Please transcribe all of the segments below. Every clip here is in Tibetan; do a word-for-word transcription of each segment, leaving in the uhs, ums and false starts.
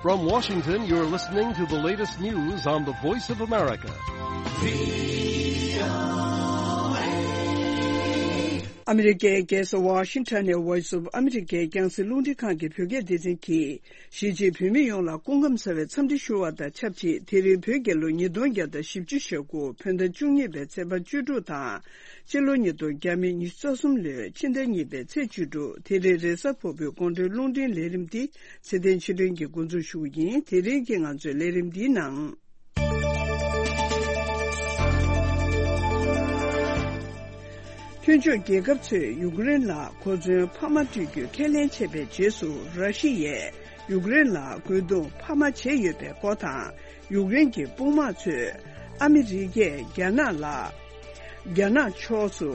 From Washington, you're listening to the latest news on the Voice of America. ཨ་མི་རི་ཀའི་རྒྱལ་ས་ཝ་ཤིང་ཊོན་ནས་Voice of America རྒྱང་སྲིང་རླུང་འཕྲིན་ཁང་གི་བོད་སྐད་སྡེ་ཚན་གྱིས། གཞིས་བྱེས་བོད་མི་ཡོངས་ལ་སྐུ་ཁམས་བཟང་བའི་འཚམས་འདྲི་ཞུ་བ་དང་ཆབས་ཅིག་དེ་རིང་བོད་རྒྱལ་ལོ་ཉིས་སྟོང་བརྒྱ་དང་བཞི་བཅུ་ཞེ་དགུ་བོད་ཟླ་བཅུ་གཉིས་པའི་ཚེས་པ་བཅུ་དྲུག་དང་། སྤྱི་ལོ་ཉིས་སྟོང་ཉི་ཤུ་རྩ་གསུམ་ལོའི་ཕྱི་ཟླ་གཉིས་པའི་ཚེས་བཅུ་དྲུག་དེ་རིང་རེས་གཟའ་ཕུར་བུའི་དགོང་དྲོའི་རླུང་འཕྲིན་ལས་རིམ་འདི་ཚེ་བརྟན་ཆོས་སྒྲོན་གྱིས་འགོ་འཛུགས་ཞུ་གི་ཡིན། དེ་རིང་གི་ང་ཚོའི་ལས་རིམ་འདིའི་ནང་། མཐུན་ཕྱོགས་རྒྱལ་ཁབ་ཚོས་ཡུཀ་རེན་ལ་གོ་མཚོན་འཕར་མ་སྤྲོད་རྒྱུའི་ཁས་ལེན་བྱས་པའི་རྗེས་སུ། ར་ཤི་ཡས་ཡུཀ་རེན་ལ་རྒོལ་རྡུང་འཕར་མ་བྱས་ཡོད་པའི་སྐོར་དང་། ཡུཀ་རེན་གྱི་དཔུང་དམག་ཚོས་ཨ་མི་རི་ཀས་རྒྱ་ནག་ལ། རྒྱ་ནག་ཕྱོགས་སུ་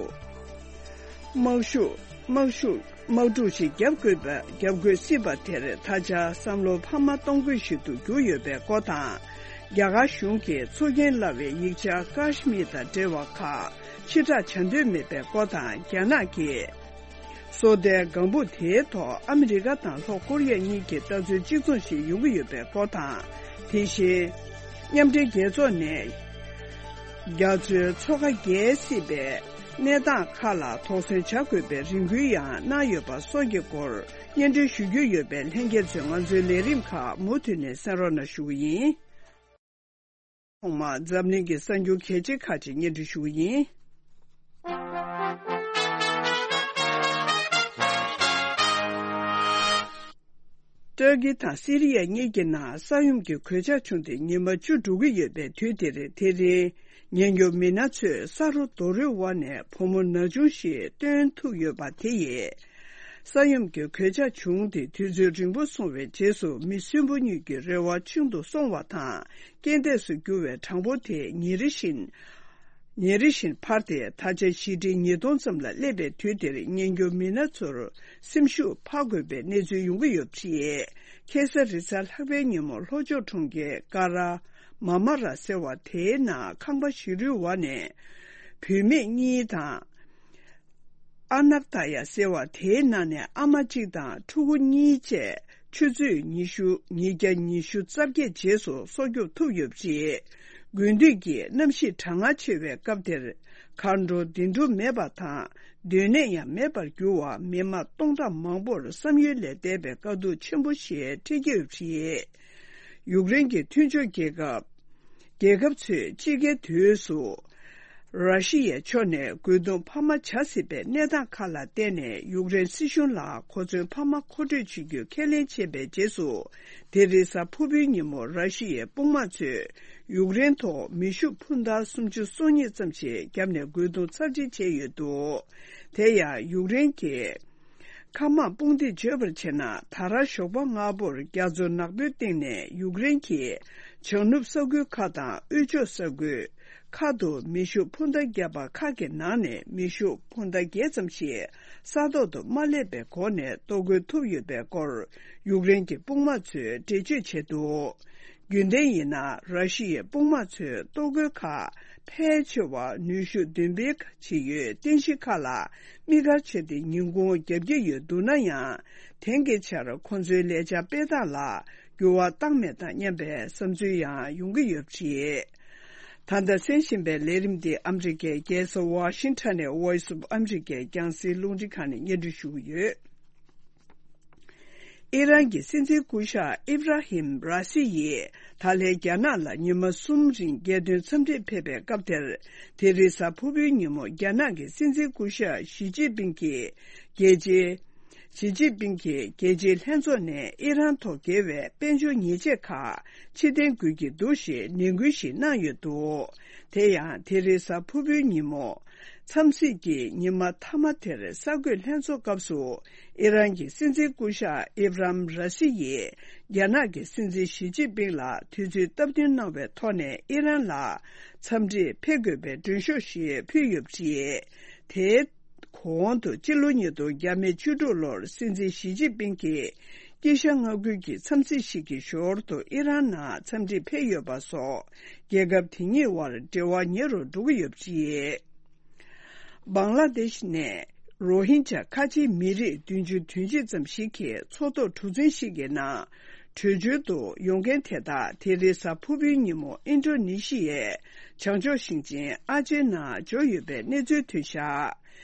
དམག་ཤུགས་དམག་ཤུགས་དམག་འཁྲུག་ཞིག་བརྒྱབ་དགོས་པ། བརྒྱབ་དགོས་སྲིད་པ་དེར་ད་ཆ་བསམ་བློ་འཕར་མ་གཏོང་དགོས་ཤིག་ཏུ་གྱུར་ཡོད་པའི་སྐོར་དང་། རྒྱ་གར་གཞུང་གིས་འཚོ་རྐྱེན་སླ་བའི་ཡིག་ཆ་ཀཱ་ཤི་མིར་དང་འབྲེལ་བ་ཁག་ཕྱིར་བསྒྲགས་བྱ་འདོད་མེད་པའི་སྐོར་དང་། རྒྱ་ནག་གིས་སོ་ལྟའི་ལྒང་བུ་དེའི་ཐོག་ཨ་མི་རི་ཀ་དང་ལྷོ་ཀོ་རི་ཡ་གཉིས་ཀྱི་ལྟ་ཚུལ་གཅིག་མཚུངས་ཤིག་ཡོང་གི་ཡོད་པའི་སྐོར་དང་། དེ་བཞིན། མཉམ་འབྲེལ་རྒྱལ་ཚོགས་ནས་རྒྱ་མཚོའི་མཚོ་ཁ་བརྒལ་སྲིད་པའི་གནས་སྟངས་ཁག་ལ་དོགས་ཟོན་བྱ་དགོས་པའི་རེ་སྐུལ་ཡང་གནང་ཡོད་པ་སོགས་ཀྱི་སྐོར་སྙན་སྒྲོན་ཞུ་རྒྱུ་ཡོད་པས། ལྷན་རྒྱས་ཚོས་ང་ཚོའི་ལས་རིམ་ཁག་མུ་མཐུད་ནས་གསན་རོགས་གནང་ཞུ་གི་ཡིན། ཐོག་མར་འཛམ་གླིང་གི་གསར་འགྱུར་གལ་ཆེ་ཁག་ཅིག་སྙན་སྒྲོན་ཞུ་གི་ཡིན། ཏུར་ཀི་དང་སི་རི་ཡ་གཉིས་ཀྱི་ནང་ས་ཡོམ་གྱི་གོད་ཆག་བྱུང་སྟེ་ཉི་མ་བཅུ་འགྲོ་གི་ཡོད་པའི་དུས་འདིར། དེ་རིང་ཉེན་སྐྱོབ་མི་སྣ་ཚོས་ས་རོ་རྡོ་རོའི་འོག་ནས་བུ་མོ་ན་ཆུང་ཞིག་བཏོན་ཐུབ་ཡོད་པ་དེ་ཡིས། ས་ཡོམ་གྱི་གོད་ཆག་བྱུང་སྟེ་དུས་ཚོད་རིང་པོ་སོང་བའི་རྗེས་སུ། མི་གསོན་པོ་གཉིས་ཀྱི་རེ་བ་ཤིན་ཏུ་སོང་བ་དང་། རྐྱེན་འདས་སུ་གྱུར་བའི་གྲངས་འབོར་དེ་ཉིན་རེ་བཞིན། ཉིན་རེ་བཞིན་འཕར་ཏེ། ད་ཆ་ཞི་ཁྲི་ཉིས་སྟོང་ཙམ་ལ་སླེབས་པའི་དུས་འདིར། ཉེན་སྐྱོབ་མི་སྣ་ཚོར་སེམས་ཤུགས་འཕར་དགོས་པའི་གནས་ཚུལ་ཡོང་གི་ཡོད་པ་རེད། ཁ་སང་རེས་གཟའ་ལྷག་པའི་ཉིན་མོ། ལྷོ་ཕྱོགས་གྲོང་ཁྱེར་ཀ་ར་མ་མ་ར་ཟེར་བ་དེའི་ནང་ཁང་པ་བཞི་རུའི་འོག་ནས་བུད་མེད་གཉིས་དང་། ཨ་ནག་ཏ་ཡ་ཟེར་བ་དེའི་ནང་ནས་ཨ་མ་གཅིག་དང་ཕྲུ་གུ་གཉིས་བཅས་ཆུ་ཚོད་ཉི་ཤུ། ཉིས་བརྒྱ་ཉི་ཤུ་རྩ་བརྒྱད་རྗེས་སུ་སྲོག་སྐྱོབ་ཐུབ་ཡོད་པ་རེད། དགུན་དུས་ཀྱི་གནམ་གཤིས་གྲང་ངར་ཆེ་བའི་སྐབས་དེར། གར་འགྲོ་འདི་འགྲོ་མེད་པ་དང་། སྡོད་གནས་ཡང་མེད་པར་གྱུར་བ། མི་མང་སྟོང་ཕྲག་མང་པོར་བསམ་ཡུལ་ལས་འདས་པའི་དཀའ་སྡུག་ཆེན་པོ་ཞིག་འཕྲད་ཀྱི་ཡོད་པ་རེད། ཡུཀ་རེན་གྱི་མཐུན་ཕྱོགས་རྒྱལ་ཁབ། རྒྱལ་ཁབ་ཚོས་དཔྱིད་ཀའི་དུས་སུ། ར་ཤི་ཡའི་ཕྱོགས་ནས་རྒོལ་རྡུང་འཕར་མ་བྱ་སྲིད་པའི་གནས་སྟངས་ཁག་ལ་བརྟེན་ནས། ཡུཀ་རེན་སྲིད་གཞུང་ལ་གོ་མཚོན་འཕར་མ་མཁོ་སྤྲོད་བྱེད་རྒྱུའི་ཁས་ལེན་བྱས་པའི་རྗེས་སུ། དེ་རིང་གཟའ་ཕུར་བུའི་ཉིན་མོ། ར་ཤི་ཡའི་དཔུང་དམག་ཚོས་ཡུཀ་རེན་ཐོག་མེ་ཤུགས་འཕུར་མདའ་སུམ་ཅུ་སོ་གཉིས་ཙམ་ཞིག་བརྒྱབ་ནས་རྒོལ་རྡུང་ཚབས་ཆེ་བྱས་ཡོད་འདུག་དེ་ཡང་ཡུཀ་རེན་གྱི་མཁའ་དམག་དཔུང་སྡེས་བརྗོད་པར་བྱས་ན། ད་རང་ཞོགས་པ་སྔ་པོར་རྒྱ་མཚོ་ནག་པོའི་སྟེང་ནས་ཡུཀ་རེན་གྱི་བྱང་ནུབ་ས་ཁུལ་ཁག་དང་དབུས་ཕྱོགས་ས་ཁུལ་ཁག་ཏུ་མེ་ཤུགས་འཕུར་མདའ་བརྒྱབ་པ་ཁག་གི་ནང་ནས་མེ་ཤུགས་འཕུར་མདའ་བརྒྱད་ཙམ་ཞིག་ས་ཐོག་ཏུ་མ་སླེབས་པའི་སྒོ་ནས་གཏོར་རྒོལ་ཐུབ་ཡོད་པའི་སྐོར་ཡུཀ་རེན་གྱི་དཔུང་དམག་ཚོས་འགྲེལ་བརྗོད་བྱས་འདུག་རྒྱུན་ལྡན་ཡིན་ན། ར་ཤི་ཡའི་དཔུང་དམག་ཚོའི་གཏོར་རྒོལ་ཁག་ཕལ་ཆེ་བ་ནུས་ཤུགས་འདོན་སྤེལ་བྱེད་ཡུལ་རྟེན་གཞི་ཁག་ལ་དམིགས་བཀར་བྱས་ཏེ། ཉིན་གུང་བརྒྱབ་ཀྱི་ཡོད་འདུག་ན་ཡང་། དེང་གི་ཆར་ཁོང་ཚོའི་ལས་འཆར་སྤེལ་སྟངས་ལ་འགྱུར་བ་བཏང་མེད་དམ་སྙམ་པའི་བསམ་ཚུལ་ཡང་ཡོང་གི་ཡོད་པ་རེད། ད་ལྟ་གསན་བཞིན་པའི་ལས་རིམ་འདི་ཨ་མི་རི་ཀའི་རྒྱལ་ས་ཝ་ཤིང་ཊོན་ནས་Voice of America རྒྱང་སྲིང་རླུང་འཕྲིན་ཁང་ནས་སྙན་སྒྲོན་ཞུ་གི་ཡོད། ཨི་རན་གྱི་སྲིད་འཛིན་སྐུ་ཞབས་ཨིབ་ར་ཧིམ་ར་སི་ཡིས་ད་ལན་རྒྱ་ནག་ལ་ཉི་མ་གསུམ་རིང་རྒྱལ་དོན་འཚམས་འདྲིར་ཕེབས་པའི་སྐབས་དེར། དེ་རིང་གཟའ་ཕུར་བུའི་ཉིན་མོ། རྒྱ་ནག་གི་སྲིད་འཛིན་སྐུ་ཞབས་ཞི་ཅིན་ཕིང་གིས་རྒྱལ་སྤྱིའི། ཞི་ཅིན་ཕིང་གིས་རྒྱལ་སྤྱིའི་ལྷན་ཚོགས་ནས་ཨི་རན་ཐོག་འགེལ་བའི་དཔལ་འབྱོར་ཉེས་ཆད་ཁག་ཕྱིར་འཐེན་དགོས་ཀྱི་འདུག་ཞེས་ནན་སྐུལ་ཞིག་གནང་ཡོད་འདུག་དེ་ཡང་། དེ་རིང་གཟའ་ཕུར་བུའི་ཉིན་མོ། འཚམས་གཟིགས་ཀྱི་ཉི་མ་མཐའ་མ་དེར་གསར་འགོད་ལྷན་ཚོགས་སྐབས་སུ། ཨི་རན་གྱི་སྲིད་འཛིན་སྐུ་ཞབས་ཨིབ་རམ་ར་སི་ཡིས་རྒྱ་ནག་གི་སྲིད་འཛིན་ཞི་ཅིན་ཕིང་ལ་དུས་ཚོད་སྟབས་བསྟུན་གནང་བའི་ཐོག་ནས་ཨི་རན་ལ་འཚམས་འདྲིར་ཕེབས་དགོས་པའི་མགྲོན་ཤོག་ཞིག་ཕུལ་ཡོད་པ་རེད། དེའི་གོང་དུ་སྤྱི་ལོ་ཉིས་སྟོང་བརྒྱ་མེད་བཅུ་དྲུག་ལོར་སྲིད་འཛིན་ཞི་ཅིན་ཕིང་གིས་དཀྱིལ་ཤར་མངའ་ཁུལ་གྱི་འཚམས་གཟིགས་ཤིག་གི་ཞོར་དུ་ཨི་རན་ནང་འཚམས་འདྲིར་ཕེབས་ཡོད་པ་སོགས། རྒྱལ་ཁབ་དེ་གཉིས་དབར་འབྲེལ་བ་ཉེ་རུ་འགྲོ་གི་ཡོད་པ་རེད། བང་ལ་དེཤ་ནས་རོ་ཧིན་ཇཱ་ཁ་ཆེའི་མི་རིགས་བདུན་ཅུ་དོན་གཅིག་ཙམ་ཞིག་གིས་མཚོ་ཐོག་གྲུ་གཟིངས་ཤིག་གི་ནང་ བྲོས་བྱོལ་དུ་ཡོང་མཁན་དེ་དག་དེ་རིང་གཟའ་ཕུར་བུའི་ཉིན་མོ་ཨིན་ཌོ་ནེ་ཤི་ཡའི་བྱང་ཕྱོགས་ཞིང་ཆེན་ཨ་ཅེ་ནང་འབྱོར་ཡོད་པའི་གནས་ཚུལ་ཐོན་བཞག་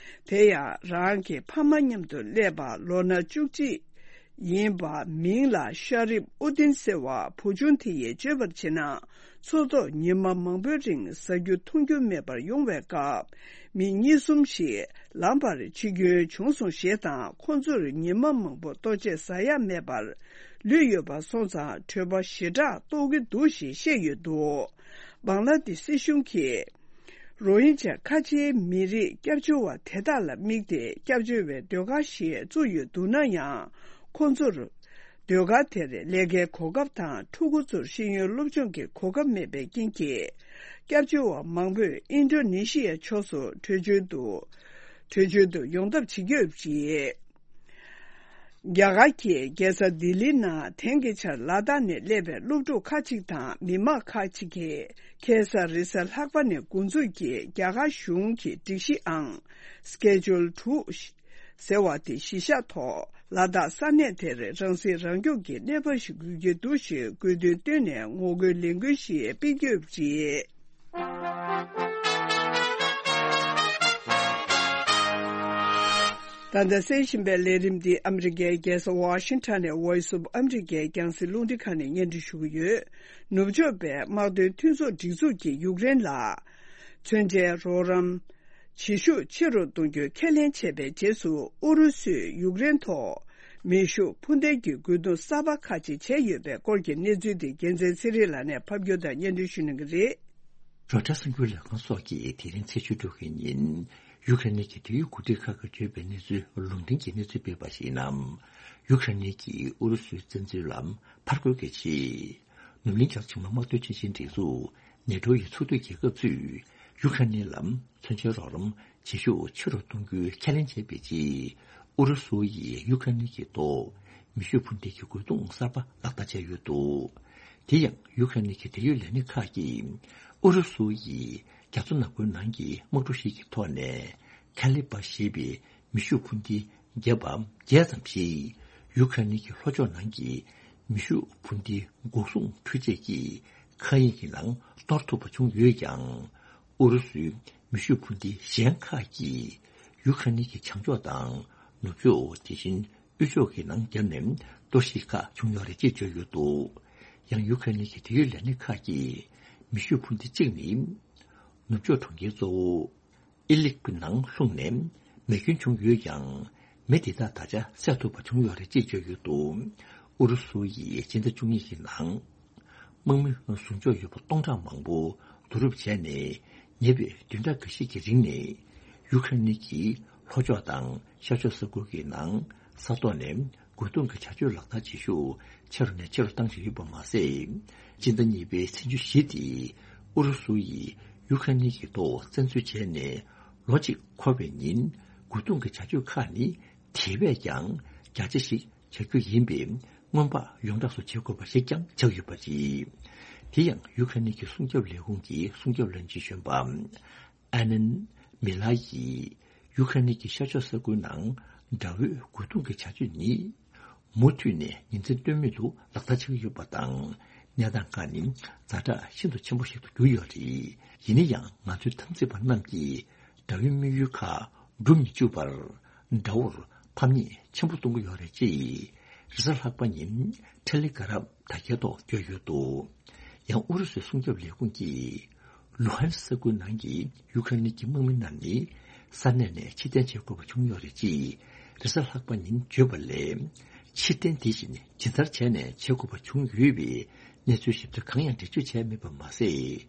དེ་ཡང་རང་གི་ཕ་མ་མཉམ་དུ་སླེབས་པ་ལོ་ན་བཅུ་གཅིག་ཡིན་པ་མིང་ལ་ཤ་རིབ་ཨུ་ཏིན་ཟེར་བ་བུ་ཆུང་དེ་ཡིས་བརྗོད་པར་བྱས་ན། མཚོ་ཐོག་ཉི་མ་མང་པོའི་རིང་ཟ་རྒྱུ་འཐུང་རྒྱུ་མེད་པར་ཡོང་བའི་སྐབས། མི་གཉིས་གསུམ་ཞིག་ལམ་བར་འཆི་སྐྱོན་བྱུང་སོང་ཞེས་དང་། ཁོ་ཚོར་ཉི་མ་མང་པོ་ལྟོ་ཆས་ཟ་ཡག་མེད་པར་ལུས་ཡོད་པ་སོང་ཙང་། བྲོད་པ་ཞེ་དྲག་རྟོགས་ཀྱི་འདུག་ཞེས་བཤད་ཡོད་འདུག་བང་ལ་དེ་སྲིད་གཞུང་གིས། རོ་ཧིན་ཇ་ཁ་ཆེའི་མི་རིགས་སྐྱབས་བཅོལ་བ་དེ་དག་ལ་དམིགས་ཏེ། སྐྱབས་བཅོལ་བའི་ཟློས་གར་ཞིག་བཙུགས་ཡོད་འདུག་ན་ཡང་། ཁོང་ཚོར་ཟློས་གར་དེར་ལས་ཀའི་གོ་སྐབས་དང་། ཕྲུ་གུ་ཚོར་ཤེས་ཡོན་སློབ་སྦྱོང་གི་གོ་སྐབས་མེད་པའི་རྐྱེན་གྱིས། སྐྱབས་བཅོལ་བ་མང་པོས་ཨིན་ཌོ་ནེ་ཤི་ཡའི་ཕྱོགས་སུ་བྲོས་བྱོལ་དུ། བྲོས་བྱོལ་དུ་ཡོང་ཐབས་བྱེད་ཀྱི་ཡོད་པ་རེད། རྒྱ་གར་གྱི་རྒྱལ་ས་ལྡི་ལི་ནང་དེང་གི་ཆར་ལ་དྭགས་ནས་སླེབས་པའི་སློབ་ཕྲུག་ཁག་ཅིག་དང་མི་མང་ཁག་ཅིག་གིས། ཁ་སང་རེས་གཟའ་ལྷག་པ་ནས་འགོ་འཛུགས་ཀྱིས་རྒྱ་གར་གཞུང་གི་སྒྲིག་གཞི་ཨང་སི་ཀེ་ཇུལ་དྲུག་ཟེར་བ་དེ་གཞི་བཞག་ཐོག་ལ་དྭགས་ས་གནས་དེར་རང་སྲིད་རང་སྐྱོང་གི་གནས་བབ་ཞིག་དགོས་ཀྱི་འདུག་ཞེས་དགོས་འདུན་བཏོན་ནས་ངོ་རྒོལ་ལས་འགུལ་ཞིག་སྤེལ་གྱི་ཡོད་པ་རེད། ད་ལྟ་གསན་བཞིན་པའི་ལས་རིམ་འདི་ཨ་མི་རི་ཀའི་རྒྱལ་ས་ཝ་ཤིང་ཊོན་ནས་Voice of America རྒྱང་སྲིང་རླུང་འཕྲིན་ཁང་ནས་སྙན་སྒྲོན་ཞུ་གི་ཡོད། ནུབ་ཕྱོགས་པའི་དམག་དོན་མཐུན་ཚོགས་སྒྲིག་འཛུགས་ཀྱིས་ཡུཀ་རེན་ལ། མཚོན་ཆའི་རོགས་རམ། བྱེད་ཤུགས་ཆེ་རུ་གཏོང་རྒྱུའི་ཁས་ལེན་བྱས་པའི་རྗེས་སུ། ཨུ་རུ་སུས་ཡུཀ་རེན་ཐོག་མེ་ཤུགས་འཕུར་མདེལ་གྱི་རྒོལ་རྡུང་གསར་པ་ཁག་ཅིག་བྱས་ཡོད་པའི་སྐོར་གྱི་གནས་ཚུལ་དེ་རྒྱལ་མཚན་ཚེ་རིང་ལགས་ནས་ཕབ་སྒྱུར་དང་སྙན་སྒྲོན་ཞུ་གནང་གི་རེད། རོའི་ཊར་གསར་འགྱུར་ལས་ཁང་སོགས་ཀྱིས་དེ་རིང་ཚེས་བཅུ་དྲུག་གི་ཉིན། ཡུཀ་རེན་གྱི་དེ་ཡུལ་འགོ་ཁྲིད་ཁག་གིས་བརྗོད་པའི་གནས་ཚུལ་ལུང་འདྲེན་གྱིས་གནས་ཚུལ་སྤེལ་བར་གཞིགས་ན། ཡུཀ་རེན་གྱིས་ཨུ་རུ་སུའི་བཙན་འཛུལ་ལ་ཕར་རྒོལ་གྱི་ཆེད། ནུབ་གླིང་རྒྱ་ཆེ་མ་དམག་དོན་ཆེན་ཆེན་སྒྲིག་འཛུགས་ནེ་ཊོ་ཡི་ཚོགས་འཐུས་རྒྱལ་ཁབ་ཚོས་ཡུཀ་རེན་ལ་མཚོན་ཆའི་རོགས་རམ་བྱེད་ཤུགས་ཆེ་རུ་གཏོང་རྒྱུའི་ཁས་ལེན་བྱས་པའི་རྗེས། ཨུ་རུ་སུ་ཡིས་ཡུཀ་རེན་གྱི་ཐོག་མེ་ཤུགས་འཕུར་མདེལ་གྱི་རྒོལ་རྡུང་གསར་པ་ལག་བསྟར་བྱས་ཡོད་འདུག་དེ་ཡང་ཡུཀ་རེན་གྱི་འབྲེལ་ཡོད་ལས་སྣེ་ཁག་གིས་ཨུ་རུ་སུ་ཡིས་རྒྱ་མཚོ་ནག་པོའི་ནང་གི་དམག་གྲུ་ཞིག་གི་ཐོག་ནས་ཁ་ལི་པ་ཞེས་པའི་མེ་ཤུགས་འཕུར་མདེལ་བརྒྱབ་པ་བརྒྱད་ཙམ་ཞིག་ཡུཀ་རེན་གྱི་ལྷོ་ཕྱོགས་ནང་གི་མེ་ཤུགས་འཕུར་མདེལ་འགོག་སྲུང་འཕྲུལ་ཆས་ཀྱི་མཁའ་དབྱིངས་ཀྱི་ནང་གཏོར་ཐུབ་པ་བྱུང་ཡོད་ཀྱང་། ཨུ་རུ་སུའི་མེ་ཤུགས་འཕུར་མདེལ་གཞན་ཁག་གིས་ཡུཀ་རེན་གྱི་བྱང་ཕྱོགས་དང་ནུབ་ཕྱོགས། དེ་བཞིན་དབུས་ཕྱོགས་ཀྱི་ནང་བརྒྱབ་ནས་གཏོར་བཤིག་ཁག་བྱུང་ཡོད་རེད་ཅེས་བརྗོད་ཡོད་འདུག་ཡང་ཡུཀ་རེན་གྱི་འབྲེལ་ཡོད་ལས་སྣེ་ཁག་གིས་མེ་ཤུགས་འཕུར་མདེལ་གཅིག་ནི། ནུབ་ཕྱོགས་གྲོང་ཁྱེར་གཙོ་བོ་ཨི་ལིབ་ཀྱི་ནང་ལྷུང་ནས་མེ་སྐྱོན་བྱུང་ཡོད་ཀྱང་། མེ་དེ་དག་ད་ཆ་བསལ་ཐུབ་པ་བྱུང་ཡོད་རེད་ཅེས་བརྗོད་ཡོད་འདུག་ཨུ་རུ་སུ་ཡིས་སྤྱི་ཟླ་བཅུ་གཉིས་ཀྱི་ནང་། དམག་མི་བཟུང་ཕྱོགས་ཡོད་པ་སྟོང་ཕྲག་མང་པོ་བསྡུ་རུབ་བྱས་ནས། ཉེ་བའི་བདུན་ཕྲག་འགའ་ཤས་ཀྱི་རིང་ནས། ཡུཀ་རེན་གྱི་ལྷོ་ཕྱོགས་དང་ཤར་ཕྱོགས་ས་ཁུལ་གྱི་ནང་ས་ཐོག་ནས་རྒོལ་རྡུང་གི་བྱ་སྤྱོད་ལག་བསྟར་བྱེད་ཤུགས་ཆེ་རུ་ནས་ཆེ་རུ་བཏང་བཞིན་ཡོད་པ་མ་ཟད། སྤྱི་ཟླ་གཉིས་པའི་ཚེས་བཅུ་བཞི་སྟེ། ཨུ་རུ་སུ་ཡིས་ཡུཀ་རེན་གྱི་ཐོག་བཙན་འཛུལ་བྱས་ནས་ལོ་གཅིག་འཁོར་བའི་ཉིན། རྒོལ་རྡུང་གི་བྱ་སྤྱོད་ཁག་ནི་དེ་བས་ཀྱང་རྒྱ་ཆེ་ཞིག་བྱ་རྒྱུ་ཡིན་པའི་སྔོན་དཔག་ཡོངས་གྲགས་སུ་བྱེད་དགོས་པ་ཞིག་ཀྱང་ཆགས་ཡོད་པ་རེད། དེ་ཡང་ཡུཀ་རེན་གྱི་སྲུང་སྐྱོབ་ལས་ཁུངས་ཀྱི་སྲུང་སྐྱོབ་བློན་ཆེན་གཞོན་པ་ཨ་ནན་མི་ལ་ཡིས་ཡུཀ་རེན་གྱི་ཤར་ཕྱོགས་ས་ཁུལ་ནང་དགྲ་བོའི་རྒོལ་རྡུང་གི་བྱ་སྤྱོད་ནི་མུ་མཐུད་ནས་ཉིན་མཚན་ལྟོས་མེད་དུ་ལག་བསྟར་བྱེད་ཀྱི་ཡོད་པ་དང་། གནས་སྟངས་ཁག་ནི་ཛ་དྲག་ཤིན་ཏུ་ཆེན་པོ་ཞིག་ཏུ་གྱུར་ཡོད་རེད། ཡིན་ན་ཡང་ང་ཚོའི་འཐབ་འཛིང་པ་རྣམས་ཀྱིས་དགྲ་བོའི་དམིགས་ཡུལ་ཁག་འགྲུབ་མི་བཅུག་པར། དགྲ་བོར་ཕམ་ཉེས་ཆེན་པོ་གཏོང་གི་ཡོད་རེད་ཅེས། རེས་གཟའ་ལྷག་པ་ཉིན་ཊེ་ལི་གྷ་རམ་དྲ་རྒྱའི་ཐོག་བཀོད་ཡོད་འདུག་ཡང་ཨུ་རུ་སུའི་སྲུང་སྐྱོབ་ལས་ཁུངས་ཀྱིས། ལུ་ཧན་ས་ཁུལ་ནང་གི་ཡུཀ་རེན་གྱི་དམག་མི་རྣམས་ནི་ས་གནས་ནས་ཕྱིར་འཐེན་བྱེད་དགོས་པ་བྱུང་ཡོད་རེད་ཅེས་རེས་གཟའ་ལྷག་པ་ཉིན་བརྗོད་པ་ལས། ཕྱིར་འཐེན་དེ་བཞིན་ཇི་ལྟར་བྱས་ནས་བྱེད་དགོས་པ་བྱུང་ཡོད་པའི་གནས་ཚུལ་ཞིབ་ཕྲ་གང་ཡང་འགྲེལ་བརྗོད་བྱས་མེད་པ་མ་ཟད།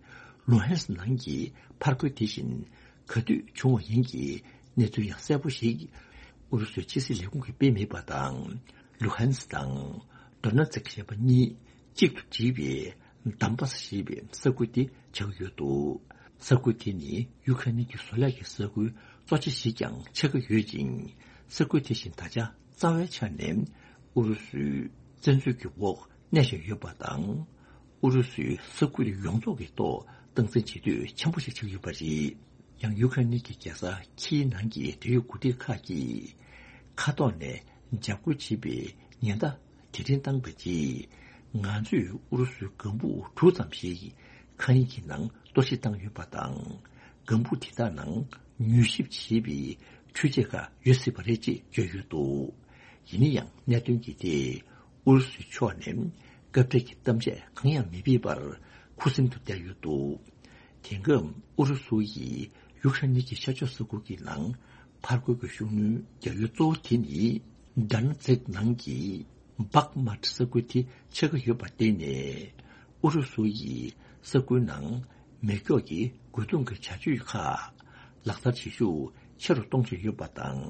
ལུ་ཧན་སི་ནང་གི་ཕར་རྒོལ་དེ་བཞིན་ག་དུས་བྱུང་བ་ཡིན་གྱི་གནས་ཚུལ་ཡང་གསལ་པོ་ཞིག་ཨུ་རུ་སུའི་ཕྱི་སྲིད་ལས་ཁུངས་ཀྱིས་སྤེལ་མེད་པ་དང་། ལུ་ཧན་སི་དང་ཌོ་ནེ་ཚིག་ཞེས་པ་གཉིས་གཅིག་ཏུ་བསྒྲིལ་བའི་དམ་པ་ཞེས་པའི་ས་ཁུལ་དེ་ཆགས་ཡོད་འདུག་ས་ཁུལ་དེ་ནི་ཡུ་ཁ་ནི་གི་བཟོ་ལས་ཀྱི་ས་ཁུལ་གཙོ་ཆེ་ཞིག་ཀྱང་ཆགས་ཀྱི་ཡོད་ཅིང་། ས་ཁུལ་དེ་བཞིན་ད་ཆ་རྩ་བའི་ཆ་ནས་ཨུ་རུ་སུའི་བཙན་འཛུལ་གྱི་འོག་གནས་བཞིན་ཡོད་པ་དང་། ཨུ་རུ་སུའི་ས་ཁུལ་ཡོངས་རྫོགས་ཀྱི་ཐོག་སྟངས་འཛིན་བྱེད་འདོད་ཆེན་པོ་ཞིག་ཆགས་ཡོད་པ་རེད། ཡང་ཡུ་ཁ་ནི་གི་རྒྱལ་ས་ཁིའི་ནང་གི་འབྲེལ་ཡོད་འགོ་ཁྲིད་ཁག་གིས་མཁའ་ཐོག་ནས་འཇབ་རྒོལ་བྱེད་པའི་ཉེན་བརྡ་དེ་རིང་བཏང་པའི་རྗེས། ང་ཚོས་ཨུ་རུ་སུའི་ལྒང་བུ་དྲུག་ཙམ་ཞིག་མཁའ་དབྱིངས་ཀྱི་ནང་གཏོར་བཤིག་བཏང་ཡོད་པ་དང་། ལྒང་བུ་དེ་དག་ནང་མྱུལ་ཞིབ་བྱེད་པའི་འཕྲུལ་ཆས་ཁག་ཡོད་སྲིད་པ་རེད་ཅེས་བརྗོད་ཡོད་འདུག་ཡིན་ན་ཡང་གནད་དོན་གྱི་ཐད་ཨུ་རུ་སུའི་ཕྱོགས་ནས་སྐབས་འཕྲལ་གྱི་གཏམ་བཤད་གང་ཡང་མི་ཕེབས་པར་ཁུ་སིམ་དུ་བསྡད་ཡོད་འདུག་དེང་སྐབས་ཨུ་རུ་སུ་ཡིས་ཡུ་ཁ་རེན་གྱི་ཤར་ཕྱོགས་ས་ཁུལ་གྱི་ནང་ཕར་རྒོལ་གྱི་ཤུགས་སྣོན་རྒྱག་ཡུལ་གཙོ་བོ་དེ་ནི་ཌན་ཛེག་ནང་གི་བྷག་མཱད་ས་ཁུལ་དེ་ཆགས་ཀྱི་ཡོད་པར་བརྟེན་ནས། ཨུ་རུ་སུ་ཡིས་ས་ཁུལ་ནང་མེ་སྒྱོགས་ཀྱི་རྒོལ་རྡུང་གི་བྱ་སྤྱོད་ཁག་ལག་བསྟར་བྱེད་ཤུགས་ཆེ་རུ་གཏོང་བཞིན་ཡོད་པ་དང་།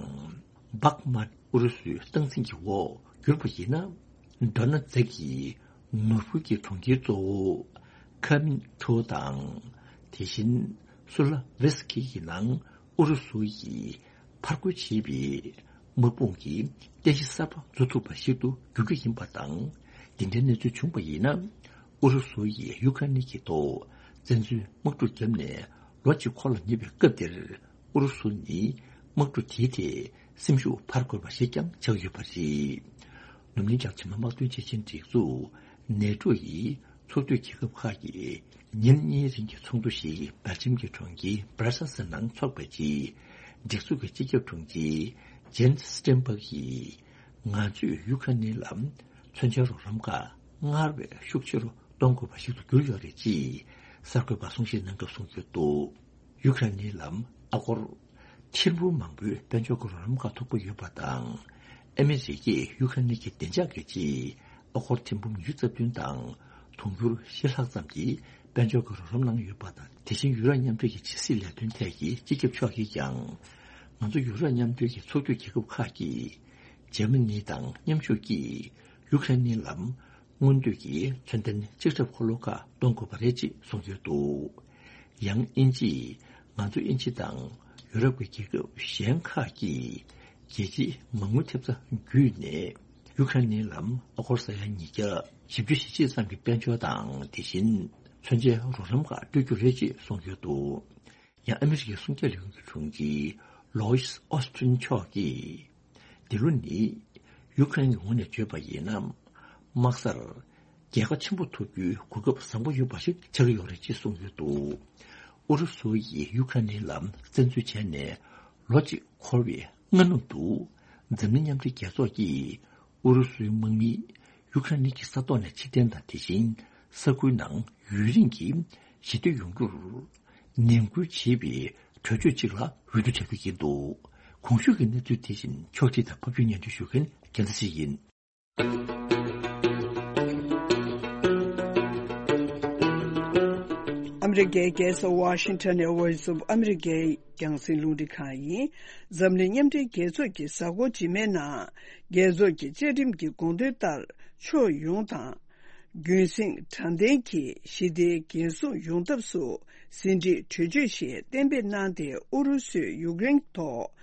བྷག་མཱད་ཨུ་རུ་སུའི་སྟངས་འཛིན་གྱི་འོག་གྱུར་པ་ཡིན་ན། ཌན་ཛེག་གི་ནོར་བུ་གྱི་གྲོང་ཁྱེར་གཙོ་བོ་ཁ་མིན་ཁྲོ་དང་། དེ་བཞིན་སུ་ལ་ཝེ་སི་ཁི་ཡི་ནང་ཨུ་རུ་སུ་ཡིས་ཕར་རྒོལ་བྱེད་པའི་དམག་དཔུང་གི་རྟེན་གཞི་གསར་པ་འཛུགས་ཐུབ་པ་ཞིག་ཏུ་འགྱུར་རྒྱུ་ཡིན་པ་དང་། འདི་འདྲའི་གནས་ཚུལ་བྱུང་བ་ཡིན་ན། ཨུ་རུ་སུ་ཡིས་ཡུ་ཁ་རེན་གྱི་ཐོག་བཙན་འཛུལ་དམག་འཁྲུག་བརྒྱབ་ནས་ལོ་གཅིག་འཁོར་ལ་ཉེ་བའི་སྐབས་འདིར། ཨུ་རུ་སུ་ནི་དམག་འཁྲུག་དེའི་ཐད་སེམས་ཤུགས་འཕར་དགོས་པ་ཞིག་ཀྱང་ཆགས་ཡོད་པ་རེད། ནུབ་གླིང་རྒྱ་ཆེ་མ་དམག་དོན་ཆེ་ཆེན་སྒྲིག་འཛུགས་ནེ་ཏྲོ་ཡི་ཚོགས་འཐུས་རྒྱལ་ཁབ་ཁག་གིས་ཉིན་གཉིས་རིང་གི་ཚོགས་འདུ་ཞིག་སྦེལ་ཇམ་གྱི་གྲོང་ཁྱེར་སྦྲ་སལ་སི་ནང་འཚོགས་པའི་རྗེས། སྒྲིག་འཛུགས་ཀྱི་སྤྱི་ཁྱབ་དྲུང་ཆེ་ཇེན་སི་སི་ཊེན་སྦག་གིས། ང་ཚོས་ཡུ་ཁ་རེན་ལ་མཚོན་ཆའི་རོགས་རམ་ཁག་སྔར་བས་ཤུགས་ཆེ་རུ་གཏོང་དགོས་པ་ཞིག་ཏུ་གྱུར་ཡོད་རེད་ཅེས་གསར་འགོད་པར་གསུང་བཤད་གནང་སྐབས་གསུངས་ཡོད་འདུག་ཡུ་ཁ་རེན་ལ་ཨ་སྒོར་ཐེར་འབུམ་མང་པོའི་དཔལ་འབྱོར་གྱི་རོགས་རམ་ཁག་ཐོབ་ཀྱི་ཡོད་པ་དང་། ཨ་མི་རི་ཀས་ཡུ་ཁ་རེན་གྱི་བདེ་འཇགས་ཀྱི་ཆེད་ཨ་སྒོར་ཐེར་འབུམ་ཉི་ཤུ་རྩ་བདུན་དང་དུང་ཕྱུར་བཞི་ལྷག་ཙམ་གྱི་དཔལ་འབྱོར་གྱི་རོགས་རམ་གནང་ཡོད་པ་དང་། དེ་བཞིན་ཡུ་རོབ་མཉམ་འབྲེལ་གྱི་ཕྱི་སྲིད་ལས་དོན་ཐད་ཀྱི་སྤྱི་ཁྱབ་མཆོག་གིས་ཀྱང་། ང་ཚོ་ཡུ་རོབ་མཉམ་འབྲེལ་གྱི་ཚོགས་འཐུས་རྒྱལ་ཁབ་ཁག་གིས་འཇར་མ་ནི་དང་མཉམ་ཞུགས་ཀྱིས་ཡུ་ཁ་རེན་ལ་སྔོན་ཐོན་གྱི་མཚོན་ལྡན་ལྕགས་ཁྲབ་འཁོར་ལོ་ཁག་གཏོང་དགོས་པ་རེད་ཅེས་གསུངས་ཡོད་འདུག་ཡང་དབྱིན་ཇིས་ང་ཚོ་དབྱིན་ཇི་དང་ཡུ་རོབ་ཀྱི་རྒྱལ་ཁབ་གཞན་ཁག་གིས་རྒྱལ་སྤྱིའི་མ་དངུལ་ཐེབས་རྩ་བརྒྱུད་ནས་ཡུ་ཁ་རེན་ལ་ཨ་སྒོར་ས་ཡ་ཉིས་བརྒྱ་བཞི་བཅུ་ཞེ་གཅིག་ཙམ་གྱི་དཔལ་འབྱོར་དང་། དེ་བཞིན་མཚོན་ཆའི་རོགས་རམ་ཁག་སྤྲོད་རྒྱུ་རེད་ཅེས་གསུངས་ཡོད་འདུག་ཡང་ཨ་མི་རི་ཀའི་སྲུང་སྐྱོབ་ལས་ཁུངས་ཀྱི་དྲུང་ཆེ་ལོ་ཡིས་ཨོ་སི་ཊིན་མཆོག་གིས། འདི་ལོ་ནི་ཡུ་ཁ་རེན་གྱི་ངོས་ནས་བརྗོད་པ་ཡིན་ན། དམག་སར་རྒྱལ་ཁ་ཆེན་པོ་ཐོབ་རྒྱུའི་གོ་སྐབས་བཟང་པོ་ཡོད་པ་ཞིག་ཆགས་ཀྱི་ཡོད་རེད་ཅེས་གསུངས་ཡོད་འདུག་ཨུ་རུ་སུ་ཡིས་ཡུ་ཁ་རེན་ལ་བཙན་འཛུལ་བྱས་ནས་ལོ་གཅིག་འཁོར་བའི་སྔ་ནུབ་ཏུ། འཛམ་གླིང་མཉམ་འབྲེལ་རྒྱལ་ཚོགས་ཀྱིས་ཨུ་རུ་སུའི་དམག་མིས་ཡུ་ཁ་རེན་གྱི་ས་ཐོག་ནས་ཕྱིར་འཐེན་དང་། དེ་བཞིན་ས་ཁུལ་ནང་ཡུན་རིང་གི་ཞི་བདེ་ཡོང་རྒྱུར་ནན་སྐུལ་བྱེད་པའི་གྲོས་ཆོད་ཅིག་ལ་འོས་བསྡུ་བྱ་རྒྱུ་ཡིན་འདུག་གོང་ཞུས་ཀྱི་གནས་ཚུལ་དེ་བཞིན་ཕྱོགས་སྒྲིག་དང་ཕབ་སྒྱུར་སྙན་སྒྲོན་ཞུ་མཁན་རྒྱལ་མཚན་ཞིག་ཡིན། ཨ་མི་རི་ཀའི་རྒྱལ་ས་ཝ་ཤིང་ཊོན་ནས་Voice of America་རྒྱང་སྲིང་རླུང་འཕྲིན་ཁང་ཡིན། འཛམ་གླིང་མཉམ་འབྲེལ་རྒྱལ་ཚོགས་ཀྱི་གཟའ་འཁོར་རྗེས་མའི་ནང་། རྒྱལ་ཚོགས་ཀྱི་བཅའ་ཁྲིམས་ཀྱི་དགོངས་དོན་ལྟར། ཕྱོགས་ཡོངས་དང་། རྒྱུན་སྲིང་དྲང་བདེན་གྱི་ཞི་བདེ་འགན་སྲུང་ཡོང་ཐབས་སུ་ཟིན་བྲིས་གྲོས་ཆོད་ཞིག་གཏན་འབེབས་གནང་སྟེ། ཨུ་རུ་སུས་ཡུཀ་རེན་ཐོག་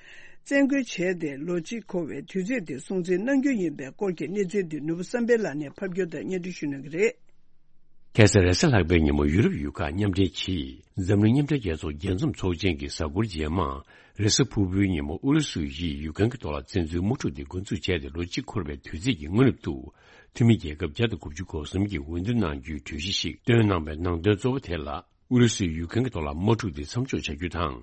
བཙན་རྒོལ་བྱས་ཏེ་ལོ་གཅིག་འཁོར་བའི་དུས་ཚོད་དེ་སྲུང་བརྩི་གནང་རྒྱུ་ཡིན་པའི་སྐོར་གྱི་གནས་ཚུལ་འདི་ནོར་བུ་བསམ་འཕེལ་ལགས་ནས་ཕབ་སྒྱུར་དང་སྙན་སྒྲོན་ཞུ་གནང་གི་རེད། ཁ་སང་རེས་གཟའ་ལྷག་པའི་ཉིན་མོ་ཡུ་རོབ་ཡུལ་ཁག་མཉམ་འབྲེལ་གྱིས་འཛམ་གླིང་མཉམ་འབྲེལ་རྒྱལ་ཚོགས་རྒྱས་འཛོམས་ཚོགས་ཆེན་གྱི་གཟའ་འཁོར་རྗེས་མ། རེས་གཟའ་ཕུར་བུའི་ཉིན་མོ་ཨུ་རུ་སུ་ཡིས་ཡུཀ་རེན་གྱི་ཐོག་ལ་བཙན་འཛུལ་དམག་འཁྲུག་དེ་འགོ་འཛུགས་བྱས་ཏེ་ལོ་གཅིག་འཁོར་བའི་དུས་ཚིགས་ཀྱི་སྔ་ནུབ་ཏུ། འཐུས་མི་རྒྱལ་ཁབ་བརྒྱ་དང་དགུ་བཅུ་གོ་གསུམ་གྱིས་འོས་བསྡུ་གནང་རྒྱུའི་གྲོས་གཞི་ཞིག་བཏོན་གནང་བའི་ནང་དོན་གཙོ་བོ་དེ་ལ། ཨུ་རུ་སུས་ཡུཀ་རེན་གྱི་ཐོག་ལ་དམག་འཁྲུག་དེ་མཚམས་འཇོག་བྱ་རྒྱུ་དང་།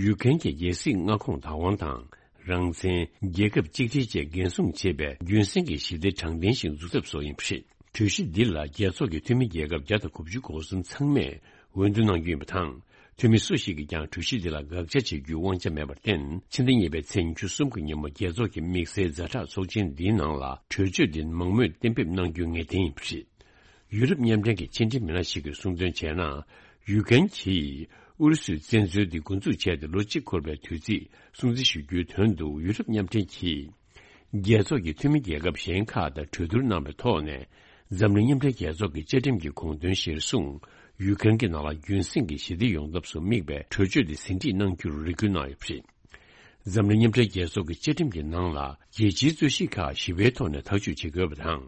ཡུཀ་རེན་གྱི་རྒྱལ་སྲིད་མངའ་ཁོངས་བདག་དབང་དང་། རང་བཙན། རྒྱལ་ཁབ་གཅིག་སྒྲིལ་བཅས་འགན་སྲུང་བྱེད་པའི་རྒྱུན་སྲིང་གི་ཞི་བདེ་དྲང་བདེན་ཞིག་འཛུགས་ཐབས་སོགས་ཡིན་པ་རེད། གྲོས་གཞི་འདི་ལ་རྒྱལ་ཚོགས་ཀྱི་འཐུས་མི་རྒྱལ་ཁབ་བརྒྱ་དང་དགུ་བཅུ་གོ་གསུམ་ཚང་མས་འོས་བསྡུ་གནང་རྒྱུ་ཡིན་པ་དང་། འཐུས་མི་སུ་ཞིག་གིས་ཀྱང་གྲོས་གཞི་འདི་ལ་དགག་བྱ་བྱེད་རྒྱུའི་དབང་ཆ་མེད་པར་བརྟེན། ཕྱི་ཟླ་གཉིས་པའི་ཚེས་ཉི་ཤུ་གསུམ་གྱི་ཉིན་མོ་རྒྱལ་ཚོགས་ཀྱི་དམིགས་བསལ་ཛ་དྲག་ཚོགས་ཆེན་འདིའི་ནང་ལ་གྲོས་ཆོད་འདི་མང་མོས་གཏན་འབེབས་གནང་རྒྱུ་ངེས་གཏན་ཡིན་པ་རེད། ཡུ་རོབ་མཉམ་འབྲེལ་གྱི་ཕྱི་འབྲེལ་མི་སྣ་ཞིག་གིས་གསུངས་དོན་བྱས་ན། ཡུཀ་རེན་གྱིས་ཨུ་རུ་སུའི་བཙན་འཛུལ་འདི་འགོ་འཛུགས་བྱས་ཏེ་ལོ་གཅིག་འཁོར་བའི་དུས་ཚིགས་སྲུང་བརྩི་ཞུ་རྒྱུའི་དོན་དུ། ཡུ་རོབ་མཉམ་འབྲེལ་གྱིས་རྒྱལ་ཚོགས་ཀྱི་འཐུས་མི་རྒྱལ་ཁབ་གཞན་ཁག་དང་གྲོས་བསྡུར་གནང་བའི་ཐོག་ནས། འཛམ་གླིང་མཉམ་འབྲེལ་རྒྱལ་ཚོགས་ཀྱི་བཅའ་ཁྲིམས་ཀྱི་དགོངས་དོན་གཞིར་བཟུང་། ཡུཀ་རེན་གྱི་ནང་ལ་རྒྱུན་སྲིང་གི་ཞི་བདེ་ཡོང་ཐབས་སུ་དམིགས་པའི་གྲོས་ཆོད་དེ་ཟིན་བྲིས་གནང་རྒྱུར་རེ་སྐུལ་གནང་ཡོད་པ་རེད། འཛམ་གླིང་མཉམ་འབྲེལ་རྒྱལ་ཚོགས་ཀྱི་བཅའ་ཁྲིམས་ཀྱི་ནང་ལ། རྒྱལ་སྤྱིའི་རྩོད་གཞི་ཁག་ཞི་བའི་ཐོག་ནས་ཐག་གཅོད་བྱེད་དགོས་པ་དང་།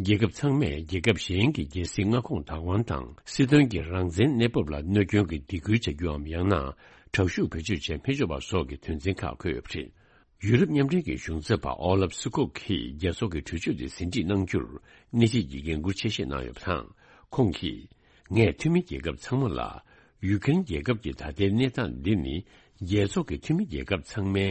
རྒྱལ་ཁབ་ཚང་མས་རྒྱལ་ཁབ་གཞན་གྱི་རྒྱལ་སྲིད་མངའ་ཁོངས་བདག་དབང་དང་། སྲིད་དོན་གྱི་རང་བཙན་གནས་བབ་ལ་གནོད་སྐྱོན་གྱི་སྡིགས་སྐུལ་བྱ་རྒྱུའམ། ཡང་ན་དྲག་ཤུགས་བེད་སྤྱོད་བྱེད་མི་ཆོག་པ་སོགས་ཀྱི་དོན་ཚན་ཁག་འཁོད་ཡོད་པ་རེད། ཡུ་རོབ་མཉམ་འབྲེལ་གྱི་གཞུང་ཚབ་པ་ཨོ་ལབ་སུ་ཀོག་གིས་རྒྱལ་ཚོགས་ཀྱི་གྲོས་ཆོད་དེ་ཟིན་བྲིས་གནང་རྒྱུར་སྣེ་ཁྲིད་ཀྱིས་འགན་འཁུར་ཆེ་བཞེས་གནང་ཡོད་པ་དང་། ཁོང་གིས། ངས་འཐུས་མི་རྒྱལ་ཁབ་ཚང་མ་ལ། ཡུ་ཀེན་རྒྱལ་ཁབ་ཀྱི་ད་ལྟའི་གནས་སྟངས་འདི་ནི། རྒྱལ་ཚོགས་ཀྱི་འཐུས་མི་རྒྱལ་ཁབ་ཚང་མའི་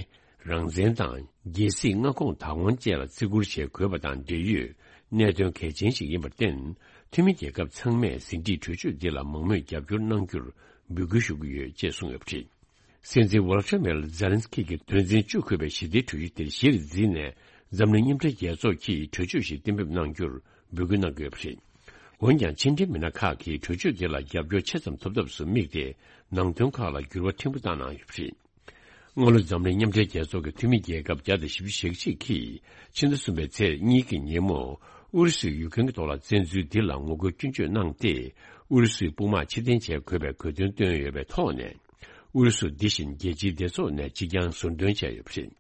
རང་བཙན་དང་། རྒྱལ་སྲིད་མངའ་ཁོངས་བདག་དབང་བཅས་ལ་བརྩི་བཀུར་བྱེད་དགོས་པ་དང་འབྲེལ་ཡོད་གནད་དོན་གལ་ཆེན་ཞིག་ཡིན་པར་བརྟེན། འཐུས་མི་རྒྱལ་ཁབ་ཚང་མས་ཟིན་བྲིས་གྲོས་ཆོད་འདི་ལ་མང་མོས་རྒྱབ་སྐྱོར་གནང་རྒྱུར་འབོད་སྐུལ་ཞུ་གི་ཡོད་ཅེས་གསུངས་ཡོད་པ་རེད། སྲིད་འཛིན་ཝོ་ལོ་ཏི་མེར་ཛེ་ལན་སི་ཀི་གིས་དོན་ཚན་བཅུ་འཁོད་པའི་ཞི་བདེའི་གྲོས་གཞི་དེར་གཞིར་འཛིན་ནས། འཛམ་གླིང་མཉམ་འབྲེལ་རྒྱལ་ཚོགས་ཀྱིས་གྲོས་ཆོད་ཞིག་གཏན་འབེབས་གནང་རྒྱུར་འབོད་སྐུལ་གནང་གི་ཡོད་པ་རེད། འོན་ཀྱང་། ཕྱི་འབྲེལ་མི་སྣ་ཁག་གིས་གྲོས་ཆོད་དེ་ལ་རྒྱབ་སྐྱོར་ཆེ་ཙམ་ཐོབ་ཐབས་སུ་དམིགས་ཏེ། ནང་དོན་ཁག་ལ་འགྱུར་བ་ཕྲན་བུ་བཏང་གནང་ཡོད་པ་རེད། སྔ་ལོ་འཛམ་གླིང་མཉམ་འབྲེལ་རྒྱལ་ཚོགས་ཀྱི་འཐུས་མི་རྒྱལ་ཁབ་བརྒྱ་དང་བཞི་བཅུ་ཞེ་གཅིག་གིས། ཕྱི་ཟླ་གསུམ་པའི་ཚེས་གཉིས་ཀྱི་ཉིན་མོ། ཨུ་རུ་སུས་ཡུ་ཀེན་གྱི་ཐོག་ལ་བཙན་འཛུལ་འདི་ལ་ངོ་རྒོལ་སྐྱོན་བརྗོད་གནང་སྟེ། ཨུ་རུ་སུའི་དཔུང་དམག་ཕྱིར་འཐེན་བྱེད་དགོས་པའི་གོ་སྟོན་བཏོན་ཡོད་པའི་ཐོག་ནས། ཨུ་རུ་སུ་འདི་བཞིན་རྒྱལ་སྤྱིའི་སྡེ་ཚོགས་ནས་གཅིག་རྐྱང་ཟུར་འདོན་བྱས་ཡོད་པ་རེད།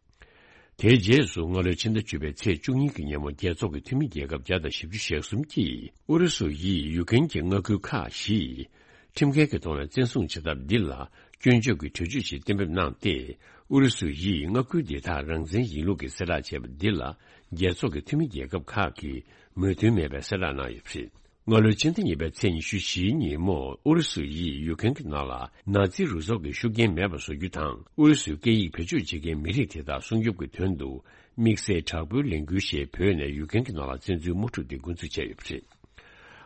དེའི་རྗེས་སུ། སྔ་ལོའི་ཕྱི་ཟླ་བཅུ་པའི་ཚེས་བཅུ་གཉིས་ཀྱི་ཉིན་མོ། རྒྱལ་ཚོགས་ཀྱི་འཐུས་མི་རྒྱལ་ཁབ་བརྒྱ་དང་བཞི་བཅུ་ཞེ་གསུམ་གྱིས། ཨུ་རུ་སུ་ཡིས་ཡུ་ཀེན་གྱི་མངའ་ཁུལ་ཁག་བཞི། ཁྲིམས་འགལ་གྱི་ཐོག་ནས་བཙན་བཟུང་བྱེད་ཐབས་འདི་ལ་སྐྱོན་བརྗོད་ཀྱི་གྲོས་ཆོད་ཞིག་གཏན་འབེབས་གནང་སྟེ། ཨུ་རུ་སུ་ཡིས་མངའ་ཁུལ་འདི་དག་རང་བཙན་ཡིན་ལུགས་ཀྱི་གསལ་བསྒྲགས་བྱས་པ་འདི་ལ། རྒྱལ་ཚོགས་ཀྱི་འཐུས་མི་རྒྱལ་ཁབ་ཁག་གིས་མོས་མཐུན་མེད་པའི་གསལ་བསྒྲགས་གནང་ཡོད་པ་རེད། སྔ་ལོའི་ཕྱི་ཟླ་གཉིས་པའི་ཚེས་ཉི་ཤུ་བཞིའི་ཉིན་མོ། ཨུ་རུ་སུ་ཡིས་ཡུ་ཀེན་གྱི་ནང་ལ་ནཱ་ཛི་རུ་ཚོགས་ཀྱི་ཤུགས་རྐྱེན་མེད་པ་བཟོ་རྒྱུ་དང་། ཨུ་རུ་སུའི་སྐད་ཡིག་བེད་སྤྱོད་བྱེད་མཁན་མི་རིགས་དེ་དག་སྲུང་སྐྱོབ་ཀྱི་དོན་དུ། དམིགས་བསལ་དྲག་པོའི་ལས་འགུལ་ཞེས་བོས་ནས་ཡུ་ཀེན་གྱི་ནང་ལ་བཙན་འཛུལ་དམག་འཁྲུག་དེ་འགོ་འཛུགས་བྱས་ཡོད་པ་རེད།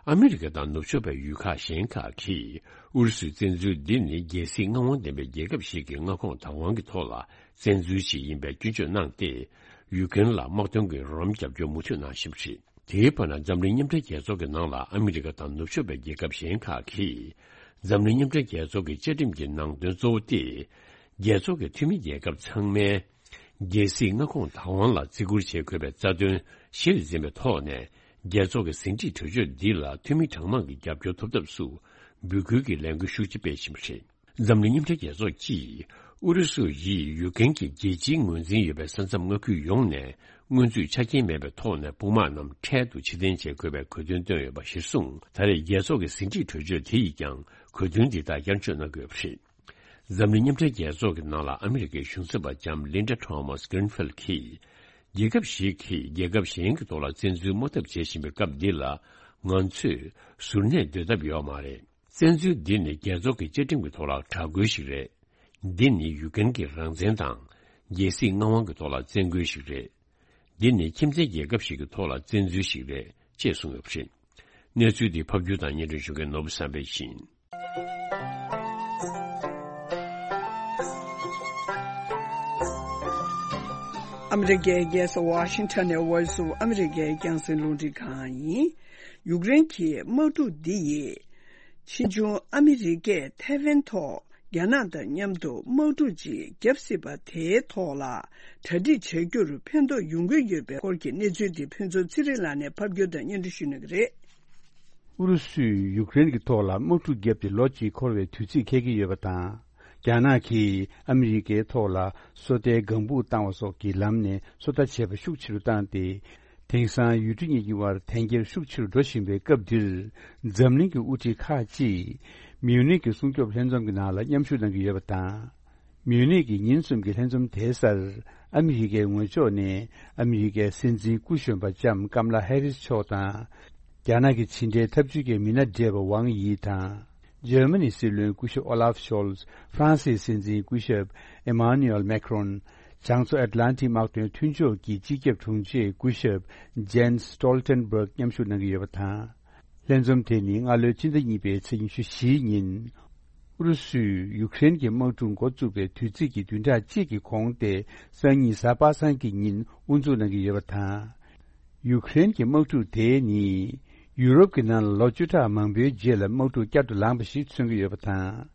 ཨ་མི་རི་ཀ་དང་ནུབ་ཕྱོགས་པའི་ཡུལ་ཁག་གཞན་ཁག་གིས་ཨུ་རུ་སུའི་བཙན་འཛུལ་འདི་ནི། རྒྱལ་སྲིད་མངའ་དབང་ལྡན་པའི་རྒྱལ་ཁབ་ཞིག་གི་མངའ་ཁོངས་བདག་དབང་གི་ཐོག་ལ་བཙན་འཛུལ་ཞིག་ཡིན་པའི་སྐྱོན་བརྗོད་གནང་སྟེ། ཡུ་ཀེན་ལ་དམག་དོན་གྱི་རོགས་རམ་རྒྱབ་སྐྱོར་མུ་མཐུད་གནང་བཞིན་པ་རེད། དེའི་བར་ན། འཛམ་གླིང་མཉམ་འབྲེལ་རྒྱལ་ཚོགས་ཀྱི་ནང་ལ་ཨ་མི་རི་ཀ་དང་ནུབ་ཕྱོགས་པའི་རྒྱལ་ཁབ་གཞན་ཁག་གིས། འཛམ་གླིང་མཉམ་འབྲེལ་རྒྱལ་ཚོགས་ཀྱི་བཅའ་ཁྲིམས་ཀྱི་ནང་དོན་གཙོ་བོ་སྟེ། རྒྱལ་ཚོགས་ཀྱི་འཐུས་མི་རྒྱལ་ཁབ་ཚང་མས། རྒྱལ་སྲིད་མངའ་ཁོངས་བདག་དབང་ལ་བརྩི་བཀུར་བྱེད་དགོས་པའི་རྩ་དོན་གཞིར་འཛིན་པའི་ཐོག་ནས། རྒྱལ་ཚོགས་ཀྱི་ཟིན་བྲིས་གྲོས་ཆོད་འདི་ལ་འཐུས་མི་གྲངས་མང་གིས་རྒྱབ་སྐྱོར་ཐོབ་ཐབས་སུ། འབོད་སྐུལ་གྱི་ལས་འགུལ་ཤུགས་ཆེ་སྤེལ་བཞིན་པ་རེད། འཛམ་གླིང་མཉམ་འབྲེལ་རྒྱལ་ཚོགས་ཀྱིས། ཨུ་རུ་སུ་ཡིས་ཡུ་ཀེན་གྱི་རྒྱལ་སྤྱིའི་ངོས་འཛིན་ཡོད་པའི་ས་མཚམས་མངའ་ཁུལ་ཡོངས་ནས། སྔོན་ཚུད་ཆ་རྐྱེན་མེད་པའི་ཐོག་ནས་དཔུང་དམག་རྣམས་འཕྲལ་དུ་ཕྱིར་འཐེན་བྱེད་དགོས་པའི་གོ་སྟོན་བཏོན་ཡོད་པ་གཞིར་བཟུང་། ད་རེས་རྒྱལ་ཚོགས་ཀྱི་ཟིན་བྲིས་གྲོས་ཆོད་དེ་ཡིས་ཀྱང་གོ་སྟོན་འདི་དག་བསྐྱར་བཅོས་གནང་དགོས་པ་རེད། འཛམ་གླིང་མཉམ་འབྲེལ་རྒྱལ་ཚོགས་ཀྱི་ནང་ལ་ཨ་མི་རི་ཀའི་གཞུང་ཚབ་པ་ལྕམ་ལིན་ཌ་ཐོ་མཱས་གྷི་རིན་ཕིལ་གྱིས། རྒྱལ་ཁབ་ཞིག་གིས་རྒྱལ་ཁབ་གཞན་གྱི་ཐོག་ལ་བཙན་འཛུལ་དམག་འཐབ་བྱེད་བཞིན་པའི་སྐབས་འདི་ལ། ང་ཚོས་ཟུར་གནས་སྡོད་ཐབས་ཡོད་མ་རེད། བཙན་འཛུལ་འདི་ནི་རྒྱལ་ཚོགས་ཀྱི་བཅའ་ཁྲིམས་ཀྱི་ཐོག་ལ་དྲག་རྒོལ་ཞིག་རེད། འདི་ནི་ཡུ་ཀེན་གྱི་རང་བཙན་དང་། རྒྱལ་སྲིད་མངའ་དབང་གི་ཐོག་ལ་བཙན་རྒོལ་ཞིག་རེད། འདི་ནི་ཁྱིམ་མཚེས་རྒྱལ་ཁབ་ཞིག་གི་ཐོག་ལ་བཙན་འཛུལ་ཞིག་རེད། ཅེས་གསུངས་ཡོད་པ་རེད། གནས་ཚུལ་འདི་ཕབ་སྒྱུར་དང་སྙན་སྒྲོན་ཞུ་མཁན་ནོར་བུ་བསམ་འཕེལ་ཡིན། ཨ་མི་རི་ཀའི་རྒྱལ་ས་ཝ་ཤིང་ཊོན་ནས་Voice of America རྒྱང་སྲིང་རླུང་འཕྲིན་ཁང་ཡིན། ཡུཀ་རེན་གྱི་དམག་འཁྲུག་འདི་ཡིས། ཕྱིས་འབྱུང་ཨ་མི་རི་ཀས་ཐའེ་ཝན་ཐོག་རྒྱ་ནག་དང་མཉམ་དུ་དམག་འཁྲུག་ཅིག་བརྒྱབ་སྲིད་པ་དེའི་ཐོག་ལ་གྲ་སྒྲིག་བྱ་རྒྱུར་ཕན་ཐོགས་ཡོང་གི་ཡོད་པའི་སྐོར་གྱི་གནས་ཚུལ་དེ་ཕུན་ཚོགས་ཚེ་རིང་ལགས་ནས་ཕབ་སྒྱུར་དང་སྙན་སྒྲོན་ཞུ་གནང་གི་རེད། ཨུ་རུ་སུས་ཡུཀ་རེན་གྱི་ཐོག་ལ་དམག་འཁྲུག་བརྒྱབ་སྟེ་ལོ་གཅིག་འཁོར་བའི་དུས་ཚིགས་འཁེལ་གྱི་ཡོད་པ་དང་། རྒྱ་ནག་གིས་ཨ་མི་རི་ཀའི་ཐོག་ལ་སོ་ལྟའི་ལྒང་སྦུག་བཏང་བ་སོགས་ཀྱི་ལམ་ནས་སོ་ལྟ་བྱས་པ་ཤུགས་ཆེ་རུ་བཏང་སྟེ། དེང་སང་ཡུལ་གྲུ་གཉིས་ཀྱི་དབར་འཐེན་འཁྱེར་ཤུགས་ཆེ་རུ་འགྲོ་བཞིན་པའི་སྐབས་འདིར། འཛམ་གླིང་གི་དབུ་ཁྲིད་ཁག་ཅིག་མིའུ་ནིག་གི་སྲུང་སྐྱོབ་ལྷན་འཛོམས་ཀྱི་ནང་ལ་མཉམ་ཞུགས་གནང་གི་ཡོད་པ་དང་། མིའུ་ནིག་གི་ཉིན་གསུམ་གྱི་ལྷན་འཛོམས་དེའི་སར། ཨ་མི་རི་ཀའི་ངོས་ཕྱོགས་ནས་ཨ་མི་རི་ཀའི་སྲིད་འཛིན་སྐུ་གཞོན་པ་ལྕམ་ཀམ་ལ་ཧེ་རིས་མཆོག་དང་། རྒྱ་ནག་གི་ཕྱི་འབྲེལ་ཐབས་ཇུས་ཀྱི་མི་སྣ་བགྲེས་པ་ཝང་དབྱི་དང་། འཇར་མ་ནི་སྲིད་བློན་སྐུ་ཞབས་ཨོ་ལཱབ་ཤོལ། ཧྥ་རན་སིའི་སྲིད་འཛིན་སྐུ་ཞབས་ཨེ་མཱ་ནུ་ཨེལ་མེག་རོན། བྱང་མཚོ་ཨེཊ་ལན་ཊིག་དམག་དོན་མཐུན་ཕྱོགས་ཀྱི་སྤྱི་ཁྱབ་དྲུང་ཆེ་སྐུ་ཞབས་ཇེན་སི་སྟོལ་ཊེན་བྷག་མཉམ་ཞུགས་གནང་གི་ཡོད་པ་དང་། ལྷན་འཛོམས་དེ་ནི་སྔ་ལོའི་ཕྱི་ཟླ་གཉིས་པའི་ཚེས་ཉི་ཤུ་བཞིའི་ཉིན། ཨུ་རུ་སུས་ཡུཀ་རེན་གྱི་དམག་འཁྲུག་འགོ་བཙུགས་པའི་དུས་ཚིགས་ཀྱི་བདུན་ཕྲག་གཅིག་གི་གོང་སྟེ། སང་ཉིན་གཟའ་པ་སངས་ཀྱི་ཉིན་དབུ་འཛུགས་གནང་གི་ཡོད་པ་དང་། ཡུཀ་རེན་གྱི་དམག་འཁྲུག་དེ་ནི། ཡུ་རོབ་ཀྱི་ནང་ལ་ལོ་བཅུ་ཕྲག་མང་པོའི་རྗེས་ལ་དམག་འཁྲུག་བསྐྱར་དུ་ལངས་པ་ཞིག་མཚོན་གྱི་ཡོད་པ་དང་།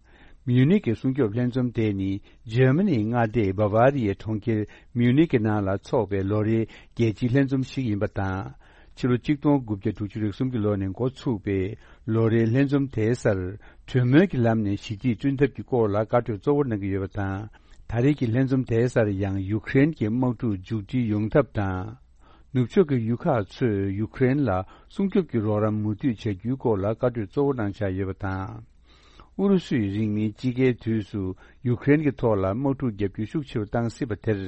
མིའུ་ནིག་གི་སྲུང་སྐྱོབ་ལྷན་འཛོམས་དེ་ནི། འཇར་མ་ནིའི་མངའ་སྡེ་བ་བ་རི་ཡའི་གྲོང་ཁྱེར་མིའུ་ནིག་གི་ནང་ལ་འཚོགས་པའི་ལོ་རེའི་རྒྱལ་སྤྱིའི་ལྷན་འཛོམས་ཤིག་ཡིན་པ་དང་། ཕྱི་ལོ་གཅིག་སྟོང་དགུ་བརྒྱ་དྲུག་ཅུ་རེ་གསུམ་གྱི་ལོ་ནས་འགོ་ཚུགས་པའི་ལོ་རེའི་ལྷན་འཛོམས་དེའི་སར། གྲོས་མོལ་གྱི་ལམ་ནས་ཞི་བདེ་བསྐྲུན་ཐབས་ཀྱི་སྐོར་ལ་བཀའ་གྲོས་གཙོ་བོར་གནང་གི་ཡོད་པ་དང་། ད་རེས་ཀྱི་ལྷན་འཛོམས་དེའི་སར་ཡང་ཡུཀ་རེན་གྱི་དམག་འཁྲུག་མཇུག་སྒྲིལ་ཡོང་ཐབས་དང་། ནུབ་ཕྱོགས་ཀྱི་ཡུལ་ཁག་ཚོས་ཡུཀ་རེན་ལ་སྲུང་སྐྱོབ་ཀྱི་རོགས་རམ་མུ་མཐུད་བྱ་རྒྱུའི་སྐོར་ལ་བཀའ་གྲོས་གཙོ་བོ་གནང་འཆར་ཡོད་པ་དང་། ཨུ་རུ་སུས་རིང་མིན་དཔྱིད་ཀའི་དུས་སུ་ཡུཀ་རེན་གྱི་ཐོག་ལ་དམག་འཁྲུག་བརྒྱབ་རྒྱུ་ཤུགས་ཆེ་རུ་བཏང་སྲིད་པ་དེར།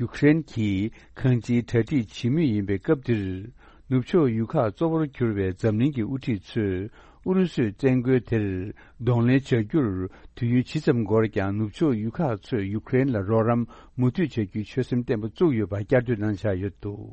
ཡུཀ་རེན་གྱིས་གང་ཅིའི་གྲ་སྒྲིག་བྱེད་མུས་ཡིན་པའི་སྐབས་འདིར། ནུབ་ཕྱོགས་ཡུལ་ཁག་གཙོ་བོར་གྱུར་བའི་འཛམ་གླིང་གི་དབུ་ཁྲིད་ཚོས་ཨུ་རུ་སུའི་བཙན་རྒོལ་དེར་གདོང་ལེན་བྱ་རྒྱུར་དུས་ཡུན་ཇི་ཙམ་འགོར་ཀྱང་ནུབ་ཕྱོགས་ཡུལ་ཁག་ཚོས་ཡུཀ་རེན་ལ་རོགས་རམ་མུ་མཐུད་བྱ་རྒྱུའི་ཆོད་སེམས་བརྟན་པོ་བཙུགས་ཡོད་པ་བསྐྱར་ཟློས་གནང་འཆར་ཡོད་འདུག་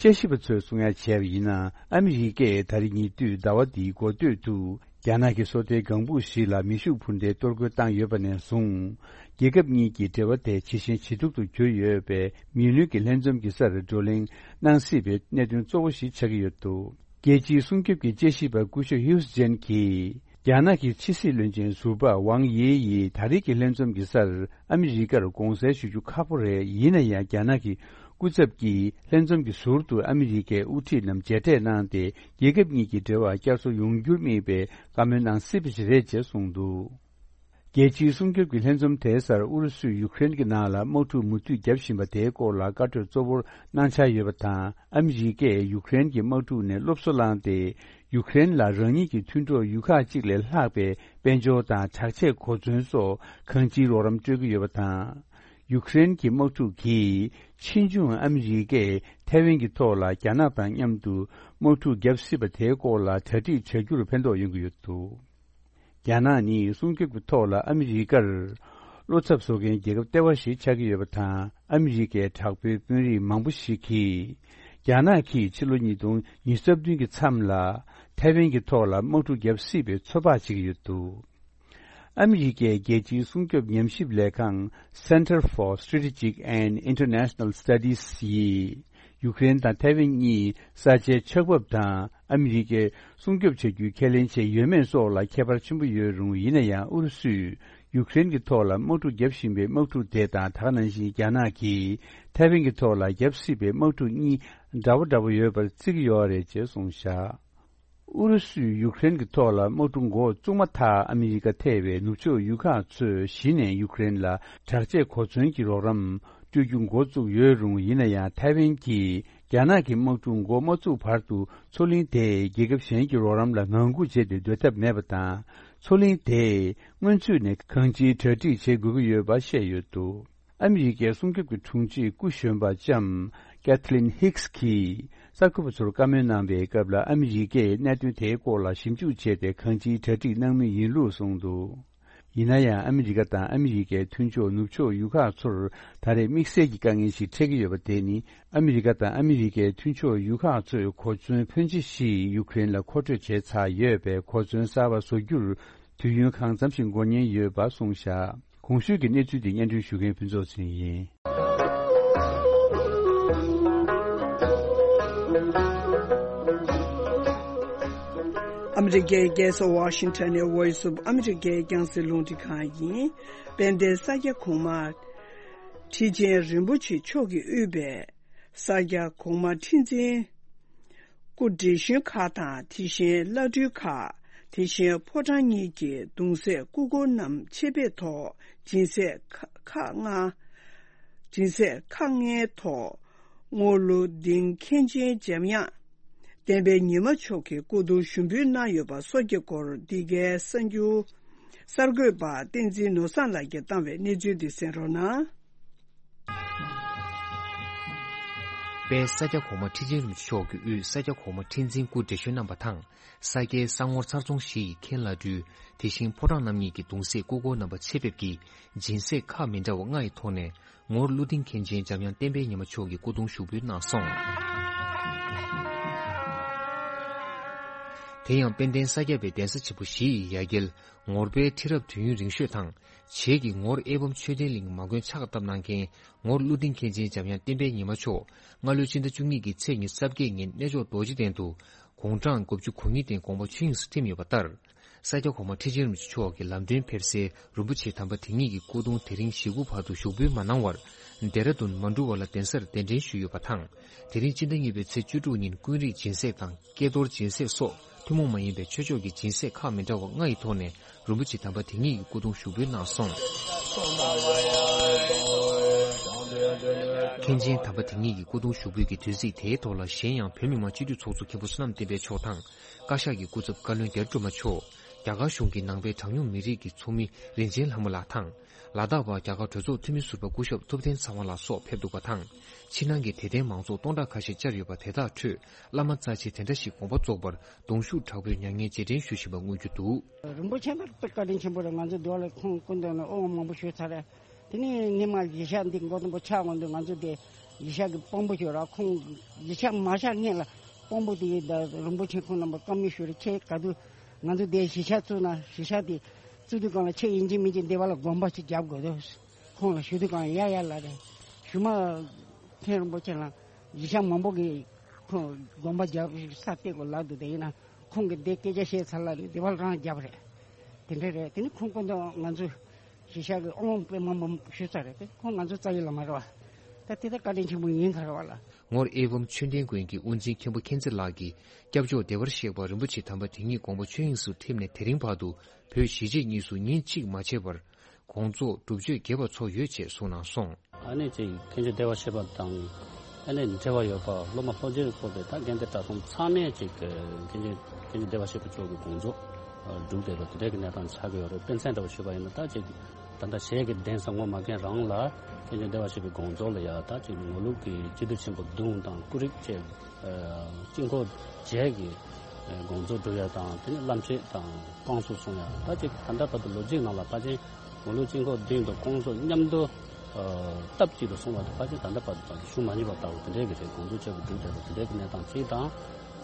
དཔྱད་ཞིབ་པ་ཚོས་གསུང་ཡ་བྱས་པ་ཡིན་ན། ཨ་མི་རི་ཀས་ད་རེས་ཉེ་དུས་ཟླ་བ་འདིའི་འགོ་སྟོད་དུ། རྒྱ་ནག་གི་སོ་ལྟའི་ལྒང་བུ་ཞིག་ལ་མེ་ཤུགས་འཕུར་མདེལ་གཏོར་རྒོལ་བཏང་ཡོད་པ་ནས་བཟུང་། རྒྱལ་ཁབ་གཉིས་ཀྱི་འབྲེལ་བ་དེ་ཇེ་ཞན་ཇེ་སྡུག་ཏུ་གྱུར་ཡོད་པས། མི་ལུས་ཀྱི་ལྷན་འཛོམས་ཀྱི་སར་བགྲོ་གླེང་གནང་སྲིད་པའི་གནད་དོན་གཙོ་བོ་ཞིག་ཆགས་ཀྱི་ཡོད་འདུག་རྒྱལ་སྤྱིའི་སྲུང་སྐྱོབ་ཀྱི་དཔྱད་ཞིབ་པ་སྐུ་ཞབས་ཧིའུ་སི་ཅན་གྱིས། རྒྱ་ནག་གི་ཕྱི་སྲིད་བློན་ཆེན་ཟུར་པ་ཝང་དབྱི་ཡིས་ད་རེས་ཀྱི་ལྷན་འཛོམས་ཀྱི་སར་ཨ་མི་རི་ཀར་དགོངས་སེལ་ཞུ་རྒྱུ་ཁག་པོ་རེད། ཡིན་ན་ཡང་། རྒྱ་ནག་གི་སྐུ་ཚབ་ཀྱིས་ལྷན་འཛོམས་ཀྱི་ཟུར་དུ་ཨ་མི་རི་ཀའི་དབུ་ཁྲིད་རྣམས་མཇལ་འཕྲད་གནང་སྟེ། རྒྱལ་ཁབ་གཉིས་ཀྱི་འབྲེལ་བ་བསྐྱར་གསོ་ཡོང་རྒྱུར་དམིགས་པའི་བཀའ་མོལ་གནང་སྲིད་པ་ཞིག་རེད་ཅེས་གསུངས་འདུག་རྒྱལ་སྤྱིའི་སྲུང་སྐྱོབ་ཀྱི་ལྷན་འཛོམས་དེའི་སར་ཨུ་རུ་སུས་ཡུཀ་རེན་གྱི་ནང་ལ་དམག་འཁྲུག་མུ་མཐུད་བརྒྱབ་བཞིན་པ་དེའི་སྐོར་ལ་བཀའ་གྲོས་གཙོ་བོར་གནང་འཆར་ཡོད་པ་དང་། ཨ་མི་རི་ཀས་ཡུཀ་རེན་གྱི་དམག་འཁྲུག་ནས་སློབ་གསོ་བླངས་ཏེ། ཡུཀ་རེན་ལ་རང་ཉིད་ཀྱི་མཐུན་གྲོགས་ཡུལ་ཁག་ཅིག་ལས་ལྷག་པའི་དཔལ་འབྱོར་དང་དྲག་ཆས་གོ་མཚོན་སོགས་གང་ཅིའི་རོགས་རམ་སྤྲོད་ཀྱི་ཡོད་པ་དང་། ཡུཀ་རེན་གྱི་དམག་འཁྲུག་གིས་ཕྱིས་འབྱུང་ཨ་མི་རི་ཀས་ཐའེ་ཝན་གྱི་ཐོག་ལ་རྒྱ་ནག་དང་མཉམ་དུ་དམག་འཁྲུག་བརྒྱབ་སྲིད་པ་དེའི་སྐོར་ལ་གྲ་སྒྲིག་བྱ་རྒྱུར་ཕན་ཐོགས་ཡོང་གི་ཡོད་འདུག་རྒྱ་ནག་ནི་སྲུང་སྐྱོབ་ཀྱི་ཐོག་ལ་ཨ་མི་རི་ཀར་བློ་འཚབ་བཟོ་མཁན་རྒྱལ་ཁབ་ལྟེ་བ་ཞིག་ཆགས་ཀྱི་ཡོད་པ་དང་། ཨ་མི་རི་ཀའི་དྲག་པོའི་དཔོན་རིགས་མང་པོ་ཞིག་གིས། རྒྱ་ནག་གིས་ཕྱི་ལོ་ཉིས་སྟོང་ཉི་ཤུ་རྩ་བདུན་གྱི་མཚམས་ལ་ཐའེ་ཝན་གྱི་ཐོག་ལ་དམག་འཁྲུག་བརྒྱབ་སྲིད་པའི་ཚོད་དཔག་བྱེད་ཀྱི་ཡོད་འདུག་ཨ་མི་རི་ཀའི་རྒྱལ་སྤྱིའི་སྲུང་སྐྱོབ་ཉམས་ཞིབ་ལས་ཁང་Center for Strategic and International Studies ཡིས། ཡུཀ་རེན་དང་ཐའེ་ཝན་གཉིས་ས་ཆའི་ཆགས་བབ་དང་། ཨ་མི་རི་ཀས་སྲུང་སྐྱོབ་བྱ་རྒྱུའི་ཁས་ལེན་བྱས་ཡོད་མེད་སོགས་ལ་ཁྱད་པར་ཆེན་པོ་ཡོད་རུང་། ཡིན་ན་ཡང་། ཨུ་རུ་སུས་ཡུཀ་རེན་གྱི་ཐོག་ལ་དམག་འཁྲུག་བརྒྱབ་བཞིན་པའི་དམག་འཁྲུག་དེ་དང་། ད་ག་ནང་བཞིན་རྒྱ་ནག་གིས་ཐའེ་ཝན་གྱི་ཐོག་ལ་བརྒྱབ་སྲིད་པའི་དམག་འཁྲུག་གཉིས་འདྲ་བོ་འདྲ་བོ་ཡོད་པར་བརྩི་གི་ཡོད་རེད་ཅེས་གསུངས་བཞག་ཨུ་རུ་སུས་ཡུཀ་རེན་གྱི་ཐོག་ལ་དམག་འཁྲུག་འགོ་བཙུགས་མ་ཐག་ཨ་མི་རི་ཀ་ཐེ་བའི་ནུབ་ཕྱོགས་ཡུལ་ཁག་ཚོས་གཞི་ནས་ཡུཀ་རེན་ལ་དྲག་ཆས་གོ་མཚོན་གྱི་རོགས་རམ་སྤྲོད་རྒྱུ་འགོ་བཙུགས་ཡོད་རུང་། ཡིན་ན་ཡང་། ཐའེ་ཝན་གྱིས་རྒྱ་ནག་གི་དམག་འཁྲུག་འགོ་མ་བཙུགས་བར་དུ་མཚོ་གླིང་དེས་རྒྱལ་ཁབ་གཞན་གྱི་རོགས་རམ་ལ་ངང་སྒུག་བྱས་ཏེ་སྡོད་ཐབས་མེད་པ་དང་། མཚོ་གླིང་དེས་སྔོན་ཚུད་ནས་གང་ཅིའི་གྲ་སྒྲིག་བྱེད་དགོས་ཀྱི་ཡོད་པ་བཤད་ཡོད་འདུག་ཨ་མི་རི་ཀའི་སྲུང་སྐྱོབ་ཀྱི་དྲུང་ཆེ་སྐུ་གཞོན་པ་ལྕམ་Kathleen Hicks གིས་གསར་འགོད་པ་ཚོར་བཀའ་མོལ་གནང་བའི་སྐབས་ལ། ཨ་མི་རི་ཀས་གནད་དོན་དེའི་སྐོར་ལ་ཞིབ་འཇུག་བྱས་ཏེ་གང་ཅིའི་གྲ་སྒྲིག་གནང་མུས་ཡིན་ལུགས་གསུངས་འདུག་ཡིན་ན་ཡང་། ཨ་མི་རི་ཀ་དང་ཨ་མི་རི་ཀའི་མཐུན་ཕྱོགས་ནུབ་ཕྱོགས་ཡུལ་ཁག་ཚོར་ད་རེས་དམིགས་བསལ་གྱི་དཀའ་ངལ་ཞིག་འཕྲད་ཀྱི་ཡོད་པ་དེ་ནི། ཨ་མི་རི་ཀ་དང་ཨ་མི་རི་ཀའི་མཐུན་ཕྱོགས་ཡུལ་ཁག་ཚོས་གོ་མཚོན་ཕོན་ཆེ་ཞིག་ཡུཀ་རེན་ལ་མཁོ་སྤྲོད་བྱས་ཚར་ཡོད་པས། གོ་མཚོན་གསར་པ་བཟོ་རྒྱུར་དུས་ཡུན་གང་འཚམ་ཞིག་འགོར་ཉེན་ཡོད་པ་གསུངས་བཞག་གོང་ཞུས་ཀྱི་གནས་ཚུལ་འདི་སྙན་སྒྲོན་ཞུ་མཁན་ཕུན་ཚོགས་ཚེ་རིང་ཡིན། ཨ་མི་རི་ཀའི་རྒྱལ་ས་ཝ་ཤིང་ཊོན་ནས་Voice of America རྒྱང་སྲིང་རླུང་འཕྲིན་ཁང་ཡིན། དཔལ་ལྡན་ས་སྐྱ་གོང་མ་ཁྲི་ཆེན་རིན་པོ་ཆེ་མཆོག་གིས་དབུས་པའི་ས་སྐྱ་གོང་མ་ཁྲི་འཛིན་སྐུ་བགྲེས་གཞོན་ཁག་དང་། དེ་བཞིན་བླ་སྤྲུལ་ཁག་དེ་བཞིན་ཕོ་བྲང་གཉིས་ཀྱི་གདུང་སྲས་སྐུ་འཁོར་རྣམས་ཆེད་ཕེབས་ཐོག་སྦྱིན་སྲེག་ཁག་ཁག་ལྔ། སྦྱིན་སྲེག་ཁག་ལྔའི་ཐོག་རྔོག་ཀླུ་ལྡིང་མཁན་ཆེན་འཇམ་དབྱངས་བསྟན་པའི་ཉི་མ་མཆོག་གི་སྐུ་གདུང་ཞུགས་འབུལ་གནང་ཡོད་པ་སོགས་ཀྱི་སྐོར། འདི་གའི་གསར་འགྱུར་གསར་འགོད་པ་བསྟན་འཛིན་ནོར་བཟང་ལགས་ཀྱིས་བཏང་བའི་གནས་ཚུལ་འདི་གསན་རོགས་གནང་། དཔལ་ས་སྐྱ་གོང་མ་ཁྲི་ཆེན་རིན་པོ་ཆེ་མཆོག་གིས་དབུས་ས་སྐྱ་གོང་མ་ཁྲི་འཛིན་སྐུ་བགྲེས་གཞོན་རྣམ་པ་དང་། ས་སྐྱའི་ས་ངོར་ཚར་ཚོང་བཞི་ཡི་མཁན་བླ་སྤྲུལ། དེ་བཞིན་ཕོ་བྲང་རྣམ་གཉིས་ཀྱི་གདུང་སྲས་སྐུ་འཁོར་རྣམ་པ་ཆེད་ཕེབས་ཀྱིས་སྦྱིན་སྲེག་ཁག་མི་འདྲ་བ་ལྔ་ཡི་ཐོག་ནས། ངོར་ཀླུ་ལྡིང་མཁན་ཆེན་འཇམ་དབྱངས་བསྟན་པའི་ཉི་མ་མཆོག་གི་སྐུ་གདུང་ཞུགས་འབུལ་གནང་སོང་། དེ་ཡང་དཔལ་ལྡན་ས་སྐྱ་པའི་གདན་ས་ཆེན་པོ་བཞི་ཡི་ཡ་གྱལ་ངོར་པའི་ཁྲི་རབས་དུས་ཡུན་རིང་ཤོས་དང་། བྱེས་ཀྱི་ངོར་ཨེ་བམ་ཆོས་ལྡན་གླིང་མ་དགོན་ཕྱག་བཏབ་གནང་མཁན་ངོར་ཀླུ་ལྡིང་མཁན་ཆེན་འཇམ་དབྱངས་བསྟན་པའི་ཉི་མ་མཆོག་སྔ་ལོའི་ཕྱི་ཟླ་བཅུ་གཉིས་ཀྱི་ཚེས་ཉི་ཤུ་རྩ་བརྒྱད་ཉིན་གནས་མཆོག་རྡོ་རྗེ་གདན་དུ་དགུང་གྲངས་དགུ་བཅུ་གོ་གཉིས་སྟེང་དགོངས་པ་ཆོས་དབྱིངས་སུ་ཐིམ་ཡོད་པ་ལྟར། ས་སྐྱ་གོང་མ་ཁྲི་ཆེན་རིན་པོ་ཆེ་མཆོག་གི་ལམ་སྟོན་ཕེབས་སའི་རིན་པོ་ཆེ་དམ་པ་དེ་ཉིད་ཀྱི་སྐུ་གདུང་དེ་རིང་ཞེ་དགུ་བར་དུ་ཞུགས་འབུལ་མ་གནང་བར། ལྡེ་ར་ལྡུན་མ་འབྲུ་ཝ་ལ་གདན་སར་གདན་འདྲེན་ཞུས་ཡོད་པ་དང་། དེ་རིང་སྤྱི་ཟླ་གཉིས་པའི་ཚེས་བཅུ་དྲུག་ཉིན་ཀུན་རིག་སྦྱིན་སྲེག་དང་ཀྱེ་རྡོར་སྦྱིན་སྲེག་སོགས་ཐུན་མོང་མ་ཡིན་པའི་ཆོས་ཕྱོགས་ཀྱི་སྦྱིན་སྲེག་ཁག་མི་འདྲ་བ་ལྔ་ཡི་ཐོག་ནས་རིན་པོ་ཆེ་དམ་པ་དེ་ཉིད་ཀྱི་སྐུ་གདུང་ཞུགས་འབུལ་གནང་སོང་། མཁན་ཆེན་དམ་པ་དེ་ཉིད་ཀྱི་སྐུ་གདུང་ཞུགས་འབུལ་གྱི་དུས་ཚིགས་དེའི་ཐོག་ལ། གཞན་ཡང་བོད་མི་མང་སྤྱི་འཐུས་ཚོགས་གཙོ་མཁན་པོ་བསོད་ནམས་བསྟན་འཕེལ་མཆོག་དང་། བཀའ་ཤག་གི་སྐུ་ཚབ་བཀའ་བློན་རྒྱ་རི་སྒྲོལ་མ་མཆོག་རྒྱ་གར་གཞུང་གི་ནང་པའི་གྲངས་ཉུང་མི་རིགས་ཀྱི་ཚོགས་མི་རིན་ཆེན་ལྷ་མོ་ལགས་དང་། ལ་དྭགས་པ་རྒྱ་གར་གྲོས་ཚོགས་འཐུས་མི་ཟུར་པ་སྐུ་ཞབས་ཐུབ་བསྟན་ཚེ་དབང་ལགས་སོགས་ཕེབས་འདུག་པ་དང་། ཕྱི་ནང་གི་དད་ལྡན་མང་ཚོགས་སྟོང་ཕྲག་ཁ་ཤས་བཅར་ཡོད་པ་དེ་དག་ཁྲོད། བླ་མ་རྩ་ཆེ་དེ་འདྲ་ཞིག་དགོངས་པ་རྫོགས་པར་གདུང་ཤུགས་དྲག་པོས་མྱ་ངན་རྗེས་དྲན་ཞུ་བཞིན་པ་མངོན་རྒྱུ་འདུག། རིན་པོ་ཆེ་ལ་བཀའ་དྲིན་ཆེན་པོ་རེད། ང་ཚོ་འདི་བ་ལ་ཁོང་སྐུ་མདུན་ལ་དབུ་མ་མང་པོ་ཞུས་ཚར་རེད། དེ་ནས་ཉི་མ་གཞིས་ཆགས་འདི་མགོ་དང་པོ་ཆགས་འོང་དུས་ང་ཚོ་དེ་གཞིས་ཆགས་ཀྱི་དཔོན་པོ་ཞིག་ར། ཁོང་གཞིས་ཆགས་མ་ཆགས་སྔོན་ལ་དཔོན་པོ་དེ་ད་རིན་པོ་ཆེ་ཁོང་རྣམ་པ་བཀའ་མོལ་ཞུ་རེ་ཁྱེད་ག་དུས་ང་ཚོ་དེ་གཞིས་ཆགས་བཙུགས་ན་གཞིས་ཆགས་དེ་བཙུགས་དུས་གང་ལ་ཁྱེད་ཡིན་གཅིག་མིན་གཅིག་འདི་བ་ལ་དགོན་པ་ཞིག་རྒྱབ་དགོས་འདུག། ཁོང་ལ་ཞུ་དུས་གང་ཡ་ཡ་ལ་རེད། ཞུ་མ་མཁན་རིན་པོ་ཆེ་ལ་གཞིས་ཆགས་མང་པོ་གིས་ཁོང་དགོན་པ་རྒྱབ་ས་གཏད་དགོས་ལབ་འདུག། དེ་ཡིན་ན་ཁོང་གིས་འདི་སྐད་ཆ་བཤད་ཚར་ལ་རེད། འདི་བ་ལ་རང་རྒྱབ་རེད། དེ་འདྲ་རེད། དེ་ནི་ཁོང་སྐུ་མདུན་ང་ཚོ་གཞིས་ཆགས་ཀྱི་དབང་དཔེ་མང་པོ་ཞུས་ཚར་རེད་དེ། ཁོང་ང་ཚོ་རྩ་བའི་བླ་མ་རེད་བ། ད་དེ་ད་བཀའ་དྲིན་ཆེན་པོ་ཡིན་ཁ་རེད་བ་ལ། ངོར་ཨེ་ཝམ་ཆོས་ལྡན་དགོན་གྱི་དབུ་འཛིན་མཁན་པོ་མཁྱེན་བརྩེ་ལགས་ཀྱིས་སྐྱབས་མཆོག་བདེ་བར་གཤེགས་པ་རིན་པོ་ཆེ་དམ་པ་དེ་ཉིད་དགོངས་པ་ཆོས་དབྱིངས་སུ་ཐིམ་ནས་དེ་རིང་བར་དུ་བོད་གཞིས་བྱེས་གཉིས་སུ་ཉིན་གཅིག་མ་ཆད་པར་དགོངས་རྫོགས་སྒྲུབ་མཆོད་རྒྱས་པ་ཚོགས་ཡོད་ཅེས་གསུངས་གནང་སོང་། ཨ་ནེ་ཅིག་མཁན་ཆེན་བདེ་བར་གཤེགས་པ་དང་ཨ་ནེ་འབྲེལ་བ་ཡོད་པ་སློབ་མ་སློབ་སྤྱིར་བཀོད་པའི་ད་དགེ་འདུན་གྲྭ་ཚང་ཚང་མས་ཅིག་མཁན་ཆེན་མཁན་ཆེན་བདེ་བར་གཤེགས་པ་མཆོག་གི་དགོངས་རྫོགས་སྒྲུབ་བསྡད་པ་དེ་འདྲའི་གི་གནས་སྟངས་ཆགས་ཀྱི་ཡོད་རེད། དཔེ་མཚོན་འདྲ་བོ་ཞུས་པ་ཡིན་ན་ད་ཅིག་ད་ལྟ་གཞས་ཀྱི་གདན་ས་ངོ་མ་མཁན་རང་ལ་མཁན་ཆེན་བདེ་བར་གཤེགས་པའི་དགོངས་རྫོགས་ལ་ཡ་ད་ཅིག་ངོར་ལུགས་ཀྱི་སྤྱི་འཐུས་ཆེན་པོ་བདུན་དང་སྐུ་རིགས་བཅས་དཀྱིལ་འཁོར་བརྒྱད་ཀྱི་དགོངས་རྫོགས་སྒྲུབ་ཡ་དང་དེ་ནས་བླ་མཆོད་དང་བསྐང་གསོ་གསུང་ཡ་ད་ཅིག་ད་ལྟ་བར་དུ་ལོ་རྒྱུས་ནང་ལ་ཕལ་ཆེར་ངོར་ལུགས་དཀྱིལ་འཁོར་བདུན་དང་བསྐང་གསོ་མཉམ་དུ་སྟབས་གཅིག་ཏུ་གསུང་བ་དང་ཕལ་ཆེར་ད་ལྟ་བར་དུ་ཞུ་མ་མྱོང་བ་ལྟ་བུ་དེ་འདྲའི་གི་རེད། དགོངས་རྫོགས་བྱས་པ་སྒྲུབ་བསྡད་པ་དེ་འདྲའི་གི་གནས་སྟངས་གཅིག་དང་།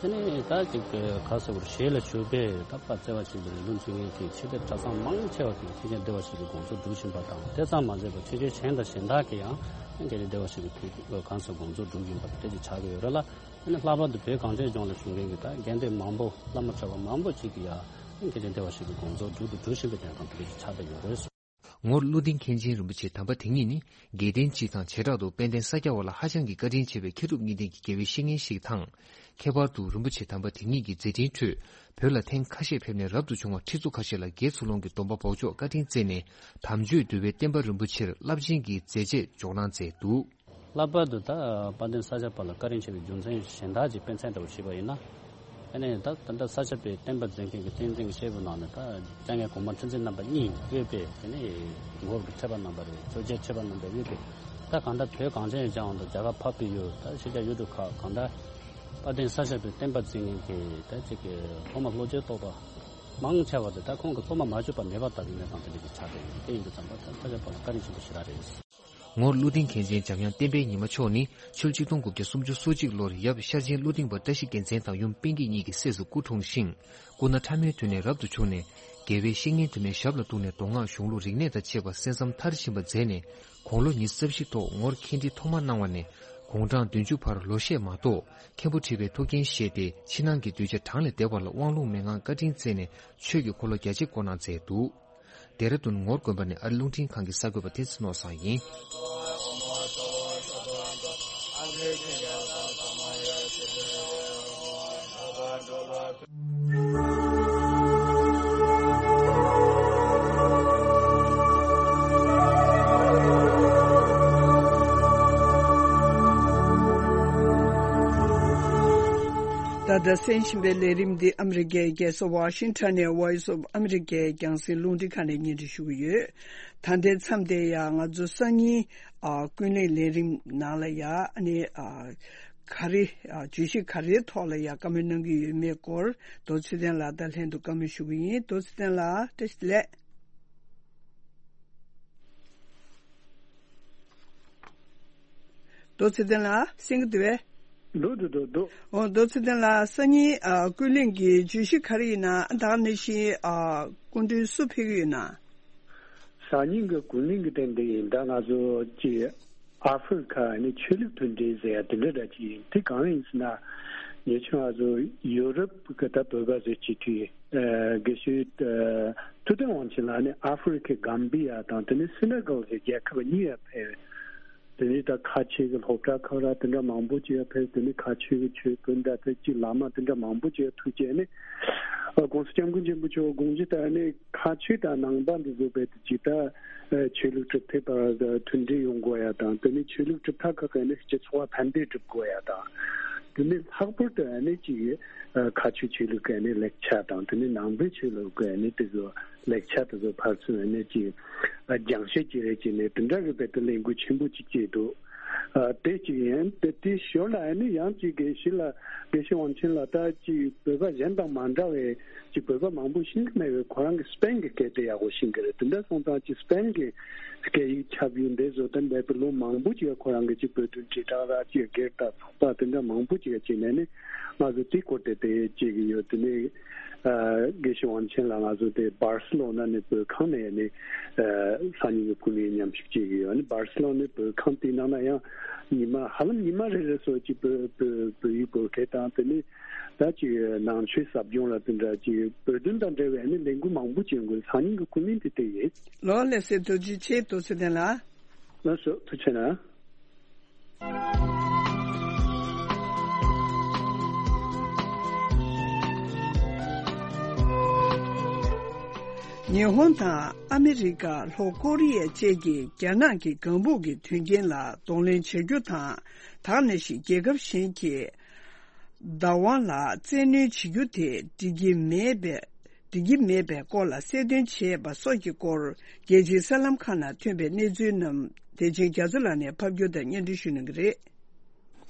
དེ་ནས་ད་ཅིག་ག་ཟེར་བར་ཞལ་ལ་བཞུགས་པའི་ད་དཔལ་བརྩེ་བ་ཆེན་པོའི་ལུང་ཆེན་གྱི་ཆོས་སྡེ་གྲྭ་ཚང་མང་ཆེ་བ་དེ་མཁན་ཆེན་བདེ་བར་གཤེགས་པའི་དགོངས་རྫོགས་སྒྲུབ་བཞིན་པ་དང་དེ་ཙམ་མ་ཟད་པར་ཆོས་བརྒྱུད་གཞན་དང་གཞན་དག་གིས་ཡང་མཁན་ཆེན་བདེ་བར་གཤེགས་པའི་གང་ཟག་དགོངས་རྫོགས་སྒྲུབ་བཞིན་པ་དེ་ཅིག་ཆགས་ཀྱི་ཡོད་རེད་ལ། དེ་ནས་ལྷག་པར་དུ་བོད་གངས་ཅན་ལྗོངས་ལ་བཞུགས་མཁན་གྱི་ད་དགེ་འདུན་མང་པོ་བླ་མ་གྲྭ་པ་མང་པོ་ཅིག་གིས་ཡང་མཁན་ཆེན་བདེ་བར་གཤེགས་པའི་དགོངས་རྫོགས་སྒྲུབ་ཏུ་འགྲོ་བཞིན་པའི་གནས་སྟངས་དེ་འདྲ་ཞིག་ཆགས་བསྡད་ཡོད་རེད། ངོར་ཀླུ་ལྡིང་མཁན་ཆེན་རིན་པོ་ཆེ་དམ་པ་དེ་ཉིད་ནི་དགེ་ལྡན་སྤྱི་དང་བྱེ་བྲག་ཏུ་དཔལ་ལྡན་ས་སྐྱ་བ་ལ་ཧ་ཅང་གི་བཀའ་དྲིན་ཆེ་བའི་མཁས་གྲུབ་གཉིས་ལྡན་གྱི་དགེ་བའི་བཤེས་གཉེན་ཞིག་དང་། ཁྱད་པར་དུ་རིན་པོ་ཆེ་དམ་པ་དེ་ཉིད་ཀྱི་མཛད་འཕྲིན་ཁྲོད་བོད་ལ་ཐེངས་ཁ་ཤས་ཕེབས་ནས་རབ་ཏུ་བྱུང་བ་ཁྲི་ཚོ་ཁ་ཤས་ལ་དགེ་ཚུལ་སློང་གི་སྡོམ་པ་འབོགས་ཆོག་བཀའ་དྲིན་བསྩལ་ནས་དམ་ཆོས་འདུལ་བའི་བསྟན་པ་རིན་པོ་ཆེར་རླབས་ཆེན་གྱི་མཛད་རྗེས་འཇོག་གནང་མཛད་འདུག། ལྷག་པར་དུ་ད་དཔལ་ལྡན་ས་སྐྱ་པ་ལ་བཀའ་དྲིན་ཆེ་བའི་རྒྱུ་མཚན་གཞན་དག་ཅིག་དཔེ་མཚོན་འདྲ་བོ་ཞུས་པ་ཡིན་ན། ཨ་ནི་ད་ད་ལྟ་ས་སྐྱ་པའི་བསྟན་པ་འཛིན་མཁན་གྱི་བསྟན་འཛིན་གྱི་སྐྱེས་བུ་ནང་ནས་ད་སྐྱབས་མགོན་གོང་མ་ཁྲི་འཛིན་རྣམ་པ་གཉིས་དབུས་པའི་དེ་ནས་ངོར་གྱི་ཁྲི་པ་རྣམ་པ་རེད། ཆོས་རྒྱལ་ཁྲི་པ་རྣམ་པ་དབུས་པའི་ད་གང་ལྟར་བོད་གངས་ཅན་ལྗོངས་དང་རྒྱ་གར་འཕགས་པའི་ཡུལ་ད་ཕྱི་རྒྱལ་ཡུལ་གྲུ་ཁག་གང་ལྟར་དཔལ་ལྡན་ས་སྐྱ་པའི་བསྟན་པ་འཛིན་མཁན་གྱི་ད་ཅིག་གི་སློབ་མ་བློ་ཆོས་རྟོགས་པ་མང་ཆེ་བ་དེ་ད་ཁོང་གི་སློབ་མ་མ་གྱུར་པ་མེད་པ་ལྟ་བུའི་གནས་སྟངས་དེ་འདྲ་ཞིག་ཆགས་བསྡད་ཡོད། དེ་ཡིན་དུས་ཙམ་པ་ད་ས་སྐྱ་པ་ལ་བཀའ་དྲིན་ཆེན་པོ་ཞེ་དྲག་རེད། ངོར་ཀླུ་ལྡིང་མཁན་ཆེན་འཇམ་དབྱངས་བསྟན་འཕེལ་ཉི་མ་མཆོག་ནི་ཆུ་ཆིག་སྟོང་དགུ་བརྒྱ་སུམ་ཅུ་སོ་གཅིག་ལོར་ཡབ་ཤར་ཆེན་ཀླུ་ལྡིང་པ་བཀྲ་ཤིས་རྒྱལ་མཚན་དང་ཡུམ་པིང་ཀི་གཉིས་ཀྱི་སྲས་སུ་སྐུ་འཁྲུངས་ཤིང་། སྐུ་ན་ཕྲ་མོའི་དུས་ནས་རབ་ཏུ་བྱུང་ནས་དགེ་བའི་བཤེས་གཉེན་དུ་མའི་ཞབས་ལ་གཏུགས་ནས་མདོ་སྔགས་གཞུང་ལུགས་རིག་གནས་དང་བཅས་པ་གསན་བསམ་མཐར་ཕྱིན་པ་མཛད་ནས་དགུང་ལོ་ཉི་ཤུ་རྩ་བཞི་ཐོག་ངོར་མཁན་ཁྲི་ཐོག་མར་གནང་བ་ནས་དགུང་གྲངས་བདུན་ཅུ་བར་ལོ་ཤས་མ་གཏོགས་མཁན་པོ་ཁྲི་པའི་ཐུགས་འགན་བཞེས་ཏེ་ཕྱི་ནང་གི་གདུལ་བྱ་གྲངས་ལས་འདས་པ་ལ་དབང་ལུང་མན་ངག་བཀའ་དྲིན་བསྩལ་ནས་ཆོས་ཀྱི་འཁོར་ལོ་རྒྱ་ཆེར་བསྐོར་གནང་མཛད་འདུག། ལྡེ་ར་ལྡུན་ངོར་དགོན་པ་ནས་ཨ་རི་རླུང་འཕྲིན་ཁང་གི་གསར་འགོད་པ་བསྟན་འཛིན་ནོར་བཟང་ཡིན། ད་ལྟ་གསན་བཞིན་པའི་ལས་རིམ་འདི་ཨ་མི་རི་ཀའི་རྒྱལ་ས་ཝ་ཤིང་ཊོན་ནས་Voice of America་རྒྱང་སྲིང་རླུང་འཕྲིན་ཁང་ནས་སྙན་སྒྲོན་ཞུ་གི་ཡོད། ད་ལྟའི་མཚམས་དེ་ཡང་ང་ཚོ་སང་ཉིན་ཨ་ཀུན་གླེང་ལས་རིམ་ནང་ལ་ཡ་ཨ་ནི་ཨ་ག་རེ་ཨ་བརྗོད་གཞི་ག་རེའི་ཐོག་ལ་ཡ་བཀའ་མོལ་གནང་གི་ཡོད་མེད་སྐོར་རྡོ་ཚེ་བརྟན་ལགས་དང་ལྷན་དུ་བཀའ་མོལ་ཞུ་གི་ཡིན། རྡོ་ཚེ་བརྟན་ལགས་བཀྲ་ཤིས་བདེ་ལེགས། རྡོ་ཚེ་བརྟན་ལགས་གསན་གྱི་འདུག་པས། འདུག་འདུག་འདུག་འདུག། འོ་རྡོ་ཚེ་བརྟན་ལགས་སང་ཉིན་ཨ་ཀུན་གླེང་གི་བརྗོད་གཞི་ག་རེ་ཡིན་ན་ད་ག་ནང་བཞིན་ཨ་སྐུ་མགྲོན་སུ་ཕེབས་ཀྱི་ཡོད་ན། སང་ཉིན་གྱི་ཀུན་གླེང་གི་སྟེང་འདི་ཡིན་ད་ང་ཚོ་ཀྱི་ཨ་ཧྥེ་རི་ཁ་ནི་ཆོས་ལུགས་མཐུན་འབྲེལ་ཟེར་ཡ་དེ་འདྲ་འདྲ་ཅིག་ཡིན། དེ་གང་ཡིན་ཟེར་ན་ཉེ་ཆར་ང་ཚོ་ཡུ་རོབ་ཀྱི་ད་བོད་པ་ཟེར་སྤྱི་འཐུས་དགེ་བཤེས་ཐུབ་བསྟན་དབང་ཆེན་ལགས་ནི་ཨ་ཧྥེ་རི་ཁའི་གམ་བི་ཡ་དང་དེ་ནི་སེ་ནེ་གལ་ཟེར་རྒྱལ་ཁབ་གཉིས་ཡ་ཕེབས། དེ་ནས་ད་ཁ་ཆེ་གི་སློབ་གྲྭ་ཁག་ར་དེ་འདྲ་མང་པོ་ཅིག་ཡ་ཕེབས། དེ་ནས་ཁ་ཆེ་གི་ཆོས་དཔོན་འདྲ་ཕེབས་ཅིག་བླ་མ་དེ་འདྲ་མང་པོ་ཅིག་ཡ་ཐུགས་རྗེ་ནས་ཨ་༸གོང་ས་༸སྐྱབས་མགོན་ཆེན་པོ་མཆོག་དགོངས་གཞི་ལྟར་ནས་ཁ་ཆེ་དང་ནང་པ་འདི་བཟོ་བའི་དེ་ཅིག་ད་ཆོས་ལུགས་གྲུབ་མཐའ་བར་མཐུན་སྒྲིལ་ཡོང་དགོས་ཡ་དང་དེ་ནས་ཆོས་ལུགས་གྲུབ་མཐའ་ཁག་གི་ནས་སྤྱི་ཚོགས་བར་ཕན་བདེ་སྒྲུབ་དགོས་ཡ་དང་ དེ་ནས་ལྷག་པར་དུ་ཨ་ནི་ཅིག་ཨ་མཁའ་སྤྱོད་ཆོས་ལུགས་ཀྱི་ཨ་ནི་ལེགས་ཆ་དང་། དེ་ནས་ནང་པའི་ཆོས་ལུགས་ཀྱི་ཨ་ནི་དེ་ཚོ་ལེགས་ཆ་དེ་ཚོ་ཕར་ཚུར་ཨ་ནི་ཅིག་ཨ་སྦྱང་བཤད་ཅིག་རེ་བྱས་ནས་དེ་འདྲ་གི་རྦད་དེ་ལས་འགུལ་ཆེན་པོ་ཅིག་བྱས་འདུག། ཨ་དེ་གཅིག་ཡིན། དེ་དེའི་ཞོར་ལ་ཨ་ནི་ཡང་ཅིག་དགེ་བཤེས་ལགས། དགེ་བཤེས་དབང་ཆེན་ལགས། ད་ཅིག་བོད་པ་གཞན་དང་མ་འདྲ་བའི་ཅིག་བོད་པ་མང་པོ་ཤེས་ཀྱི་མེད་པའི་ཁོ་རང་གི་སྤེན་གྱི་སྐད་དེ་ཡག་པོ་ཤེས་ཀྱི་རེད། དེ་འདྲ་སོང་ཙང་ཅིག་སྤེན་གྱི་སྐད་ཡིག་ཁྱབ་ཡུལ་འདི་བཟོ་སྟངས་འདི་བོད་ལོ་མང་པོ་ཅིག་ཁོ་རང་གི་ཅིག་བོད་དོན་དྲིལ་བསྒྲགས་ར་ཅིག་སྒེར་དང་ཚོགས་པ་དེ་འདྲ་མང་པོ་ཅིག་བྱས་ནས་ནི་ང་ཚོ་དེའི་སྐོར་དེ་དེ་བྱེད་ཀྱི་ཡོད། དེ་ནས་ཨ་དགེ་བཤེས་དབང་ཆེན་ལགས་ང་ཚོ་དེ་སྦར་སི་ལོ་ན་ནས་བོད་ཁང་ནས་ནི་ཨ་སང་ཉིན་གྱི་ཕུལ་ནས་མཉམ་ཞུགས་བྱེད་ཀྱི་ཡོད། ནི་སྦར་སི་ལོ་ནས་བོད་ཁང་དེའི་ནང་ན་ཡང་ཉི་མ་ཧ་ལམ་ཉི་མ་རེ་རེ་སོགས་ཀྱི་བོད་བོད་བོད་ཡིག་བོད་སྐད་དང་། དེ་ནས་ད་ཅིག་ནང་ཆོས་ཟབ་སྦྱོང་ལ་དེ་འདྲ་ཅིག་བོད་དོན་དང་འབྲེལ་བའི་ནི་ལས་འགུལ་མང་པོ་བྱེད་དགོས། སང་ཉིན་གྱི་ཁུངས་མིན་དེ་དེ་ཡིན། ལོ་ལེགས་སེ་ཐུགས་རྗེ་ཆེ། ཐུགས་རྗེ་ཆེ་ལགས། ལགས་སོ། ཐུགས་རྗེ་ཆེ་གནང་། ཉི་ཧོང་དང་ཨ་མི་རི་ཀ། ལྷོ་ཀོ་རི་ཡ་བཅས་ཀྱིས་རྒྱ་ནག་གི་གང་ཕུག་གི་དོན་རྐྱེན་ལ་གདོང་ལེན་བྱ་རྒྱུ་དང་། ད་ག་ནང་བཞིན་རྒྱལ་ཁབ་གཞན་གྱིས་བདག་དབང་ལ་བཙན་གནོན་བྱེད་རྒྱུ་དེ་འགྲིག་གི་མེད་པའི་འགྲིག་གི་མེད་པའི་སྐོར་ལ་གསལ་སྟོན་བྱས་པ་སོགས་ཀྱི་སྐོར། རྒྱལ་སྤྱིའི་གསར་ལམ་ཁག་ནང་ཐོན་པའི་གནས་ཚུལ་རྣམས་བདེ་ཆེན་རྒྱ་མཚོ་ལགས་ནས་ཕབ་སྒྱུར་དང་སྙན་སྒྲོན་ཞུ་གནང་གི་རེད།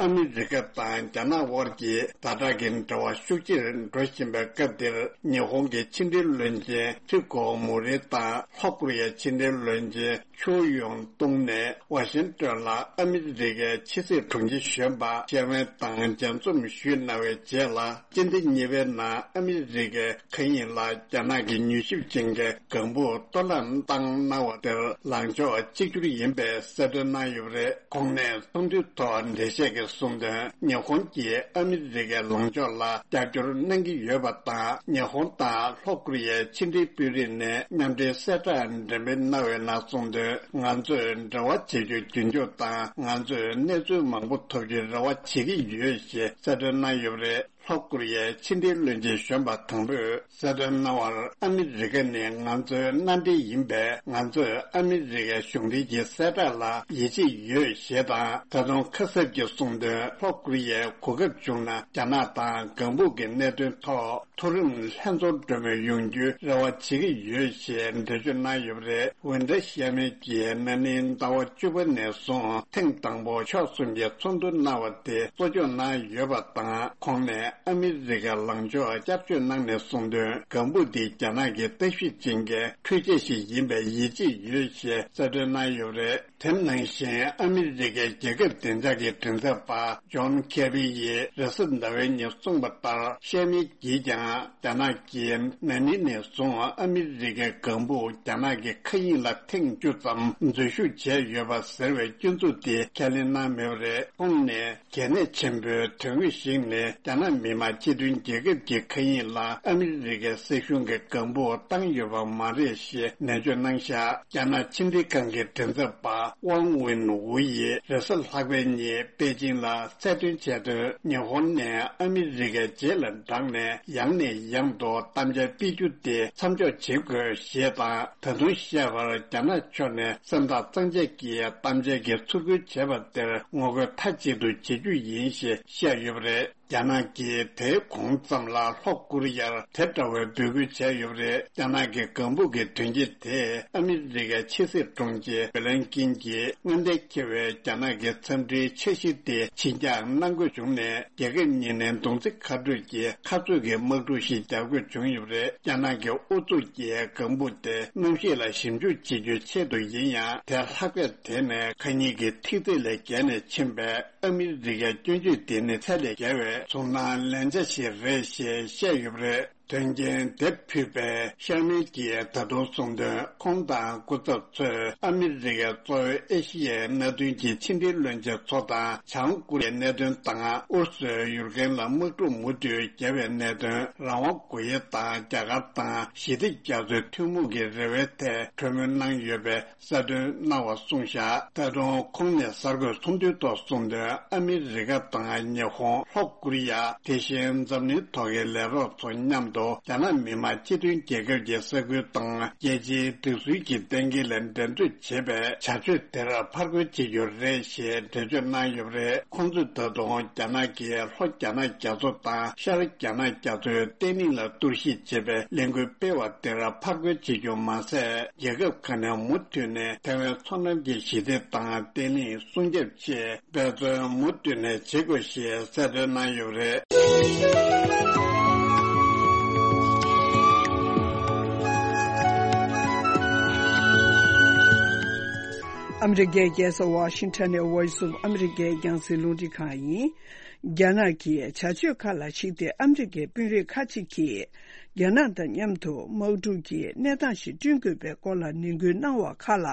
ཨ་མི་རི་ཀ་དང་རྒྱ་ནག་དབར་གྱི་ཟླ་ཁྲག་གི་འབྲེལ་བ་ཤུགས་ཆེར་འགྲོ་བཞིན་པའི་སྐབས་འདིར། ཉི་ཧོང་གི་ཕྱི་འབྲེལ་བློན་ཆེན་ཁྲི་གོ་མུ་རེ་དང་། ལྷོ་ཀོ་རི་ཡའི་ཕྱི་འབྲེལ་བློན་ཆེན་ཆོ་ཡོང་ཏུང་ནས་ཝ་ཤིང་ཏོན་ལ་ཨ་མི་རི་ཀའི་ཕྱི་སྲིད་དྲུང་ཆེ་གཞོན་པ་ཤེར་ཝན་དང་མཇལ་འཛོམས་ཞུས་གནང་བའི་རྗེས་ལ། སྤྱི་ཟླ་གཉིས་པའི་ནང་ཨ་མི་རི་ཀའི་མཁའ་དབྱིངས་ལ་རྒྱ་ནག་གི་མྱུལ་ཞིབ་ཅན་གྱི་གང་ཕུག་གཏོར་བརླག་བཏང་གནང་བ་དེར་ལངས་ཕྱོགས་གཅིག་གྱུར་ཡིན་པའི་གསལ་སྟོན་གནང་ཡོད་པ་རེད། ཁོང་ནས་ཚོགས་འདུའི་ཐོག་འགྲེལ་བཤད་ཀྱིས་གསུངས་དོན། ཉི་ཧོང་གིས་ཨ་མི་རི་ཀའི་ལངས་ཕྱོགས་ལ་རྒྱབ་སྐྱོར་གནང་གི་ཡོད་པ་དང་། ཉི་ཧོང་དང་ལྷོ་ཀོ་རི་ཡའི་ཕྱི་འབྲེལ་དཔོན་རིགས་ནས་མཉམ་འབྲེལ་གསལ་བསྒྲགས་འགྲེམས་སྤེལ་གནང་བའི་ནང་གསུངས་དོན། ང་ཚོས་འབྲེལ་བ་བྱེད་རྒྱུ་རྒྱུན་འཁྱོངས་དང་། ང་ཚོས་གནས་ཚུལ་མང་པོ་ཐོབ་རྒྱུའི་རེ་བ་བྱེད་ཀྱི་ཡོད་ཞེས་གསལ་སྟོན་གནང་ཡོད་པ་རེད། ལྷོ་ཀོ་རི་ཡའི་ཕྱི་འབྲེལ་བློན་ཆེན་གཞོན་པ་དང་པོས་གསལ་སྟོན་གནང་བར། ཨ་མི་རི་ཀ་ནི་ང་ཚོའི་མནའ་འབྲེལ་ཡིན་པས། ང་ཚོས་ཨ་མི་རི་ཀའི་གཞུང་འབྲེལ་གྱི་གསལ་བསྒྲགས་ལ་ཡིད་ཆེས་ཡོད་ཞེས་དང་། ད་དུང་ཁ་གསབ་ཀྱིས་གསུངས་དོན། ལྷོ་ཀོ་རི་ཡས་གོ་སྐབས་བྱུང་ན། རྒྱ་ནག་དང་གང་ཕུག་གི་གནད་དོན་ཐོག་མཐོ་རིམ་ལྷན་ཚོགས་གྲོས་མོལ་ཡོང་རྒྱུའི་རེ་བ་བྱེད་ཀྱི་ཡོད་ཞེས་འགྲེལ་བརྗོད་གནང་ཡོད་པ་རེད། ཝུན་ཀྲ་ཤར་མེ་གིས་ན་ནིང་ཟླ་བ་བཅུ་པ་ནས་བཟུང་ཐེངས་དང་པོ་ཕྱོགས་གསུམ་གྱི་ཚོགས་འདུ་གནང་བ་དེ་གཙོ་སྐྱོང་གནང་ཡོད་པ་དང་། ཁོང་ནས་ཨ་མི་རི་ཀའི་ལངས་ཕྱོགས་བསྐྱར་བརྗོད་གནང་ནས་གསུངས་དོན། གང་ཕུག་དེ་རྒྱ་ནག་གི་ལྟ་ཞིབ་ཅན་གྱི་འཕྲུལ་ཆས་ཤིག་ཡིན་པའི་ཡིད་ཆེས་ཡོད་ཞེས་གསལ་སྟོན་གནང་ཡོད་པ་རེད། དེ་ནང་བཞིན་ཨ་མི་རི་ཀའི་རྒྱལ་ཁབ་བདེ་འཇགས་ཀྱི་མགྲིན་ཚབ་པ་ཇོན་ཁེ་རི་ཡིས་རེས་གཟའ་ཟླ་བའི་ཉིན་གསུངས་པ་ལྟར། ཤར་མེ་གིས་ཀྱང་རྒྱ་ནག་གིས་ན་ནིང་ནས་བཟུང་ཨ་མི་རི་ཀའི་གང་ཕུག་རྒྱ་ནག་གི་མཁའ་དབྱིངས་ལ་ཐེངས་བཅུ་ཙམ་འཛུལ་ཞུགས་བྱས་ཡོད་པ་ཟེར་བའི་སྐྱོན་འཛུགས་དེ་ཁས་ལེན་གནང་མེད་པ་རེད། ཁོང་ནས་གལ་གནད་ཆེན་པོའི་དོན་དངོས་ཤིག་ནི། རྒྱ་ནག་མི་དམངས་སྤྱི་མཐུན་རྒྱལ་ཁབ་ཀྱི་མཁའ་དབྱིངས་ལ་ཨ་མི་རི་ཀའི་སྲིད་གཞུང་གིས་གང་ཕུག་བཏང་ཡོད་པ་མ་རེད་ཞེས་ནན་བརྗོད་གནང་བཞག། རྒྱ་ནག་ཕྱི་འབྲེལ་ཁང་གི་མགྲིན་ཚབ་པ་ཝང་ཝིན་ཝུ་ཡིས་རེས་གཟའ་ལྷག་པའི་ཉིན་པེ་ཅིང་ལ་གསལ་སྟོན་བྱས་དོན། ཉི་ཧོང་ནས་ཨ་མི་རི་ཀའི་རྗེས་ལ་འབྲངས་ནས་ཡང་ནས་ཡང་དུ་དམ་བཅའ་སྤེལ་རྒྱུ་དེ་མཚམས་འཇོག་བྱེད་དགོས་ཞེས་དང་། ད་དུང་བཤད་པར། རྒྱ་ནག་ཕྱོགས་ནས་སེམས་ཐག་གཙང་བཅད་ཀྱིས་དམ་བཅའ་གི་ཚུར་རྒོལ་བྱས་པ་དེར་ངོ་རྒོལ་མཐའ་གཅིག་ཏུ་བྱེད་རྒྱུ་ཡིན་ཞེས་བཤད་ཡོད་པ་རེད། རྒྱ་ནག་གིས་དེའི་གོང་ཙམ་ལ་ལྷོ་ཀོ་རི་ཡར་དེ་འདྲ་བའི་འབོད་སྐུལ་བྱས་ཡོད་པ་རེད། རྒྱ་ནག་གི་གང་ཕུག་གི་དོན་རྐྱེན་དེས་ཨ་མི་རི་ཀའི་ཕྱི་སྲིད་དྲུང་ཆེ་བྷི་ལན་ཀིན་གྱིས་མངའ་སྡེ་འཁེལ་བའི་རྒྱ་ནག་གི་འཚམས་འདྲིའི་འཆར་གཞི་དེ་ཕྱིར་འགྱངས་གནང་དགོས་བྱུང་ནས། རྒྱལ་ཁབ་གཉིས་ནས་མདུང་རྩེ་ཁ་སྤྲོད་ཀྱི་ཁ་རྩོད་ཀྱི་དམག་འཁྲུག་ཞིག་རྒྱག་དགོས་བྱུང་ཡོད་པ་རེད། རྒྱ་ནག་གི་ཨུ་ཚུགས་ཀྱིས་གང་ཕུག་དེ་གནམ་གཤིས་ལ་ཞིབ་འཇུག་བྱེད་རྒྱུའི་ཆེད་དུ་ཡིན་ཡང་། དེ་ལྷག་པས་དེ་ནས་མཁའ་དབྱིངས་ཀྱི་ཐིག་ཚད་ལས་བརྒལ་ནས་ཕྱིན་པས། ཨ་མི་རི་ཀའི་སྐྱོན་བརྗོད་དེ་ནི་ཚད་ལས་བརྒལ་བའི་ཚོར་སྣང་ལན་ཆ་ཞིག་རེད་ཞེས་བཤད་ཡོད་པ་རེད། དོན་རྐྱེན་དེ་ཕུད་པའི་ཤར་མེ་གིས་ད་དུང་གསུངས་དོན། ཁོང་དང་སྐུ་ཚབ་ཚོས་ཨ་མི་རི་ཀའི་གཙོ་བོའི་ཨེ་ཤི་ཡའི་མནའ་མཐུན་གྱི་ཕྱི་འབྲེལ་བློན་ཆེན་ཚོ་དང་། བྱང་ཀོ་རི་ཡའི་གནད་དོན་དང་། ཨུ་རུ་སུའི་ཡུཀ་རེན་ལ་དམག་འཁྲུག་མུ་མཐུད་བརྒྱབ་པའི་གནད་དོན། རང་དབང་སྒོ་དབྱེ་དང་རྒྱ་གར་དང་ཞི་བདེ་རྒྱ་མཚོའི་ཐུན་མོང་གི་རེ་བའི་ཐད་གྲོས་མོལ་གནང་ཡོད་པའི་གསལ་སྟོན་གནང་བ་གསུངས་བཞག། ད་དུང་ཁོང་ནས་གསར་འགོད་ཚོགས་འདུའི་ཐོག་གསུངས་དོན། ཨ་མི་རི་ཀ་དང་ཉི་ཧོང་། ལྷོ་ཀོ་རི་ཡ། དེ་བཞིན་འཛམ་གླིང་ཐོག་གི་ལས་རོགས་ཚོ་མཉམ་ དུ་རྒྱ་ནག་མི་དམངས་སྤྱི་མཐུན་རྒྱལ་ཁབ་ཀྱི་ས་ཁུལ་དང་རྒྱལ་སྤྱིའི་སྒྲིག་སྲོལ་གྱི་གཏན་འཁེལ་ལ་འགྲན་རྩོད་བྱེད་པའི་བྱ་སྤྱོད་དེར་ཕར་རྒོལ་བྱེད་རྒྱུ་རེད་ཞེས་འགྲེལ་བརྗོད་གནང་ཡོད་པ་རེད། ཁོང་ཚོས་ད་དུང་རྒྱ་ནག་གིས་ལྷོ་རྒྱ་ནག་རྒྱ་མཚོ་དང་ཤར་རྒྱ་ནག་རྒྱ་མཚོའི་བརྟན་ལྷིང་ལ་གཏོར་བཤིག་བྱེད་པའི་ལས་འགུལ་སྤེལ་བ་དེར་ཕར་རྒོལ་བྱེད་རྒྱུ་མ་ཟད། རྒྱལ་ཁབ་ཁག་ནས་མུ་མཐུད་ནས་ཐའེ་ཝན་མཚོ་འགྲམ་གྱི་ཞི་བདེ་དང་བརྟན་ལྷིང་སྲུང་སྐྱོབ་ཆེད་འབད་བརྩོན་མུ་མཐུད་ནས་བྱེད་དགོས་ཞེས་གསལ་སྟོན་གནང་ཡོད་པ་རེད། ཨ་མི་རི་ཀའི་རྒྱལ་ས་ཝ་ཤིང་ཊོན་ནས་Voice of America རྒྱང་སྲིང་རླུང་འཕྲིན་ཁང་ཡིན། རྒྱ་ནག་གི་བྱ་སྤྱོད་ཁག་ལ་གཞིགས་ཏེ་ཨ་མི་རི་ཀའི་དཔོན་རིགས་ཁག་ཅིག་གིས་རྒྱ་ནག་དང་མཉམ་དུ་དམག་འཁྲུག་གི་གནས་སྟངས་ཤིག་བསྐྲུན་དགོས་པའི་སྐོར་ལ་ནན་སྐུལ་གནང་བ་ཁག་ལ།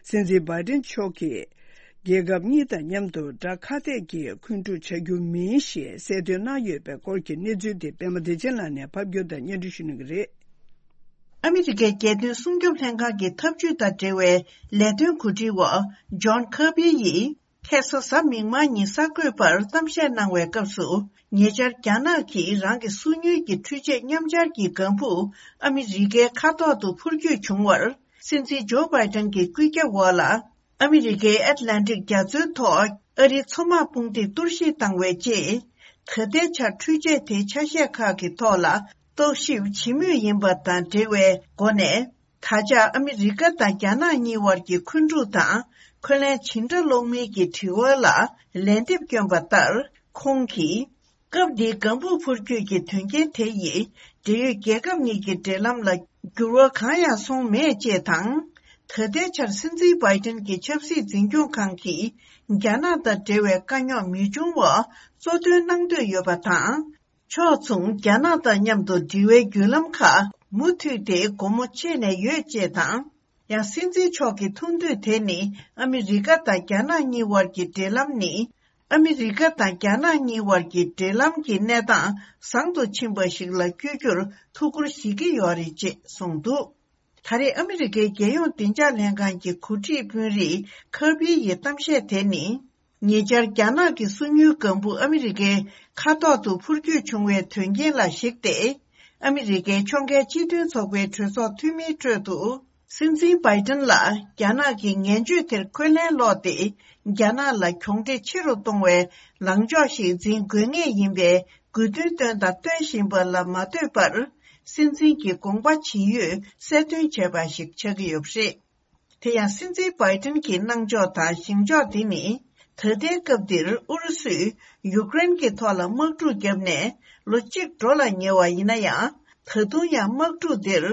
སྲིད་འཛིན་བྷའི་ཏིན་མཆོག་གིས། རྒྱལ་ཁབ་གཉིས་དང་མཉམ་དུ་དགྲ་ཁ་གཏད་ཀྱིས་འཁོན་འཁྲུག་བྱ་རྒྱུ་མིན་ཞེས་གསལ་སྟོན་གནང་ཡོད་པའི་སྐོར་གྱི་གནས་ཚུལ་དེ་པད་མ་བདེ་ཆེན་ལགས་ནས་ཕབ་སྒྱུར་དང་སྙན་སྒྲོན་ཞུ་གནང་གི་རེད། ཨ་མི་རི་ཀའི་རྒྱལ་དོན་སྲུང་སྐྱོབ་ལྷན་ཁང་གི་ཐབས་ཇུས་དང་འབྲེལ་བའི་ལས་དོན་གོ་སྒྲིག་འོག་ཇོན་ཁར་པི་ཡིས་ཁ་སང་གཟའ་མིག་དམར་ཉིན་གསར་འགོད་པར་གཏམ་བཤད་གནང་བའི་སྐབས་སུ། ཉེ་ཆར་རྒྱ་ནག་གིས་རང་གི་སོ་ཉུལ་གྱི་འཕྲུལ་ཆས་མཉམ་སྦྱར་གྱི་ལྒང་བུ་ཨ་མི་རི་ཀའི་མཁའ་ཐོག་ཏུ་འཕུར་སྐྱོད་བྱུང་བར། སྲིད་འཛིན་ཇོ་བྷའི་ཏན་གྱི་སྐུལ་ཁྱབ་འོག་ལ། ཨ་མི་རི་ཀའི་ཨེཊ་ལན་ཊིག་རྒྱ་མཚོའི་ཐོག་ཨ་རིའི་མཚོ་དམག་དཔུང་སྡེས་གཏོར་བཤིག་བཏང་བའི་རྗེས། ད་ལྟའི་ཆར་འཕྲུལ་ཆས་དེའི་ཆ་ཤས་ཁག་གི་ཐོག་ལ་རྟོག་ཞིབ་བྱེད་མུས་ཡིན་པ་དང་འབྲེལ་བའི་སྒོ་ནས། ད་ཆ་ཨ་མི་རི་ཀ་དང་རྒྱ་ནག་གཉིས་དབར་གྱི་འཁོན་འཁྲུག་དང་། འཁོན་ལན་ཇི་འདྲ་སློག་མིན་གྱི་དྲི་བ་ལ་ལན་འདེབས་བསྐྱོན་པ་ལྟར། ཁོང་གིས། སྐབས་འདིའི་ལྒང་བུ་འཕུར་སྐྱོད་ཀྱི་དོན་རྐྱེན་དེ་ཡིས་འབྲེལ་ཡོད་རྒྱལ་ཁབ་གཉིས་ཀྱི་འབྲེལ་ལམ་ལ་འགྱུར་བ་གང་ཡང་སོང་མེད་ཅེས་དང་། ད་ལྟའི་ཆར་སྲིད་འཛིན་བྷའི་ཏིན་གྱི་ཆབ་སྲིད་འཛིན་སྐྱོང་ཁང་གིས་རྒྱ་ནག་དང་འབྲེལ་བའི་དཀའ་རྙོག་མི་འབྱུང་བ་གཙོ་འདོན་གནང་འདོད་ཡོད་པ་དང་། ཕྱོགས་མཚུངས་རྒྱ་ནག་དང་མཉམ་དུ་འབྲེལ་བའི་བརྒྱུད་ལམ་ཁག་མུ་མཐུད་དེ་སྒོ་མོ་ཕྱེ་ནས་ཡོད་ཅེས་དང་། ཡང་སྲིད་འཛིན་མཆོག་གི་ཐུགས་འདོད་དེ་ནི་ཨ་མི་རི་ཀ་དང་རྒྱ་ནག་གཉིས་དབར་གྱི་འབྲེལ་ལམ་ནི། ཨ་མི་རི་ཀ་དང་རྒྱ་ནག་གཉིས་དབར་གྱི་འབྲེལ་ལམ་གྱི་གནས་སྟངས་བཟང་དུ་ཕྱིན་པ་ཞིག་ལ་བསྐྱོད་རྒྱུར་ཐུགས་ཁུར་བཞེས་ཀྱི་ཡོད་རེད་ཅེས་གསུངས་འདུག་ད་རེས་ཨ་མི་རི་ཀའི་རྒྱལ་ཡོངས་བདེ་འཇགས་ལྷན་ཁང་གི་འགོ་ཁྲིད་དཔོན་རིགས་ཁར་པི་ཡི་གཏམ་བཤད་དེ་ནི། ཉེ་ཆར་རྒྱ་ནག་གི་སོ་ཉུལ་ལྒང་བུ་ཨ་མི་རི་ཀའི་མཁའ་ཐོག་ཏུ་འཕུར་སྐྱོད་བྱུང་བའི་དོན་རྐྱེན་ལ་གཞིགས་ཏེ། ཨ་མི་རི་ཀའི་ཕྱོགས་འགལ་སྤྱི་མཐུན་ཚོགས་པའི་གྲོས་ཚོགས་འཐུས་མིའི་ཁྲོད་དུ། སྲིད་འཛིན་བྷའི་ཏིན་ལ་རྒྱ་ནག་གི་ངན་བྱུས་དེར་འཁོན་ལན་སློག་སྟེ། རྒྱ་ནག་ལ་གྱོང་འབྲས་ཆེ་རུ་གཏོང་བའི་ལངས་ཕྱོགས་ཤིག་འཛིན་དགོས་ངེས་ཡིན་པའི་དགོས་འདུན་བཏོན་དང་སྟོན་བཞིན་པ་ལ་མ་ལྟོས་པར། སྲིད་འཛིན་གྱི་དགོངས་པ་ཇི་ཡོད་གསལ་སྟོན་བྱས་པ་ཞིག་ཆགས་ཀྱི་ཡོད་པ་རེད། དེ་ཡང་སྲིད་འཛིན་བྷའི་ཏིན་གྱི་གནང་ཕྱོགས་དང་བཞེངས་ཕྱོགས་འདི་ནི། ད་ལྟའི་སྐབས་འདིར་ཨུ་རུ་སུས་ཡུཀ་རེན་གྱི་ཐོག་ལ་དམག་འཁྲུག་བརྒྱབ་ནས་ལོ་གཅིག་འགྲོ་ལ་ཉེ་བ་ཡིན་ན་ཡང་། ད་དུང་ཡང་དམག་འཁྲུག་འདིར་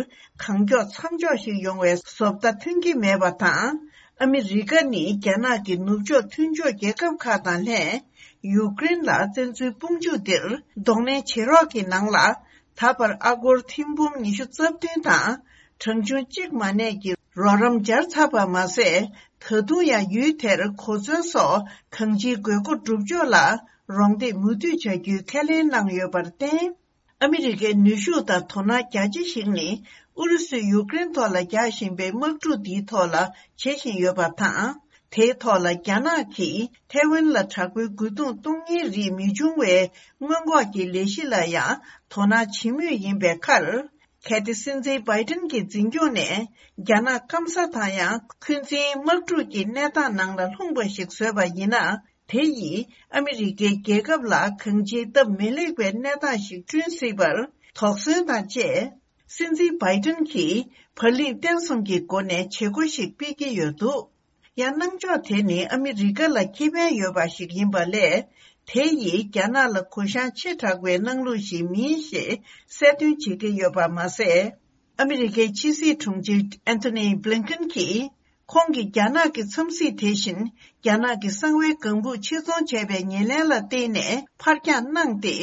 གང་མགྱོགས་མཚམས་འཇོག་ཞིག་ཡོང་བའི་བཟོ་ལྟ་ཐོན་གྱི་མེད་པ་དང་། ཨ་མི་རི་ཀ་ནི་རྒྱ་ནག་གི་ནུབ་ཕྱོགས་མཐུན་ཕྱོགས་རྒྱལ་ཁབ་ཁག་དང་ལྷན། ཡུཀ་རེན་ལ་བཙན་འཛུལ་དཔུང་འཇུག་འདིར་གདོང་ལེན་བྱེད་རོགས་ཀྱི་ནང་ལ། ད་བར་ཨ་སྒོར་ཐེར་འབུམ་ཉི་ཤུ་རྩ་བདུན་དང་། གྲངས་ཆུང་གཅིག་མ་གནས་ཀྱི་རོགས་རམ་སྦྱར་ཚར་བ་མ་ཟད། ད་དུང་ཡང་ཡུལ་དེར་གོ་མཚོན་སོགས་གང་ཅིའི་དགོས་མཁོ་སྒྲུབ་ཕྱོགས་ལ་རོགས་འདེགས་མུ་མཐུད་བྱ་རྒྱུའི་ཁས་ལེན་གནང་ཡོད་པར་བརྟེན། ཨ་མི་རི་ཀའི་ནུས་ཤུགས་དང་དོ་སྣང་རྒྱ་ཆེ་ཞིག་ནི། ཨུ་རུ་སུས་ཡུཀ་རེན་ཐོག་ལ་རྒྱག་བཞིན་པའི་དམག་འཁྲུག་འདིའི་ཐོག་ལ་བྱེད་བཞིན་ཡོད་པ་དང་། དེའི་ཐོག་ལ་རྒྱ་ནག་གིས་ཐའེ་ཝན་ལ་དྲག་པོའི་རྒོལ་རྡུང་གཏོང་མཁན་རིགས་མི་འབྱུང་བའི་སྔོན་འགོག་གི་ལས་གཞི་ལ་ཡང་དོ་སྣང་བྱེད་མུས་ཡིན་པའི་ཁར། གལ་ཏེ་སྲིད་འཛིན་བྷའི་ཏིན་གྱི་འཛིན་སྐྱོང་ནས་རྒྱ་ནག་སྐམ་ས་དང་ཡང་འཁོན་འཛིན་དམག་འཁྲུག་གི་གནས་སྟངས་ནང་ལ་ལྷུང་བ་ཞིག་བཟོས་པ་ཡིན་ན། དེ་ཡིས་ཨ་མི་རི་ཀའི་རྒྱལ་ཁབ་ལ་གང་ཅིའི་སྟབས་མི་ལེགས་པའི་གནས་སྟངས་ཤིག་བསྐྲུན་སྲིད་པར་དོགས་ཟོན་དང་བཅས། སྲིད་འཛིན་བྷའི་ཏིན་གྱིས་བར་གླིང་བརྟན་གསུམ་གྱི་སྒོ་ནས་བྱེད་སྒོ་ཞིག་སྤེལ་གྱི་ཡོད་འདུག་ཡང་གནང་ཕྱོགས་དེ་ནི་ཨ་མི་རི་ཀ་ལ་ཁེ་ཕན་ཡོད་པ་ཞིག་ཡིན་པ་ལས། དེ་ཡིས་རྒྱ་ནག་ལ་གུ་བཤངས་ཆེ་དྲགས་པའི་གནང་ལུགས་ཤིག་མིན་ཞེས་གསལ་སྟོན་བྱེད་ཀྱི་ཡོད་པ་མ་ཟད། ཨ་མི་རི་ཀའི་ཕྱི་སྲིད་དྲུང་ཆེ་ཨན་ཐོ་ནི་བྷི་ལིན་ཀེན་གྱིས། ཁོང་གིས་རྒྱ་ནག་གི་འཚམས་གཟིགས་དེ་བཞིན་རྒྱ་ནག་གི་གསང་བའི་ལྒང་བུ་ཕྱིར་ཚོང་བྱས་པའི་ཉེར་ལེན་ལ་བརྟེན་ནས་ཕར་འགྱངས་གནང་སྟེ།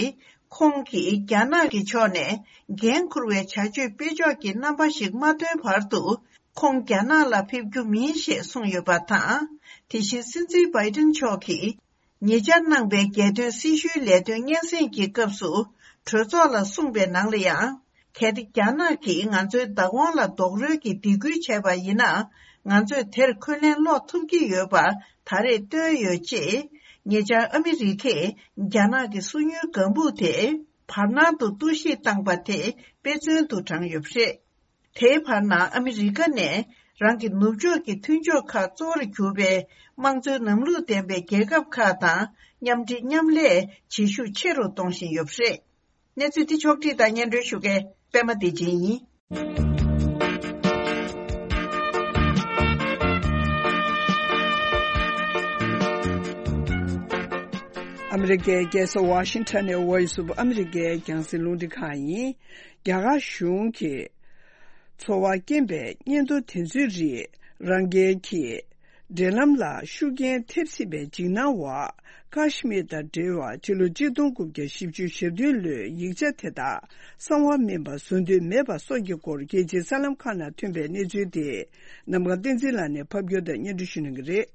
ཁོང་གིས་རྒྱ་ནག་གི་ཕྱོགས་ནས་འགན་འཁུར་བའི་བྱ་སྤྱོད་སྤེལ་ཕྱོགས་ཀྱི་རྣམ་པ་ཞིག་མ་སྟོན་བར་དུ། ཁོང་རྒྱ་ནག་ལ་ཕེབས་རྒྱུ་མིན་ཞེས་གསུངས་ཡོད་པ་དང་། དེ་བཞིན་སྲིད་འཛིན་བྷའི་ཏིན་མཆོག་གིས། ཉེ་ཆར་གནང་པའི་རྒྱལ་དོན་སྲི་ཞུའི་ལས་དོན་སྙན་སེང་གི་སྐབས་སུ་གྲོས་ཚོགས་ལ་གསུངས་པའི་ནང་ལ་ཡང་། གལ་ཏེ་རྒྱ་ནག་གིས་ང་ཚོའི་བདག་དབང་ལ་རྡོག་རོལ་གྱི་སྡིགས་སྐུལ་བྱས་པ་ཡིན་ན། ང་ཚོས་དེར་འཁོན་ལན་སློག་ཐུབ་ཀྱི་ཡོད་པ་ད་རེས་བཏོན་ཡོད་ཅེས། ཉེ་ཆར་ཨ་མི་རི་ཀས་རྒྱ་ནག་གི་སོ་ཉུལ་ལྒང་བུ་དེ། བར་སྣང་དུ་གཏོར་བཤིག་བཏང་པ་དེ་དཔེ་མཚོན་དུ་དྲངས་ཡོད་པ་རེད། དེའི་བར་ན་ཨ་མི་རི་ཀ་ནས་རང་གི་ནུབ་ཕྱོགས་ཀྱི་མཐུན་ཕྱོགས་ཁག་གཙོ་བོར་གྱུར་པའི་དམངས་གཙོའི་ལམ་ལུགས་ལྡན་པའི་རྒྱལ་ཁབ་ཁག་དང་མཉམ་འབྲེལ་མཉམ་ལས་བྱེད་ཤུགས་ཆེ་རུ་གཏོང་བཞིན་ཡོད་པ་རེད། གནས་ཚུལ་འདི་ཕྱོགས་བསྒྲིགས་དང་སྙན་སྒྲོན་ཞུ་མཁན་པད་མ་བདེ་ཆེན་ཡིན། ཨ་མི་རི་ཀའི་རྒྱལ་ས་ཝ་ཤིང་ཊོན་ནས་Voice of America རྒྱང་སྲིང་རླུང་འཕྲིན་ཁང་ཡིན། རྒྱ་གར་གཞུང་གིས་ཚོར་བ་སྐྱེན་པའི་སྙན་ཐོ་དེ་ཚོའི་རིགས་རང་རྒྱལ་གྱི་འབྲེལ་ལམ་ལ་ཤུགས་རྐྱེན་ཐེབས་སྲིད་པའི་འཇིགས་སྣང་འོག་ཀ་ཤི་མིར་དང་འབྲེལ་བར་ཕྱི་ལོ་གཅིག་སྟོང་དགུ་བརྒྱ་བཞི་བཅུ་ཞེ་བདུན་ལོའི་ཡིག་ཆ་དེ་དག་གསང་བ་མིན་པ་བཟོ་འདོད་མེད་པ་སོགས་ཀྱི་སྐོར་རྒྱལ་སྤྱིའི་གསར་ལམ་ཁག་ནང་ཐོན་པའི་གནས་ཚུལ་དེ་གནམ་གང་བསྟན་འཛིན་ལགས་ནས་ཕབ་སྒྱུར་དང་སྙན་སྒྲོན་ཞུ་གནང་གི་རེད།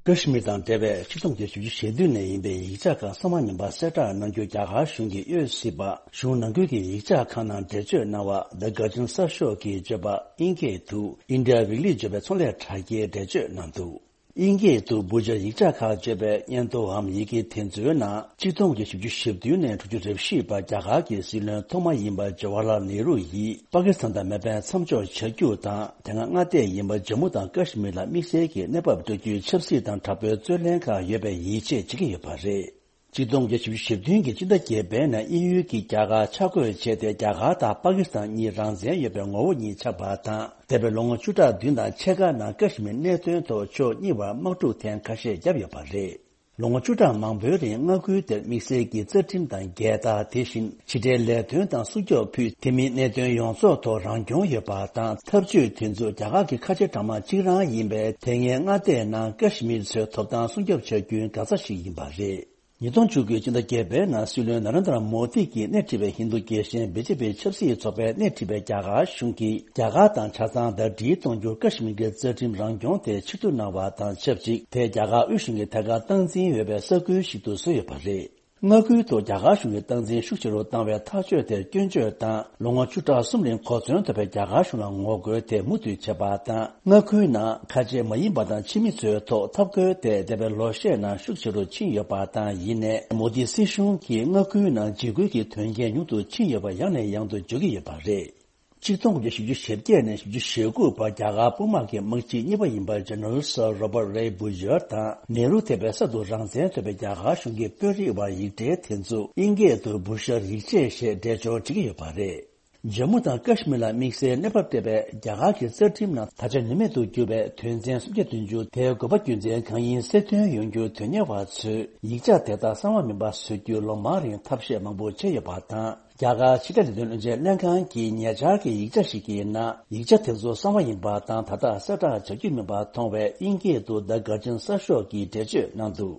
ཀ་ཤི་མིར་དང་འབྲེལ་བའི་ཆིག་སྟོང་དགུ་བརྒྱ་བཞི་བཅུ་ཞེ་བདུན་ནས་ཡིན་པའི་ཡིག་ཆ་ཁག་གསང་བ་མིན་པ་གསལ་བསྒྲགས་གནང་རྒྱུ་རྒྱ་གར་གཞུང་གིས་གཡོལ་སྲིད་པ། གཞུང་ནང་ཁུལ་གྱི་ཡིག་ཆ་ཁག་ནང་འགྲེལ་བརྗོད་གནང་བ། The Guardian གསར་ཤོག་གིས་བརྗོད་པ། དབྱིན་སྐད་དུ་India Weekly བརྗོད་པའི་ཚོང་ལས་དྲ་རྒྱའི་འགྲེལ་བརྗོད་གནང་འདུག་དབྱིན་སྐད་དུ་བྷུ་ཇར་ཡིག་ཆ་ཁག་བརྗོད་པའི་སྙན་ཐོའམ་ཡི་གེ་དེ་ཚོའི་ནང་། ཆིག་སྟོང་དགུ་བརྒྱ་བཞི་བཅུ་ཞེ་བདུན་ནས་དྲུག་ཅུ་རེ་བཞི་བར་རྒྱ་གར་གྱི་སྲིད་བློན་ཐོག་མ་ཡིན་པ་ཇ་ཝ་ཧར་ལཱལ་ནེ་རུ་ཡིས་པ་ཀི་སི་ཐན་དང་མེ་འཕེན་མཚམས་འཇོག་བྱ་རྒྱུ་དང་། དེ་སྔ་མངའ་སྡེ་ཡིན་པ་ཇམ་མུ་དང་ཀ་ཤི་མིར་ལ་དམིགས་བསལ་གྱི་གནས་བབ་སྤྲོད་རྒྱུའི་ཆབ་སྲིད་དང་དྲག་པོའི་རྩོད་གླེང་ཁག་ཡོད་པའི་ཡིད་ཆེས་བྱེད་ཀྱི་ཡོད་པ་རེད། ཆིག་སྟོང་དགུ་བརྒྱ་བཞི་བཅུ་ཞེ་བདུན་གྱི་སྤྱི་ཟླ་བརྒྱད་པའི་ནང་དབྱིན་ཡུལ་གྱིས་རྒྱ་གར་ཆ་བགོས་བྱས་ཏེ། རྒྱ་གར་དང་པ་ཀི་སི་ཐན་གཉིས་རང་བཙན་ཡོད་པའི་ངོ་བོ་གཉིས་ཆགས་པ་དང་། འདས་པའི་ལོ་ངོ་བཅུ་ཕྲག་བདུན་དང་ཕྱེད་ཀ་ནང་ཀ་ཤི་མིར་གནད་དོན་ཐོག་ཕྱོགས་གཉིས་བར་དམག་འཁྲུག་ཐེངས་ཁ་ཤས་བརྒྱབ་ཡོད་པ་རེད། ལོ་ངོ་བཅུ་ཕྲག་མང་པོའི་རིང་མངའ་ཁུལ་དེར་དམིགས་བསལ་གྱི་རྩ་ཁྲིམས་དང་རྒྱལ་དར། དེ་བཞིན་ཕྱི་འབྲེལ་ལས་དོན་དང་སྲུང་སྐྱོབ་ཕུད། དེ་མིན་གནད་དོན་ཡོངས་རྫོགས་ཐོག་རང་སྐྱོང་ཡོད་པ་དང་། འཐབ་ཇུས་དེ་ཚོ་རྒྱ་གར་གྱི་ཁ་ཆེ་གྲངས་མང་གཅིག་རང་ཡིན་པས། དེ་སྔའི་མངའ་སྡེའི་ནང་ཀ་ཤི་མིར་ཚོའི་ཐོབ་ཐང་སྲུང་སྐྱོབ་བྱ་རྒྱུའི་འགག་རྩ་ཞིག་ཡིན་པ་རེད། ཉིས་སྟོང་བཅུ་དགུ་སྤྱི་ཟླ་བརྒྱད་པའི་ནང་སྲིད་བློན་ན་རེན་དྲ་མོ་དི་གིས་སྣེ་ཁྲིད་པའི་ཧིན་རྡུ་རྒྱལ་ཞེན་བི་ཇེ་པི་ཆབ་སྲིད་ཚོགས་པས་སྣེ་ཁྲིད་པའི་རྒྱ་གར་གཞུང་གིས། རྒྱ་གར་དང་ཆ་ཚང་ཟླ་སྒྲིལ་གཏོང་རྒྱུར་ཀ་ཤི་མིར་གྱི་རྩ་ཁྲིམས་རང་སྐྱོང་དེ་ཕྱིར་བསྡུ་གནང་བ་དང་ཆབས་ཅིག་དེ་རྒྱ་གར་དབུས་གཞུང་གིས་ཐད་ཀར་སྟངས་འཛིན་ཡོད་པའི་ས་ཁུལ་ཞིག་ཏུ་བཟོས་ཡོད་པ་རེད། མངའ་ཁུལ་དུ་རྒྱ་གར་གཞུང་གིས་སྟངས་འཛིན་ཤུགས་ཆེ་རུ་བཏང་བའི་ཐག་གཅོད་དེར་སྐྱོན་བརྗོད་དང་། ལོ་ངོ་བཅུ་ཕྲག་གསུམ་རིང་གོ་མཚོན་ཐོབ་པའི་རྒྱ་གར་གཞུང་ལ་ངོ་རྒོལ་དེ་མུ་མཐུད་བྱས་པ་དང་། མངའ་ཁུལ་ནང་ཁ་ཆེ་མ་ཡིན་པ་དང་ཕྱི་མི་ཚོའི་ཐོག་འཐབ་རྒོལ་དེ་འདས་པའི་ལོ་ཤས་ནང་ཤུགས་ཆེ་རུ་ཕྱིན་ཡོད་པ་དང་། ཡིན་ནའི་མོ་དི་སྲིད་གཞུང་གིས་མངའ་ཁུལ་ནང་འཇིགས་སྐུལ་གྱི་དོན་རྐྱེན་ཉུང་དུ་ཕྱིན་ཡོད་པ་ཡང་ནས་ཡང་དུ་བརྗོད་ཀྱི་ཡོད་པ་རེད། ཆིག་སྟོང་དགུ་བརྒྱ་བཞི་བཅུ་ཞེ་བརྒྱད་ནས་བཞི་བཅུ་ཞེ་དགུ་བར་རྒྱ་གར་དཔུང་དམག་གི་དམག་སྤྱི་གཉིས་པ་ཡིན་པ་ཇེ་ནེ་རལ་སར་རོ་པར་རེ་བྷུ་ཇར་དང་ནེ་རུ་ཐེ་པའི་སར་དུ་རང་བཙན་རྩོད་པའི་རྒྱ་གར་གཞུང་གི་དཔོན་རིགས་བར་ཡིག་འབྲེལ་དེ་ཚོ་དབྱིན་སྐད་དུ་བྷུ་ཤར་ཡིག་ཆས་ཞེས་འགྲེལ་སྦྱོར་བྱེད་ཀྱི་ཡོད་པ་རེད། ཇམ་མུ་དང་ཀ་ཤི་མིར་ལ་དམིགས་བསལ་གནས་བབ་སྤྲད་པའི་རྒྱ་གར་གྱི་རྩ་ཁྲིམས་ནང་ད་ཆ་ནུས་མེད་དུ་གྱུར་བའི་དོན་ཚན་སུམ་བརྒྱ་བདུན་ཅུ་དེའི་དགོས་པ་རྒྱུ་མཚན་གང་ཡིན་གསལ་སྟོན་ཡོང་རྒྱུར་དོན་གཉེར་བ་ཚོས་ཡིག་ཆ་དེ་དག་གསང་བ་མིན་པ་བཟོ་རྒྱུར་ལོ་མང་རིང་ཐབས་ཤེས་མང་པོ་བྱས་ཡོད་པ་དང་། རྒྱ་གར་ཕྱི་དྲིལ་ལས་དོན་བློན་ཆེན་ལྷན་ཁང་གི་ཉེ་ཆར་གྱི་ཡིག་ཆ་ཞིག་གི་ནང་། ཡིག་ཆ་དེ་ཚོ་གསང་བ་ཡིན་པ་དང་ད་ལྟ་གསལ་བསྒྲགས་བྱ་རྒྱུ་མིན་པ་མཐོང་བས། དབྱིན་སྐད་དུ་The Guardian གསར་ཤོག་གིས་འགྲེལ་བརྗོད་གནང་འདུག་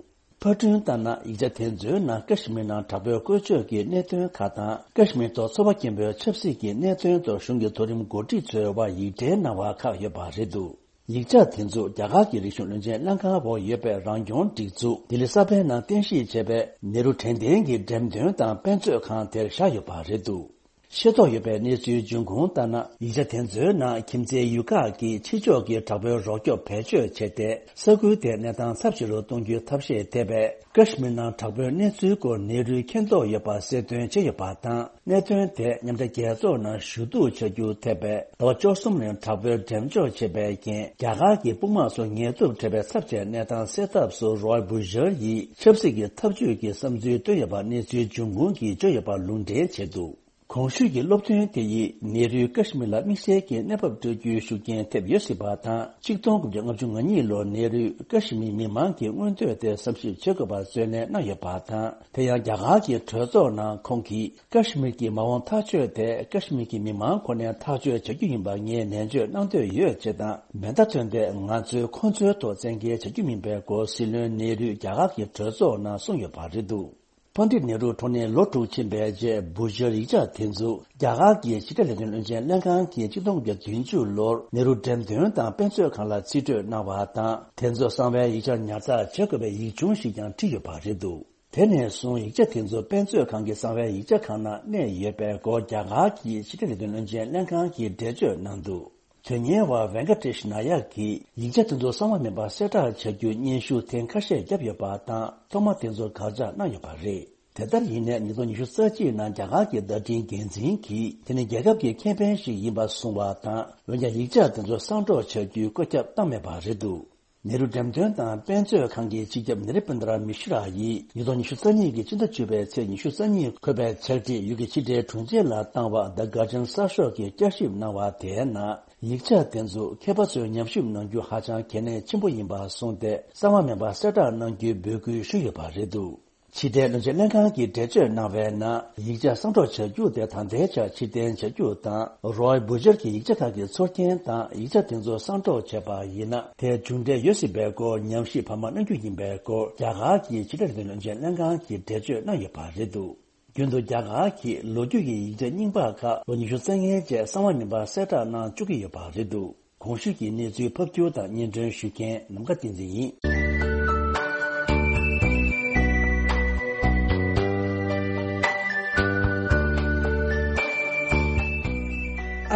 ཕར་སྐྲུན་ལྟར་ན། ཡིག་ཆ་དེ་ཚོའི་ནང་ཀ་ཤི་མིར་ནང་དྲག་པོའི་བཀོལ་སྤྱོད་ཀྱི་གནད་དོན་ཁག་དང་། ཀ་ཤི་མིར་ཐོག་ཚོར་བ་སྐྱེན་པོའི་ཆབ་སྲིད་ཀྱི་གནད་དོན་ཐོག་གཞུང་གི་མཐོ་རིམ་འགོ་ཁྲིད་ཚོའི་དབར་ཡིག་འབྲེལ་གནང་བ་ཁག་ཡོད་པ་རེད་འདུག་ཡིག་ཆ་དེ་ཚོ་རྒྱ་གར་གྱི་རིག་གཞུང་བློན་ཆེན་ལྷན་ཁང་འོག་ཡོད་པའི་རང་སྐྱོང་སྒྲིག་འཛུགས་ལྡི་ལི་གསར་པའི་ནང་རྟེན་གཞི་བྱས་པའི་ནེ་རུ་དྲན་རྟེན་གྱི་འགྲེམས་སྟོན་དང་དཔེ་མཛོད་ཁང་དེར་བཞག་ཡོད་པ་རེད་འདུག་ཤེས་རྟོགས་ཡོད་པའི་གནས་ཚུལ་འབྱུང་ཁུངས་ལྟར་ན། ཡིག་ཆ་དེ་ཚོའི་ནང་ཁྱིམ་མཚེས་ཡུལ་ཁག་གིས་ཕྱི་ཕྱོགས་ཀྱི་དྲག་པོའི་རོགས་སྐྱོབ་བེད་སྤྱོད་བྱས་ཏེ། ས་ཁུལ་དེའི་གནས་སྟངས་ཚབས་ཆེ་རུ་གཏོང་རྒྱུའི་ཐབས་ཤེས་ཐེབས་པས། ཀ་ཤི་མིར་ནང་དྲག་པོའི་གནས་ཚུལ་སྐོར་ནེ་རུས་མཁྱེན་རྟོགས་ཡོད་པ་གསལ་སྟོན་བྱས་ཡོད་པ་དང་། གནད་དོན་དེ་མཉམ་འབྲེལ་རྒྱལ་ཚོགས་ནང་ཞུ་གཏུག་བྱ་རྒྱུ་ཐེབས་པས། ཟླ་བ་བཅུ་གསུམ་རིང་དྲག་པོའི་འགྲེམས་འཇོག་བྱས་པའི་རྐྱེན། རྒྱ་གར་གྱི་དཔུང་དམག་ཚོ་ངལ་དུབ་བྲལ་བའི་ཚབས་ཆེའི་གནས་སྟངས་སེལ་ཐབས་སུ་རོ་ཡལ་བྷུ་ཤར་ཡིས་ཆབ་སྲིད་ཀྱི་ཐབས་ཇུས་ཀྱི་བསམ་ཚུལ་བཏོན་ཡོད་པ་གནས་ཚུལ་འབྱུང་ཁུངས་ཀྱིས་བརྗོད་ཡོད་པར་ལུང་འདྲེན་བྱས་འདུག་གོང་ཞུས་ཀྱི་སློབ་སྟོན་དེ་ཡིས་ནེ་རུས་ཀ་ཤི་མིར་ལ་དམིགས་བསལ་གྱི་གནས་བབ་སྤྲོད་རྒྱུའི་ཤུགས་རྐྱེན་ཐེབས་ཡོད་སྲིད་པ་དང་། ཆིག་སྟོང་དགུ་བརྒྱ་ལྔ་བཅུ་ང་གཉིས་ལོར་ནེ་རུས་ཀ་ཤི་མིར་མི་མང་གི་མངོན་འདོད་དེ་བསམ་ཞིབ་བྱེད་དགོས་པར་བརྩོན་ལེན་གནང་ཡོད་པ་དང་། དེ་ཡང་རྒྱ་གར་གྱི་གྲོས་ཚོགས་ནང་ཁོང་གིས། ཀ་ཤི་མིར་གྱི་མ་འོངས་ཐག་གཅོད་དེ་ཀ་ཤི་མིར་གྱི་མི་མང་ཁོ་ནས་ཐག་གཅོད་བྱ་རྒྱུ་ཡིན་པ་ངས་ནན་བརྗོད་གནང་འདོད་ཡོད་ཅེས་དང་། མེ་མདའ་ཐོན་ཏེ་ང་ཚོས་ཁོང་ཚོའི་ཐོག་བཙན་འགེལ་བྱ་རྒྱུ་མིན་པའི་སྐོར་སྲིད་བློན་ནེ་རུས་རྒྱ་གར་གྱི་གྲོས་ཚོགས་ནང་གསུངས་ཡོད་པ་རེད་འདུག་པཎ་ཌིཏ་ནེ་རུ་འཁྲུངས་ནས་ལོ་དྲུག་ཕྱིན་པའི་རྗེས། བྷུ་ཤར་ཡིག་ཆ་དེ་ཚོ་རྒྱ་གར་གྱི་ཕྱི་དྲིལ་ལས་དོན་བློན་ཆེན་ལྷན་ཁང་གིས་ཆིག་སྟོང་དགུ་བརྒྱ་བདུན་ཅུ་ལོར་ནེ་རུ་འགྲེམས་སྟོན་དང་དཔེ་མཛོད་ཁང་ལ་རྩིས་སྤྲོད་གནང་བ་དང་། དེ་ཚོ་གསང་བའི་ཡིག་ཆར་ཉར་ཚགས་བྱེད་དགོས་པའི་ཡིག་ཆུང་ཞིག་ཀྱང་བྲིས་ཡོད་པ་རེད་འདུག་དེ་ནས་བཟུང་ཡིག་ཆ་དེ་ཚོ་དཔེ་མཛོད་ཁང་གི་གསང་བའི་ཡིག་ཆ་ཁང་ནང་གནས་ཡོད་པའི་སྐོར་རྒྱ་གར་གྱི་ཕྱི་དྲིལ་ལས་དོན་བློན་ཆེན་ལྷན་ཁང་གིས་འགྲེལ་བརྗོད་གནང་འདུག་དོན་གཉེར་བ་ཝེང་ཀ་ཏེཤ་ན་ཡག་གིས་ཡིག་ཆ་དེ་ཚོ་གསང་བ་མིན་པར་གསལ་བསྒྲགས་བྱ་རྒྱུ་སྙན་ཞུ་ཐེངས་ཁ་ཤས་བརྒྱབ་ཡོད་པ་དང་། ཐོག་མ་དེ་ཚོར་དགག་བྱ་གནང་ཡོད་པ་རེད། དེ་ལྟར་ཡིན་ནའི་ཉིས་སྟོང་ཉི་ཤུ་རྩ་གཅིག་ནང་རྒྱ་གར་གྱི་བརྡ་འཕྲིན་འགན་འཛིན་གྱིས་དེ་ནི་རྒྱལ་ཁབ་ཀྱི་ཁེ་ཕན་ཞིག་ཡིན་པ་གསུངས་པ་དང་། འོན་ཀྱང་ཡིག་ཆ་དེ་ཚོ་གསང་སྒྲོག་བྱ་རྒྱུའི་བཀོད་ཁྱབ་བཏང་མེད་པ་རེད་འདུག་ནེ་རུ་འགྲེམས་སྟོན་དང་དཔེ་མཛོད་ཁང་གི་སྤྱི་ཁྱབ་ནེ་རི་པིན་དྲ་མི་ཤི་ར་ཡིས་ཉིས་སྟོང་ཉི་ཤུ་རྩ་གཉིས་ཀྱི་ཕྱི་ཟླ་བཅུ་པའི་ཚེས་ཉི་ཤུ་རྩ་གཉིས་འཁོད་པའི་ཕྱག་བྲིས་ཡུལ་གྱི་ཕྱི་དྲིལ་དྲུང་ཆེ་ལ་བཏང་བ། The Guardian གསར་ཤོག་གིས་བསྐྱར་ཞིབ་གནང་བ་དེའི་ནང་། ཡིག་ཆ་དེ་ཚོ་མཁས་པ་ཚོས་ཉམས་ཞིབ་གནང་རྒྱུ་ཧ་ཅང་གལ་གནད་ཆེན་པོ་ཡིན་པ་གསུངས་ཏེ། གསང་བ་མིན་པ་གསལ་བསྒྲགས་གནང་རྒྱུའི་འབོད་སྐུལ་ཞུས་ཡོད་པ་རེད་འདུག་ཕྱི་དྲིལ་བློན་ཆེན་ལྷན་ཁང་གིས་འགྲེལ་བརྗོད་གནང་བའི་ནང་། ཡིག་ཆ་གསང་སྒྲོག་བྱ་རྒྱུ་དེ་ད་ལྟའི་ཆར་ཕྱིར་འཐེན་བྱ་རྒྱུ་དང་། རོའི་བུ་ཇར་གྱི་ཡིག་ཆ་ཁག་གི་ཚུར་འཐེན་དང་། ཡིག་ཆ་དེ་ཚོ་གསང་སྒྲོག་བྱས་པ་ཡིན་ན། དེའི་མཇུག་འབྲས་ཡོད་སྲིད་པའི་སྐོར་ཉམས་ཞིབ་བར་མ་གནང་རྒྱུ་ཡིན་པའི་སྐོར། རྒྱ་གར་གྱི་ཕྱི་དྲིལ་བློན་ཆེན་ལྷན་ཁང་གིས་འགྲེལ་བརྗོད་གནང་ཡོད་པ་རེད་འདུག་རྒྱུན་དུ་རྒྱ་གར་གྱིས་ལོ་རྒྱུས་ཀྱི་ཡིག་ཆ་རྙིང་པ་ཁག་ལོ་ཉི་ཤུ་རྩ་ལྔའི་རྗེས་གསང་བ་མིན་པ་གསལ་བསྒྲགས་གནང་བཅུག་གི་ཡོད་པ་རེད་འདུག་གོང་ཞུས་ཀྱི་གནས་ཚུལ་ཕབ་སྒྱུར་དང་སྙན་སྒྲོན་ཞུ་མཁན་ནམ་མཁའ་བསྟན་འཛིན་ཡིན།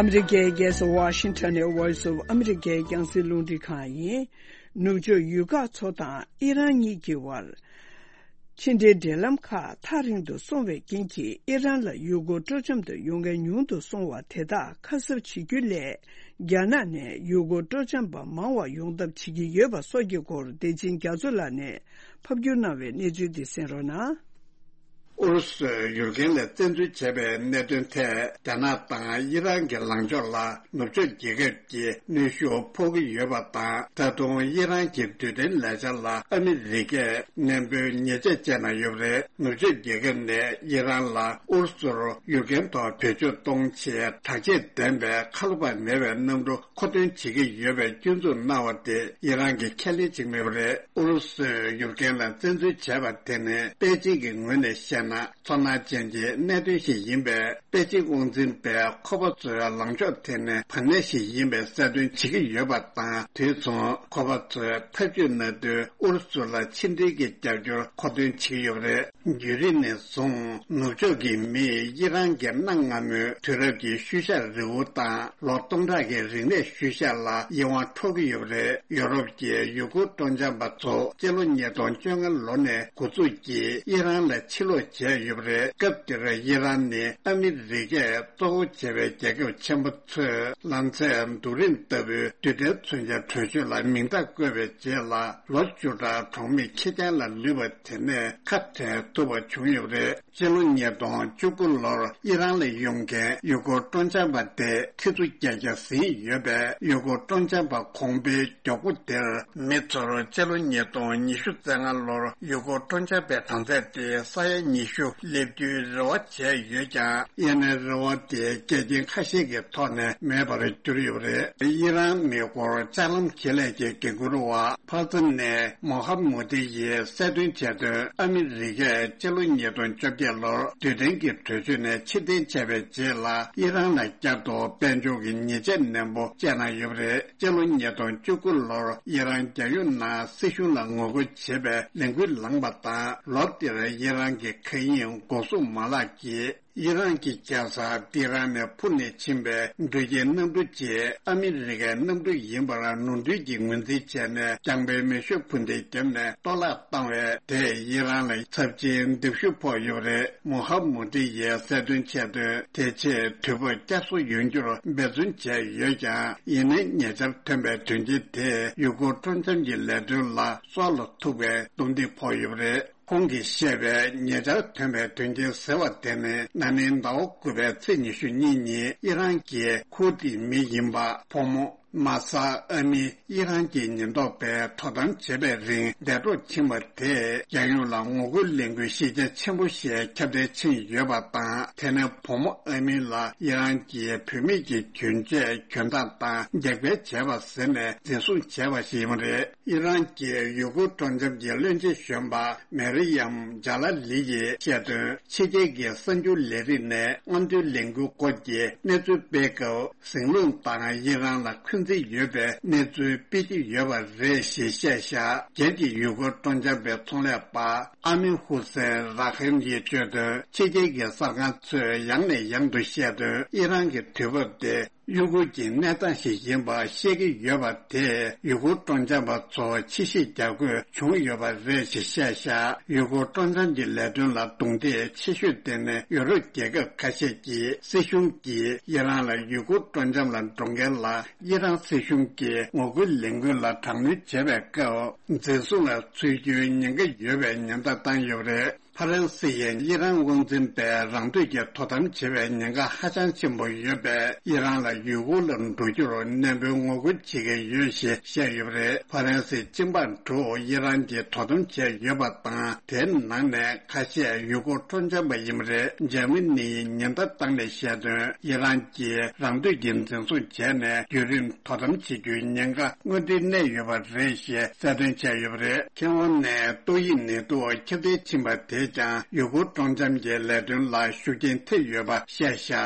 ཨ་མི་རི་ཀའི་རྒྱལ་ས་ཝ་ཤིང་ཊོན་ནས་Voice of America རྒྱང་སྲིང་རླུང་འཕྲིན་ཁང་ཡིན། ནུབ་ཕྱོགས་ཡུལ་ཁག་ཚོ་དང་ཨི་རན་གཉིས་ཀྱི་བར། ཕྱི་འབྲེལ་འབྲེལ་ལམ་ཁག་ཐག་རིང་དུ་སོང་བའི་རྐྱེན་གྱིས། ཨི་རན་ལ་ཡུལ་སྐོར་སྤྲོ་འཆམ་དུ་ཡོང་མཁན་ཉུང་དུ་སོང་བ་དེ་དག་ཁ་གསབ་བྱེད་རྒྱུ་སླད། རྒྱ་ནག་ནས་ཡུལ་སྐོར་སྤྲོ་འཆམ་པ་མང་བ་ཡོང་ཐབས་བྱེད་ཀྱི་ཡོད་པ་སོགས་ཀྱི་སྐོར། བདེ་ཆེན་རྒྱ་མཚོ་ལགས་ནས་ཕབ་སྒྱུར་གནང་བའི་གནས་ཚུལ་འདི་གསན་རོགས་གནང་། ཨུ་རུ་སུས་ཡུཀ་རེན་ལ་བཙན་འཛུལ་བྱས་པའི་གནད་དོན་ཐད། རྒྱ་ནག་དང་ཨི་རན་གྱི་ལངས་ཕྱོགས་ལ་ནུབ་ཕྱོགས་རྒྱལ་ཁབ་ཀྱིས་གནོན་ཤུགས་ཕོག་གི་ཡོད་པ་དང་། ད་དུང་ཨི་རན་གྱི་རྡུལ་ཕྲན་ལས་འཆར་ལ་ཨ་མི་རི་ཀས་ནན་པོའི་ཉེས་ཆད་བཅད་གནང་ཡོད་པ་རེད། ནུབ་ཕྱོགས་རྒྱལ་ཁབ་ནས་ཨི་རན་ལ་ཨུ་རུ་སུར་ཡུཀ་རེན་ཐོག་བེད་སྤྱོད་གཏོང་ཆེད་དྲག་ཆས་ལྡན་པའི་ཁ་ལོ་བ་མེད་པའི་གནམ་གྲུ་མཁོ་འདོན་བྱེད་ཀྱི་ཡོད་པའི་སྐྱོན་འཛུགས་གནང་བ་དེ་ཨི་རན་གྱིས་ཁས་ལེན་བྱེད་ཀྱི་མེད་པ་རེད། ཨུ་རུ་སུས་ཡུཀ་རེན་ལ་བཙན་འཛུལ་བྱས་པ་དེ་ནི་པེ་ཅིང་གི་ངོས་ནས་བཤད་ན། ཚོར་སྣང་ཅན་གྱི་གནད་དོན་ཞིག་ཡིན་པས། པེ་ཅིང་དབང་འཛིན་པས་ཁོ་པ་ཚོའི་ལངས་ཕྱོགས་དེ་ནི་བར་གནས་ཤིག་ཡིན་པའི་གསལ་སྟོན་བྱེད་ཀྱི་ཡོད་པ་དང་། དུས་མཚུངས་ཁོ་པ་ཚོས་ཐབས་ཇུས་གནང་དུས་ཨུ་རུ་སུ་ལ་ཕྱི་འབྲེལ་གྱི་རྒྱབ་སྐྱོར་མཁོ་འདོན་བྱེད་ཀྱི་ཡོད་པ་རེད། བརྒྱུད་རིམ་ནས་བཟུང་ནུབ་ཕྱོགས་ཀྱི་མིས་ཨི་རན་གྱི་གནའ་སྔ་མོའི་དུས་རབས་ཀྱི་ཤུལ་བཞག་རི་བོ་དང་ལོ་སྟོང་ཕྲག་གི་རིག་གནས་ཤུལ་བཞག་ལ་ཡིད་དབང་འཕྲོག་གི་ཡོད་པ་རེད། ཡོ་རོབ་ཀྱི་ཡུལ་སྐོར་སྤྲོ་འཆམ་པ་ཚོ་སྤྱི་ལོ་ཉིས་སྟོང་བཅོ་ལྔ་ལོ་ནས་འགོ་འཛུགས་ཀྱིས་ཨི་རན་ལ་ཕྱིར་ལོག་བྱས་ཡོད་པ་རེད། སྐབས་དེར་ཨི་རན་ནི་ཨ་མི་རི་ཀས་གཙོ་བོ་བྱས་པའི་རྒྱལ་ཁབ་ཆེན་པོ་ཚོས་ལམ་སེལ་རྡོ་རིང་ལྟ་བུའི་རྡུལ་ཕྲན་མཚོན་ཆའི་གྲོས་ཆོད་ལ་མིང་རྟགས་བཀོད་པའི་རྗེས་ལ། ལོ་བཅུ་ཕྲག་གྲོང་མི་ཁེར་རྐྱང་ལ་ལུས་པ་དེ་ནས་ཁ་བྲལ་ཐུབ་པ་བྱུང་ཡོད་པ་རེད། སྤྱི་ལོ་ཉིས་སྟོང་བཅུ་དགུ་ལོར་ཨི་རན་ལ་ཡོང་མཁན་ཡུལ་སྐོར་སྤྲོ་འཆམ་པ་དེ་ཁྲི་ཚོ་བརྒྱད་བརྒྱ་ཟིན་ཡོད་པས། ཡུལ་སྐོར་སྤྲོ་འཆམ་པ་གོང་འཕེལ་མགྱོགས་པོ་དེར། མི་ཚོར་སྤྱི་ལོ་ཉིས་སྟོང་ཉི་ཤུ་རྩ་ལྔ་ལོར་ཡུལ་སྐོར་སྤྲོ་འཆམ་པའི་གྲངས་ཚད་དེ་ས་ཡ་ཉི་ཤུ་སླེབས་རྒྱུའི་རེ་བ་བྱས་ཡོད་ཀྱང་། ཡིན་ནའི་རེ་བ་དེ་འགལ་རྐྱེན་ཁ་ཤས་ཀྱི་ཐོག་ནས་མེད་པར་གྱུར་ཡོད་པ་རེད། ཨི་རན་མེ་འཁོར་ལྕགས་ལམ་ཁེ་ལས་ཀྱི་འགན་འཁུར་བ་ཕ་ཚ་ནས་མོ་ཧ་མུ་ཏི་ཡིས་གསལ་སྟོན་བྱས་དོན། ཨ་མི་རི་ཀས་སྤྱི་ལོ་ཉིས་སྟོང་བཅོ་བརྒྱད་ལོར་རྡུལ་ཕྲན་གྱི་གྲོས་ཆོད་ནས་ཕྱིར་འཐེན་བྱས་པའི་རྗེས་ལ། ཨི་རན་ལ་བསྐྱར་དུ་དཔལ་འབྱོར་གྱི་ཉེས་ཆད་ནན་པོ་བཅད་གནང་ཡོད་པ་རེད། སྤྱི་ལོ་ཉིས་སྟོང་བཅུ་དགུ་ལོར་ཨི་རན་རྒྱལ་ཡོངས་ནང་སྲིད་གཞུང་ལ་ངོ་རྒོལ་བྱེད་པའི་ལས་འགུལ་ལངས་པ་དང་། ལོ་དེར་ཨི་རན་གྱི་མཁའ་དབྱིངས་འགོག་སྲུང་མ་ལག་གིས། ཨི་རན་གྱི་རྒྱལ་ས་ཏི་ཧྲན་ནས་འཕུར་ནས་ཕྱིན་པའི་འགྲུལ་སྐྱེལ་གནམ་གྲུ་གཅིག་ཨ་མི་རི་ཀའི་གནམ་གྲུ་ཡིན་པར་ནོར་འཁྲུལ་གྱིས་ངོས་འཛིན་བྱས་ནས། རྐྱང་པའི་མེ་ཤུགས་འཕུར་མདེལ་བརྒྱབ་ནས་གཏོར་བརླག་བཏང་བས། དེས་ཨི་རན་ལ་ཚབས་ཆེའི་འདེགས་ཤུགས་ཕོག་ཡོད་པ་རེད། མོ་ཧ་མུ་ཏི་ཡིས་གསལ་སྟོན་བྱས་དོན། དེ་རྗེས་དུས་བབ་བསྐྱར་གསོ་ཡོང་རྒྱུར་འབད་བརྩོན་བྱས་ཡོད་ཀྱང་། ཡིན་ནའི་ཉེ་ཆར་ཐོན་པའི་དོན་རྐྱེན་དེས་ཡུལ་སྐོར་སྤྲོ་འཆམ་གྱི་ལས་དོན་ལ་སྲོག་ལ་ཐུག་པའི་རྡུང་རྡེག་ཕོག་ཡོད་པ་རེད། ཁོང་གིས་བཤད་པའི་ཉེ་ཆར་ཐོན་པའི་དོན་རྐྱེན་ཟེར་བ་དེ་ནི། ན་ནིང་ཟླ་བ་དགུ་པའི་ཚེས་ཉི་ཤུ་གཉིས་ཉིན་ཨི་རན་གྱི་ཁུར་དིའི་མི་ཡིན་པ་བུ་མོ་མ་ས་ཨ་མི། ཨི་རན་གྱི་ཉེན་རྟོག་པས་དོ་དམ་བྱེད་པའི་རིང་འདས་གྲོངས་ཕྱིན་པ་དེས། རྒྱལ་ཡོངས་ལ་ངོ་རྒོལ་ལས་འགུལ་གཞི་རྒྱ་ཆེན་པོ་ཞིག་ཁྱབ་གདལ་ཕྱིན་ཡོད་པ་དང་། དེ་ནི་བུ་མོ་ཨ་མི་ལ་ཨི་རན་གྱི་བུད་མེད་ཀྱི་གྱོན་ཆས་གྱོན་སྟངས་དང་རྒྱབ་འགལ་བྱས་པ་ཟེར་ནས་འཛིན་བཟུང་བྱས་པ་ཞིག་ཡིན་པ་རེད། ཨི་རན་གྱི་ཡུལ་སྐོར་སྤྲོ་འཆམ་གྱི་བློན་ཆེན་གཞོན་པ་མེ་རི་ཡམ་ཇཱ་ལ་ལི་ཡིས་བཤད་དོན། ཕྱི་རྒྱལ་གྱི་གསར་འགྱུར་ལས་རིགས་ནས་སྔོན་ཐོན་ལས་འགུལ་སྐོར་གྱི་གནས་ཚུལ་སྤེལ་སྐབས། ཟིང་རླུང་དང་ཨི་རན་ལ་འཁོན་འཛིན་ཡོད་པའི་གནས་ཚུལ་སྤེལ་གྱི་ཡོད་པ་རེད་ཞེས་བཤད་བཞག་སྒེར་གྱི་ཡུལ་སྐོར་སྤྲོ་འཆམ་པའི་ཚོང་ལས་པ་ཨ་མིན་ཧུ་སེན་ར་ཧེམ་གྱིས་བརྗོད་དོན། ཕྱི་རྒྱལ་གྱི་གསར་ཁང་ཚོས་ཡང་ནས་ཡང་དུ་བཤད་དོན། ཨི་རན་གྱི་དུས་བབ་དེ། གཡོ་འགུལ་གྱི་གནས་སྟངས་ཤིག་ཡིན་པ་བཤད་ཀྱི་ཡོད་པ་དེས་ཡུལ་སྐོར་སྤྲོ་འཆམ་པ་ཚོར་ཕྱི་བཤིག་རྒྱག་དགོས་བྱུང་ཡོད་པ་རེད་ཅེས་བཤད་བཞག་ཡུལ་སྐོར་སྤྲོ་འཆམ་གྱི་ལས་དོན་ལ་རྡུང་རྡེག་ཆེ་ཤོས་དེ་ནི་ཡོ་རོབ་རྒྱལ་ཁབ་ཁ་ཤས་ཀྱི་སྲིད་གཞུང་གིས་ཨི་རན་ལ་ཡུལ་སྐོར་སྤྲོ་འཆམ་ལ་འགྲོ་མཁན་ལ་ཨི་རན་སྲིད་གཞུང་གིས་ངོ་རྒོལ་ལས་འགུལ་ལ་དྲག་གནོན་བྱས་པའི་སྐབས། འཛིན་བཟུང་ལ་ཚུད་རྒྱུའི་ཉེན་ཁ་ཡོད་པའི་ཉེན་བརྡ་བཏང་ཡོད་པ་རེད། ཧྥ་རན་སི་ཡིས་ཨི་རན་དབང་འཛིན་པས་རང་འདོད་ཀྱིས་དོ་དམ་བྱེད་པའི་ཉེན་ཁ་ཧ་ཅང་ཆེན་པོ་ཡོད་པས། ཨི་རན་ལ་ཡུལ་སྐོར་ལ་འགྲོ་རྒྱུར་ནན་པོའི་ངོ་རྒོལ་བྱེད་ཀྱི་ཡོད་ཞེས་བཤད་ཡོད་པ་རེད། ཧྥ་རན་སིའི་གཅིན་པ་དྲུག་ཨི་རན་གྱིས་དོ་དམ་བྱས་ཡོད་པ་དང་། དེའི་ནང་ནས་ཁ་ཤས་ཡུལ་སྐོར་སྤྲོ་འཆམ་པ་ཡིན་པ་རེད། འཇར་མ་ནི་ཡིས་ཉེན་བརྡ་བཏང་ནས་བཤད་དོན། ཨི་རན་གྱིས་རང་འདོད་ཀྱིས་འཛིན་བཟུང་བྱས་ནས་རྒྱུན་རིང་དོ་དམ་བྱེད་རྒྱུའི་ཉེན་ཁ་དངོས་འབྲེལ་གནས་ཡོད་པ་རེད་ཞེས་གསལ་སྟོན་བྱས་ཡོད་པ་རེད། མཁས་དབང་ནས་ཏོག་དབྱིབས་ནད་དུག་ཁྱབ་གདལ་ཕྱིན་པ་དེས་ཀྱང་ཡུལ་སྐོར་སྤྲོ་འཆམ་གྱི་ལས་དོན་ལ་ཤུགས་རྐྱེན་ཐེབས་ཡོད་པ་བཤད་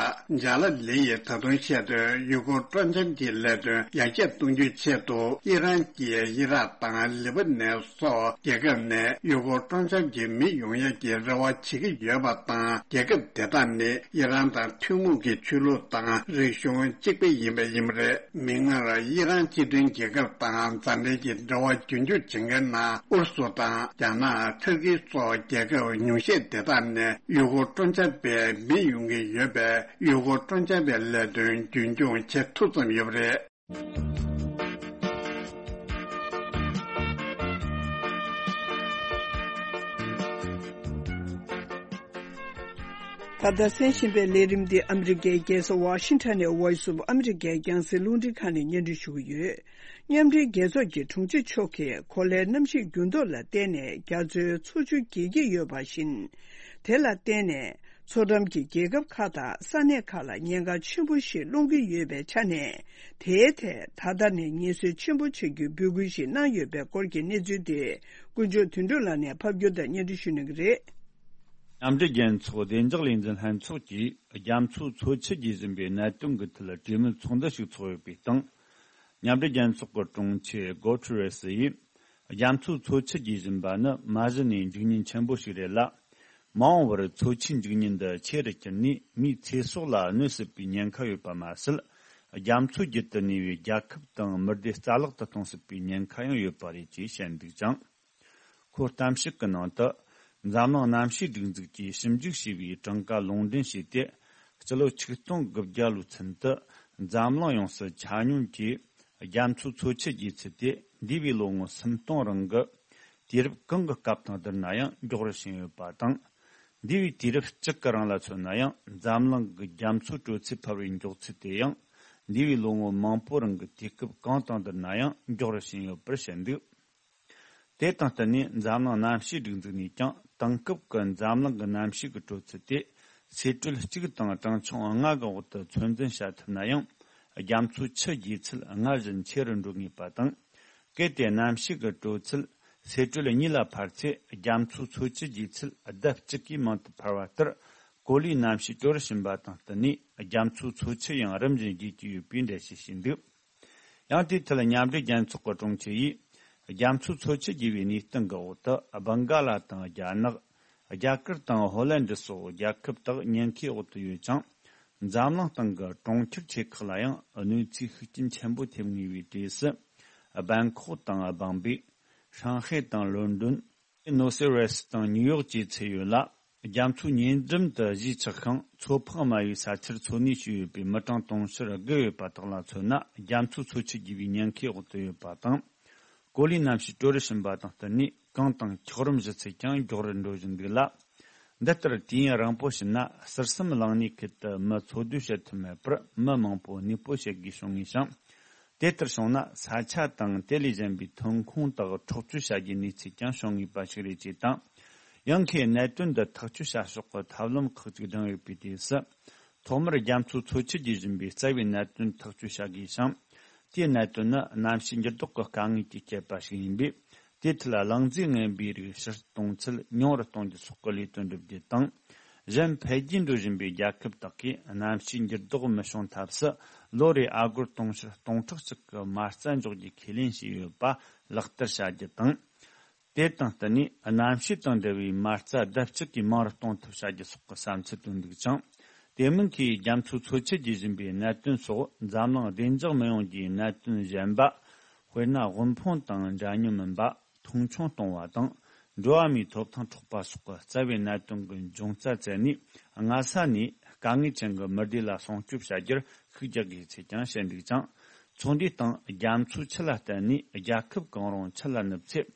བཞག་ཇཱ་ལ་ལི་ཡིས་ད་དུང་བཤད་དོན། ཡུལ་སྐོར་སྤྲོ་འཆམ་གྱི་ལས་དོན་ཡར་རྒྱས་གཏོང་རྒྱུའི་ཆེད་དུ་ཨི་རན་གྱིས་ཨི་རག་དང་ལི་བ་ནན་སོགས་རྒྱལ་ཁབ་ནས་ཡུལ་སྐོར་སྤྲོ་འཆམ་གྱི་མི་ཡོང་ཡག་གི་རེ་བ་བྱེད་ཀྱི་ཡོད་པ་དང་། རྒྱལ་ཁབ་དེ་དག་ནི་ཨི་རན་དང་ཐུན་མོང་གི་ཆོས་ལུགས་དང་རིག་གཞུང་གཅིག་པ་ཡིན་པ་ཡིན་པ་རེད། མིག་སྔར་ཨི་རན་སྤྱི་མཐུན་རྒྱལ་ཁབ་དང་མཛའ་འབྲེལ་གྱི་འབྲེལ་བ་རྒྱུན་སྐྱོང་བྱེད་མཁན་ནང་ཨུ་རུ་སུ་དང་རྒྱ་ནག་ཐར་ཀི་སོགས་རྒྱལ་ཁབ་ཉུང་ཤས་དེ་དག་ནས་ཡུལ་སྐོར་སྤྲོ་འཆམ་པའི་མི་ཡོང་གི་ཡོད་པས། ཡུལ་སྐོར་སྤྲོ་འཆམ་པའི་ལས་དོན་རྒྱུན་སྐྱོང་བྱེད་ཐུབ་ཙམ་ཡོད་པ་རེད། ད་ལྟ་གསན་བཞིན་པའི་ལས་རིམ་འདི་ཨ་མི་རི་ཀའི་རྒྱལ་ས་ཝ་ཤིང་ཊོན་ནས་Voice of America རྒྱང་སྲིང་རླུང་འཕྲིན་ཁང་ནས་སྙན་སྒྲོན་ཞུ་གི་ཡོད། མཉམ་འབྲེལ་རྒྱལ་ཚོགས་ཀྱི་དྲུང་ཆེ་མཆོག་གིས་གོ་ལའི་གནམ་གཤིས་འགྱུར་ལྡོག་ལ་བརྟེན་ནས་རྒྱ་མཚོའི་མཚོ་ཆུ་རྒྱས་ཀྱི་ཡོད་པ་བཞིན། དེ་ལ་བརྟེན་ནས། མཚོ་འགྲམ་གྱི་རྒྱལ་ཁབ་ཁག་དང་ས་གནས་ཁག་ལ་ཉེན་ཁ་ཆེན་པོ་ཞིག་སློང་གི་ཡོད་པའི་ཆ་ནས། དེའི་ཐད་ད་ལྟ་ནས་ངེས་གསལ་ཆེན་པོ་བྱ་རྒྱུའི་འབོད་སྐུལ་ཞིག་གནང་ཡོད་པའི་སྐོར་གྱི་གནས་ཚུལ་དེ། དཀོན་མཆོག་དོན་གྲུབ་ལགས་ནས་ཕབ་སྒྱུར་དང་སྙན་སྒྲོན་ཞུ་གནང་གི་རེད། མཉམ་འབྲེལ་རྒྱལ་ཚོགས་བདེ་འཇགས་ལས་འཛིན་ལྷན་ཚོགས་ཀྱིས་རྒྱ་མཚོའི་མཚོ་ཆུ་རྒྱས་བཞིན་པའི་གནད་དོན་གྱི་ཐད་གྲོས་མོལ་ཚོགས་འདུ་ཞིག་འཚོགས་ཡོད་པའི་སྟེང་། མཉམ་འབྲེལ་རྒྱལ་ཚོགས་ཀྱི་དྲུང་ཆེ་གོ་ཐུ་རེ་སི་ཡིས། རྒྱ་མཚོའི་མཚོ་ཆུ་རྒྱས་བཞིན་པ་ནི་མ་གཞི་ནས་འཇིགས་ཉེན་ཆེན་པོ་ཞིག་རེད་ལ། མ་འོངས་པར་མཚོ་ཆུའི་འཇིགས་ཉེན་འདི་ཆེ་རུ་གྱུར་ནས་མིའི་ཚེ་སྲོག་ལ་གནོད་སྲིད་པའི་ཉེན་ཁ་ཡོད་པ་མ་ཟད། རྒྱ་མཚོའི་རྒྱུད་དུ་གནས་པའི་རྒྱལ་ཁབ་དང་མི་སྡེ་རྩ་བརླག་ཏུ་གཏོང་སྲིད་པའི་ཉེན་ཁ་ཡང་ཡོད་པ་རེད་ཅེས་བཤད་འདུག་ཅིང་། ཁོའི་གཏམ་བཤད་ཀྱི་ནང་དུ། འཛམ་གླིང་གནམ་གཤིས་སྒྲིག་འཛུགས་ཀྱིས་ཞིབ་འཇུག་བྱས་པའི་གྲངས་ཀ་ལུང་འདྲེན་བྱས་ཏེ། སྤྱི་ལོ་ཆིག་སྟོང་དགུ་བརྒྱ་ལོའི་ཚུན་དུ། འཛམ་གླིང་ཡོངས་སུ་ཆ་སྙོམས་ཀྱིས། རྒྱ་མཚོའི་མཚོ་ཆུ་རྒྱས་ཚད་དེ། འདས་པའི་ལོ་ངོ་སུམ་སྟོང་རིང་གི། དུས་རབས་གང་གི་སྐབས་དང་བསྡུར་ན་ཡང་མགྱོགས་རུ་ཕྱིན་ཡོད་པ་དང་། འདས་པའི་དུས་རབས་གཅིག་གི་རིང་ལ་མཚོན་ན་ཡང་། འཛམ་གླིང་གི་རྒྱ་མཚོའི་དྲོད་ཚད་འཕར་བའི་མགྱོགས་ཚད་དེ་ཡང་། འདས་པའི་ལོ་ངོ་མང་པོ་རིང་གི་དུས་སྐབས་གང་དང་བསྡུར་ན་ཡང་མགྱོགས་རུ་ཕྱིན་ཡོད་པར་བཤད་འདུག་དེ་དང་བསྟུན་ནས་འཛམ་གླིང་གནམ་གཤིས་སྒྲིག་འཛུགས་ནས་ཀྱང་དེང་སྐབས་ཀྱི་འཛམ་གླིང་གི་གནམ་གཤིས་ཀྱི་དྲོད་ཚད་དེ་ཚད་དྲོད་གཅིག་དང་གྲངས་ཆུང་ལྔ་གི་འོག་ཏུ་ཚོད་འཛིན་བྱ་ཐུབ་ན་ཡང་། རྒྱ་མཚོའི་ཆུ་རྒྱས་ཚད་སྔར་བཞིན་ཆེ་རུ་འགྲོ་ངེས་པ་དང་། གལ་ཏེ་གནམ་གཤིས་ཀྱི་དྲོད་ཚད་ཚད་དྲོད་གཉིས་ལ་འཕར་ཚེ། རྒྱ་མཚོའི་མཚོ་ཆུ་རྒྱས་ཚད་ལྡབ་གཅིག་གིས་མང་དུ་འཕར་བ་ལྟར། གོ་ལའི་གནམ་གཤིས་དྲོ་རུ་ཕྱིན་པ་དང་བསྟུན་ནས། རྒྱ་མཚོའི་མཚོ་ཆུ་ཡང་རིམ་བཞིན་རྒྱས་ཀྱི་ཡོད་པའི་འགྲེལ་བཤད་བྱས་འདུག་ཡང་དེའི་ཐད་མཉམ་འབྲེལ་རྒྱལ་ཚོགས་ཀྱི་དྲུང་ཆེ་ཡིས། རྒྱ་མཚོའི་མཚོ་ཆུ་རྒྱས་པའི་གནས་སྟངས་ཀྱི་འོག་ཏུ། སྦང་ག་ལ་དང་རྒྱ་ནག་རྒྱ་གར་དང་ཧོ་ལན་ཌི་སོགས་རྒྱལ་ཁབ་དག་ཉེན་ཁའི་འོག་ཏུ་ཡོད་ཅིང་། འཛམ་གླིང་སྟེང་གི་གྲོང་ཁྱེར་ཆེ་ཁག་ལ་ཡང་གནོད་འཚེའི་ཤུགས་རྐྱེན་ཆེན་པོ་ཐེབས་ངེས་པའི་གྲས་སུ། སྦན་ཁོག་དང་སྦང་པེ། ཧྲང་ཧའེ་དང་ལོན་ཌོན། ནོ་སེ་རེས་དང་ནིའུ་ཡོག་བཅས་ཚུད་ཡོད་ལ། རྒྱ་མཚོའི་ཉེ་འགྲམ་དུ་གཞིས་ཆགས་ཤིང་། མཚོ་འཕགས་དམའ་བའི་ས་ཆར་འཚོ་གནས་བྱས་ཡོད་པའི་མི་གྲངས་དུང་ཕྱུར་བརྒལ་ཡོད་པ་དག་ལ་མཚོན་ན། རྒྱ་མཚོའི་མཚོ་ཆུ་རྒྱས་པའི་ཉེན་ཁའི་འོག་ཏུ་ཡོད་པ་དང་། གོ་ལའི་གནམ་གཤིས་དྲོ་རུ་ཕྱིན་པ་དང་བསྟུན་ནས། གངས་དང་འཁྱགས་རོམ་ཞུ་ཚད་ཀྱང་མགྱོགས་རུ་འགྲོ་བཞིན་འདུག་ལ། འདི་ལྟར་དུས་ཡུན་རིང་པོ་ཕྱིན་ན། ཟུར་གསུམ་གླིང་སྣེ་ཁུལ་དུ་མི་འཚོ་སྡོད་བྱེད་ཐུབ་མེད་པར། མི་མང་པོ་གནས་སྤོ་བྱེད་དགོས་བྱུང་ངེས་ཤིང་། དེ་ལྟར་བྱུང་ན། ས་ཆ་དང་དེ་ལས་གཞན་པའི་ཐོན་ཁུངས་དག་འཕྲོག་བཅོམ་བྱ་རྒྱུའི་གནས་ཚུལ་ཀྱང་བྱུང་ངེས་པ་ཞིག་རེད་ཅེས་དང་། ཡང་ཁོས་གནད་དོན་འདི་ཐག་གཅོད་བྱ་ཕྱོགས་ཀྱི་ཐབས་ལམ་ཁག་ཅིག་བསྒྲེངས་ཡོད་པའི་དུས་སུ། ཐོག་མར་རྒྱ་མཚོའི་མཚོ་ཆུ་རྒྱས་བཞིན་པའི་རྩ་བའི་གནད་དོན་ཐག་གཅོད་བྱ་དགོས་ཤིང་། དེའི་གནད་དོན་ནི་གནམ་གཤིས་འགྱུར་ལྡོག་གི་དཀའ་ངལ་གྱིས་བསྐྱེད་པ་ཞིག་ཡིན་པས། དེའི་ཐད་གླང་རྫས་ངན་པའི་རིགས་ཕྱིར་གཏོང་ཚད་ཉུང་རུ་གཏོང་རྒྱུ་སོགས་ཀྱི་ལས་དོན་བསྒྲུབ་རྒྱུ་དང་། གཞན་འཕེལ་རྒྱས་འགྲོ་བཞིན་པའི་རྒྱལ་ཁབ་དག་གིས་གནམ་གཤིས་འགྱུར་ལྡོག་མི་བྱུང་ཐབས་སུ། ལོ་རེར་ཨ་སྒོར་དུང་ཕྱུར་སྟོང་ཕྲག་གཅིག་གི་མ་རྩ་འཇོག་རྒྱུའི་ཁས་ལེན་བྱས་ཡོད་པ་ལག་བསྟར་བྱ་རྒྱུ་དང་། དེ་དང་བསྟུན་ནས་གནམ་གཤིས་དང་འབྲེལ་བའི་མ་རྩ་ལྡབ་གཅིག་གིས་མང་རུ་གཏོང་ཐབས་བྱ་རྒྱུ་སོགས་ཀྱི་བསམ་ཚུལ་བཏོན་འདུག་ཅིང་། དེ་མིན་གྱི་རྒྱ་མཚོའི་མཚོ་ཆུ་རྒྱས་བཞིན་པའི་གནད་དོན་སོགས། འཛམ་གླིང་བདེ་འཇགས་མི་ཡོང་རྒྱུའི་གནད་དོན་གཞན་པ། དཔེར་ན། དབུལ་ཕོངས་དང་འདྲ་མཉམ་མིན་པ། མཐོང་ཆུང་གཏོང་བ་དང་། འགྲོ་བ་མིའི་ཐོབ་ཐང་འཕྲོག་པ་སོགས་ཀྱི་རྩ་བའི་གནད་དོན་གྱི་འབྱུང་རྩ་བཙལ་ནས། སྔ་ས་ནས་དཀའ་ངལ་ཅན་གྱི་མི་སྡེ་ལ་སྲུང་སྐྱོབ་བྱ་རྒྱུར་ཤུགས་རྒྱག་དགོས་ཚུལ་ཀྱང་བཤད་འདུག་ཅིང་། ཚོགས་འདུའི་སྟེང་རྒྱ་མཚོའི་ཆུ་ལ་བརྟེན་ནས་རྒྱལ་ཁབ་གང་རུང་ཆུ་ལ་ནུབ་ཚེ།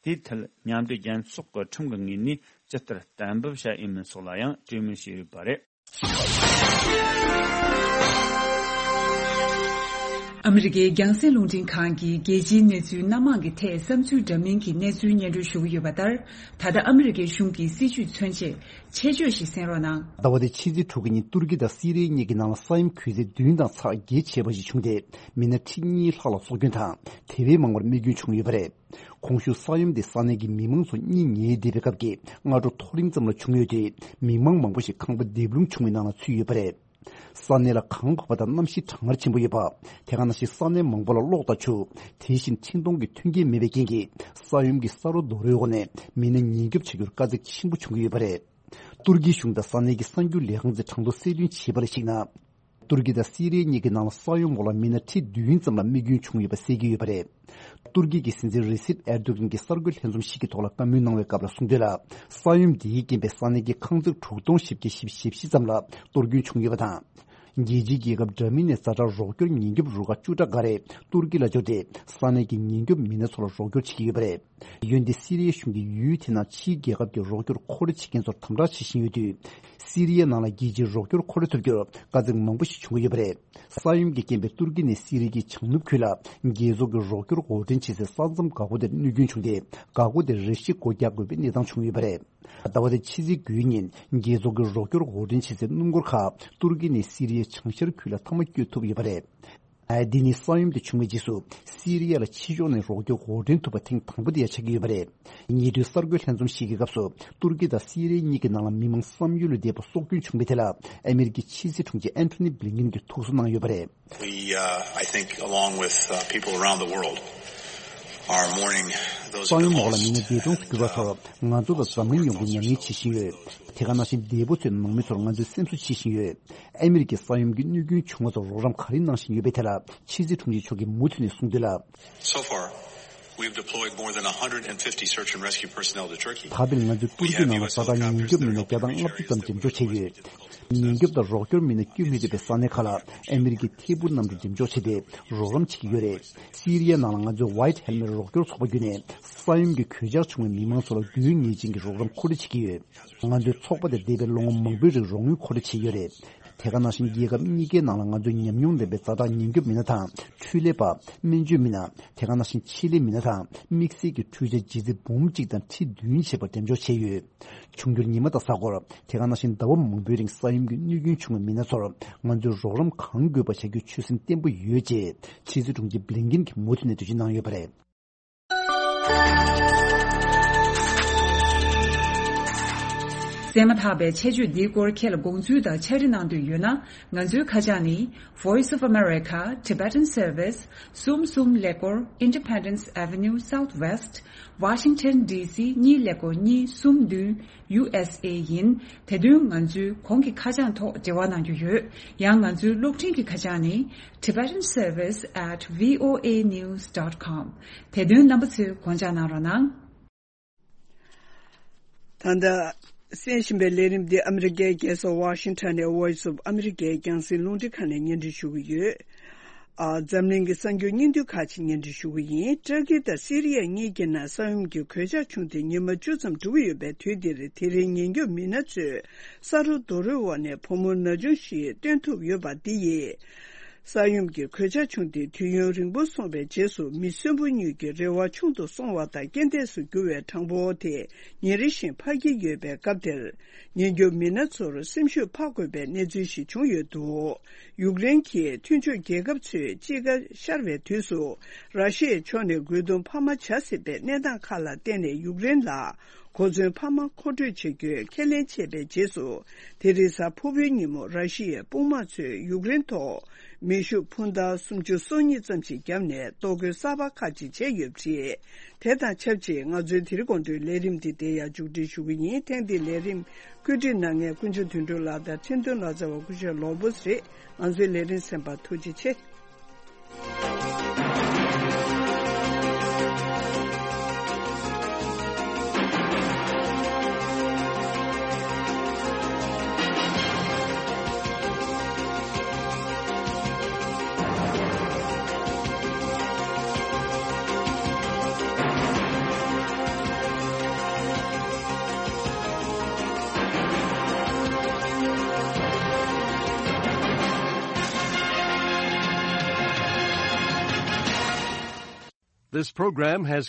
དེའི་ཐད་མཉམ་འབྲེལ་རྒྱལ་ཚོགས་ཀྱི་ཁྲིམས་ཀྱི་ངོས་ནས་ཇི་ལྟར་གཏན་འབེབས་བྱ་ཡིན་མིན་སོགས་ལ་ཡང་གྲོས་མོལ་བྱས་ཡོད་པ་རེད། ཨ་མི་རི་ཀའི་རྒྱང་སྲིང་རླུང་འཕྲིན་ཁང་གིས་རྒྱལ་སྤྱིའི་གནས་ཚུལ་སྣ་མང་གི་ཐད་བསམ་ཚུལ་འདྲ་མིན་གྱི་གནས་ཚུལ་སྙན་སྒྲོན་ཞུ་གི་ཡོད་པ་ལྟར། ད་ལྟ་ཨ་མི་རི་ཀའི་གཞུང་གི་སྲིད་ཇུས་མཚོན་ཆེད་ཆེད་བརྗོད་ཞིག་གསན་རོགས་གནང་། ཟླ་བ་འདིའི་ཕྱི་ཚེས་དྲུག་གི་ཉིན་ཏུར་ཀི་དང་སི་རི་ཡ་གཉིས་ཀྱི་ནང་ལ་ས་ཡོམ་གྱི་ཚད་བདུན་དང་ཚེག་བརྒྱད་བྱས་པ་ཞིག་བྱུང་སྟེ། མི་སྣ་ཁྲི་གཉིས་ལྷག་ལ་སྲོག་སྐྱོན་དང་དེ་བས་མང་བར་རྨས་སྐྱོན་བྱུང་ཡོད་པ་རེད། གོང་ཞུས་ས་ཡོམ་དེ་ས་གནས་ཀྱི་མི་མང་ཚོ་གཉིད་ཉལ་བསྡད་པའི་སྐབས་ཀྱི་སྔ་དྲོ་མཐོ་རིམ་ཙམ་ལ་བྱུང་ཡོད་དུས། མི་མང་མང་པོ་ཞིག་ཁང་པ་རྡིབ་ལྷུང་བྱུང་བའི་ནང་ལ་ཚུད་ཡོད་པ་རེད། ས་གནས་ལ་གངས་གོག་པ་དང་གནམ་གཤིས་གྲང་ངར་ཆེན་པོ་ཡོད་པ། དེ་ག་ནང་བཞིན་ས་གནས་མང་པོ་ལ་གློག་དང་ཆུ། དེ་བཞིན་འཕྲིན་གཏོང་གི་མཐུན་རྐྱེན་མེད་པའི་རྐྱེན་གྱིས། ས་ཡོམ་གྱི་ས་རོ་རྡོ་རོའི་འོག་ནས་མི་སྣ་ཉེན་སྐྱོབ་བྱ་རྒྱུར་དཀའ་ཚེགས་ཆེན་པོ་བྱུང་གི་ཡོད་པ་རེད། ཏུར་ཀིའི་གཞུང་དང་ས་གནས་ཀྱི་གསར་འགྱུར་ལས་ཁང་གིས་གྲངས་ཐོ་གསལ་སྟོན་བྱས་པ་ལ་གཞིགས་ན། ཏུར་ཀི་དང་སི་རི་ཡ་གཉིས་ཀྱི་ནང་ལ་ས་ཡོམ་འོག་ལ་མི་སྣ་ཁྲི་བདུན་ཙམ་ལ་རྨས་སྐྱོན་བྱུང་ཡོད་པ་གསལ་གྱི་ཡོད་པ་རེད། ཏུར་ཀི་གི་སྲིད་འཛིན་རི་སིབ་ཨེར་དོ་གྷན་གྱིས་གསར་འགོད་ལྷན་འཛོམས་ཤིག་གི་ཐོག་ལ་བཀའ་མོལ་གནང་བའི་སྐབས་ལ་གསུངས་དོན་ལ། ས་ཡོམ་འདིའི་རྐྱེན་པས་ས་གནས་ཀྱི་ཁང་བརྩེགས་དྲུག་སྟོང་བཞི་བརྒྱ་བཞི་བཅུ་ཞེ་བཞི་ཙམ་ལ་གཏོར་སྐྱོན་བྱུང་ཡོད་པ་དང་། རྒྱལ་སྤྱིའི་རྒྱལ་ཁབ་འདྲ་མིན་ནས་ཛ་དྲག་རོགས་སྐྱོར་ཉེན་སྐྱོབ་རུ་ཁག་བཅུ་ཕྲག་འགའ་རེ་ཏུར་ཀི་ལ་འབྱོར་ཏེ། ས་གནས་ཀྱི་ཉེན་སྐྱོབ་མི་སྣ་ཚོ་ལ་རོགས་སྐྱོར་བྱེད་ཀྱི་ཡོད་པ་རེད། འོན་ཏེ་སི་རི་ཡའི་གཞུང་གིས་ཡུལ་དེ་ནང་ཕྱིའི་རྒྱལ་ཁབ་ཀྱི་རོགས་སྐྱོར་མཁོ་སྤྲོད་བྱེད་མཁན་ཚོར་དམ་དྲག་བྱེད་བཞིན་ཡོད་དུས། སི་རི་ཡའི་ནང་ལ་རྒྱལ་སྤྱིའི་རོགས་སྐྱོར་མཁོ་སྤྲོད་ཐུབ་རྒྱུར་དཀའ་ཚེགས་མང་པོ་ཞིག་བྱུང་གི་ཡོད་པ་རེད། ས་ཡོམ་གྱི་རྐྱེན་པས་ཏུར་ཀི་ནས་སི་རི་ཡའི་བྱང་ནུབ་ཁུལ་ལ་རྒྱལ་ཚོགས་ཀྱི་རོགས་སྐྱོར་འགོག་འདྲེན་བྱེད་སའི་ས་མཚམས་འགག་སྒོ་དེར་གནོད་སྐྱོན་བྱུང་སྟེ། འགག་སྒོ་དེར་རེ་ཞིག་སྒོ་རྒྱག་དགོས་པའི་གནས་སྟངས་བྱུང་ཡོད་པ་རེད། ཟླ་བ་འདིའི་ཕྱི་ཚེས་དགུའི་ཉིན་རྒྱལ་ཚོགས་ཀྱི་རོགས་སྐྱོར་འགོག་འདྲེན་བྱེད་སའི་སྣུམ་འཁོར་ཁག་ཏུར་ཀི་ནས་སི་རི་ཡའི་བྱང་ཤར་ཁུལ་ལ་མཐའ་མ་བསྐྱོད་ཐུབ་ཡོད་པ་རེད། འདི་ནི་ས་ཡོམ་དེ་བྱུང་བའི་རྗེས་སུ་སི་རི་ཡ་ལ་ཕྱི་ཕྱོགས་ནས་རོགས་སྐྱོར་འགོག་འདྲེན་ཐུབ་པ་ཐེངས་དང་པོ་དེ་ཡང་ཆགས་ཀྱི་ཡོད་པ་རེད། ཉེ་དུས་གསར་འགོད་ལྷན་འཛོམས་ཤིག་གི་སྐབས་སུ་ཏུར་ཀི་དང་སི་རི་ཡ་གཉིས་ཀྱི་ནང་ལ་མི་མང་བསམ་ཡུལ་ལས་འདས་པ་སྲོག་སྐྱོན་བྱུང་བའི་ཐད་ལ་ཨ་མེ་རི་ཀའི་ཕྱི་སྲིད་དྲུང་ཆེ་ཨན་ཐོ་ནི་བྷི་ལིན་ཀིན་གྱིས་ཐུགས་གསོ་གནང་ཡོད་པ་རེད། We, uh, I think, along with, uh, people around the world, are mourning those ས་who have ཡོམ་འོག་ལ་མི་སྣ་འདས་གྲོངས་སུ་གྱུར་པ་ཚོར་ང་ཚོ་དང་འཛམ་གླིང་ཡོངས་ཀྱིས་ཉམས་ལེན་བྱེད་བཞིན་ཡོད། དེ་ག་ནང་བཞིན་འདས་པོ་ཚོའི་ནང་མི་ཚོར་ང་ཚོས་སེམས་གསོ་བྱེད་བཞིན་ཡོད། ཨ་མེ་རི་ཀའི་ས་ཡོམ་གྱི་གནོད་སྐྱོན་བྱུང་བ་ཚོར་རོགས་རམ་ག་རེ་གནང་བཞིན་ཡོད་པའི་ཐད་ལ་ཕྱི་སྲིད་དྲུང་ཆེ་མཆོག་གིས་མུ་མཐུད་ནས་གསུངས་དོན་ལ། So far, we have deployed more than one hundred fifty search and rescue personnel to Turkey. ད་ཕར་ང་ཚོས་ཏུར་ཀི་ནང་ལ་ཛ་དྲག་ཉེན་སྐྱོབ་མི་སྣ་བརྒྱ་དང་ལྔ་བཅུ་ཙམ་འགྲེམས་འཇོག་བྱས་ཡོད། ཉེན་སྐྱོབ་དང་རོགས་སྐྱོར་མི་སྣ་བསྐྱོད་མི་ཐུབ་པའི་ས་གནས་ཁག་ལ་ཨ་མེ་རི་ཀའི་ཐད་འཕུར་གནམ་གྲུ་འགྲེམས་འཇོག་བྱས་ཏེ་རོགས་རམ་བྱེད་ཀྱི་ཡོད་རེད། སི་རི་ཡའི་ནང་ལ་ང་ཚོའི་White Helmet་རོགས་སྐྱོར་ཚོགས་པ་བརྒྱུད་ནས་ས་ཡོམ་གྱི་གོད་ཆག་བྱུང་བའི་མི་མང་ཚོ་ལ་དགོས་ངེས་ཅན་གྱི་རོགས་རམ་མཁོ་སྤྲོད་བྱེད་ཀྱི་ཡོད། ང་ཚོའི་ཚོགས་པ་དེ་འདས་པའི་ལོ་ངོ་མང་པོའི་རིང་རོགས་དངུལ་མཁོ་སྤྲོད་བྱས་ཡོད་རེད། དེ་ག་ནང་བཞིན་རྒྱལ་ཁབ་གཉིས་ཀའི་ནང་ལ་ང་ཚོའི་ཉམས་མྱོང་ལྡན་པའི་ཛ་དྲག་ཉེན་སྐྱོབ་མི་སྣ་དང་འཕྲུལ་ལས་པ། སྨན་བཅོས་མི་སྣ། དེ་ག་ནང་བཞིན་ཆེད་ལས་མི་སྣ་དང་དམིགས་བསལ་གྱི་འཕྲུལ་ཆས་ལྗིད་ཚད་འབུམ་གཅིག་དང་ཁྲི་བདུན་བྱས་པ་འགྲེམས་འཇོག་བྱས་ཡོད། འབྱུང་འགྱུར་ཉི་མ་དང་གཟའ་འཁོར། དེ་ག་ནང་བཞིན་ཟླ་བ་མང་པོའི་རིང་ས་ཡོམ་གྱི་གནོད་སྐྱོན་བྱུང་བའི་མི་སྣ་ཚོར་ང་ཚོས་རོགས་རམ་གང་དགོས་པ་བྱ་རྒྱུའི་ཆོད་སེམས་བརྟན་པོ་ཡོད་ཅེས་ཕྱི་སྲིད་དྲུང་ཆེ་བྷི་ལིན་ཀིན་གྱིས་མུ་མཐུད་ནས་འགྲེལ་བརྗོད་གནང་ཡོད་པ་རེད། གསན་མ་ཐག་པའི་ཆེད་བརྗོད་འདིའི་སྐོར་ཁྱེད་ལ་དགོངས་ཚུལ་དང་ཕྱག་བྲིས་གནང་འདོད་ཡོད་ན། ང་ཚོའི་ཁ་བྱང་ནི། Voice of America, Tibetan Service, གསུམ་གསུམ་ཀླད་ཀོར། Independence Avenue Southwest, Washington D C གཉིས་ཀླད་ཀོར་གཉིས་གསུམ་བདུན། ཡུ་ཨེས་ཨེ་ཡིན། དེ་དོན་ང་ཚོའི་གོང་གི་ཁ་བྱང་ཐོག་འབྲེལ་བ་གནང་རྒྱུ་ཡོད། ཡང་ང་ཚོའི་གློག་འཕྲིན་གྱི་ཁ་བྱང་ནི། Tibetan Service at V O A news dot com། དེ་དོན་རྣམ་པ་ཚོས་དགོངས་འཇགས་གནང་རོགས་གནང་། ད་ལྟ་གསན་བཞིན་པའི་ལས་རིམ་འདི་ཨ་མི་རི་ཀའི་རྒྱལ་ས་ཝ་ཤིང་ཊོན་ནས་Voice of America རྒྱང་སྲིང་རླུང་འཕྲིན་ཁང་ནས་སྙན་སྒྲོན་ཞུ་གི་ཡོད། ཨ། འཛམ་གླིང་གི་གསར་འགྱུར་སྙིང་བསྡུས་ཁག་ཅིག་སྙན་སྒྲོན་ཞུ་གི་ཡིན། ཏུར་ཀི་དང་སི་རི་ཡ་གཉིས་ཀྱི་ནང་ས་ཡོམ་གྱི་གོད་ཆག་བྱུང་སྟེ་ཉི་མ་བཅུ་ཙམ་འགྲོ་གི་ཡོད་པའི་དུས་འདིར། དེ་རིང་ཉེན་སྐྱོབ་མི་སྣ་ཚོས་ས་རོ་རྡོ་རོའི་འོག་ནས་བུ་མོ་ན་ཆུང་ཞིག་བཏོན་ཐུབ་ཡོད་པ་འདི་ཡིས། ས་ཡོམ་གྱི་གོད་ཆག་བྱུང་སྟེ་དུས་ཡུན་རིང་པོ་སོང་བའི་རྗེས་སུ། མི་གསོན་པོ་གཉིས་ཀྱི་རེ་བ་ཆུང་དུ་སོང་བ་དང་། རྐྱེན་འདས་སུ་གྱུར་བའི་གྲངས་འབོར་དེ་ཉིན་རེ་བཞིན་འཕར་གྱི་ཡོད་པའི་སྐབས་དེར། ཉེན་སྐྱོབ་མི་སྣ་ཚོར་སེམས་ཤུགས་འཕར་དགོས་པའི་གནས་ཚུལ་ཞིག་བྱུང་ཡོད་འདུག་ཡུཀ་རེན་གྱི་མཐུན་ཕྱོགས་རྒྱལ་ཁབ་ཚོས་དཔྱིད་ཀ་ཤར་བའི་དུས་སུ། ར་ཤི་ཡའི་ཕྱོགས་ནས་རྒོལ་རྡུང་འཕར་མ་བྱ་སྲིད་པའི་གནས་སྟངས་ཁག་ལ་བརྟེན་ནས། ཡུཀ་རེན་ལ་ གོ་མཚོན་འཕར་མ་མཁོ་སྤྲོད་བྱེད་རྒྱུའི་ཁས་ལེན་བྱས་པའི་རྗེས་སུ། དེ་རིང་གཟའ་ཕུར་བུའི་ཉིན་མོ་ར་ཤི་ཡའི་དཔུང་དམག་ཚོས་ཡུཀ་རེན་ཐོག་མེ་ཤུགས་འཕུར་མདའ་སུམ་ཅུ་སོ་གཉིས་ཙམ་ཞིག་བརྒྱབ་ནས་གཏོར་རྒོལ་གསར་པ་ཁག་ཅིག་བྱས་ཡོད་པ་རེད། དེ་དང་ཆབས་ཅིག་ང་ཚོའི་དེ་རིང་དགོང་དྲོའི་ལས་རིམ་འདི་འདིར་ཡང་མཇུག་སྒྲིལ་ཞུ་གི་ཡིན། ཐེངས་འདིའི་ལས་རིམ་བཀོད་སྒྲིག་གནང་མཁན་ཀུན་མཆོག་དོན་གྲུབ་ལགས་དང་འཕྲིན་གཏོང་ལག་རྩལ་བ་སྐུ་ཞབས་ལོ་བོས་རེད། ང་ཚོའི་ལས་རིམ་གསན་པར་ཐུགས་རྗེ་ཆེ། This program has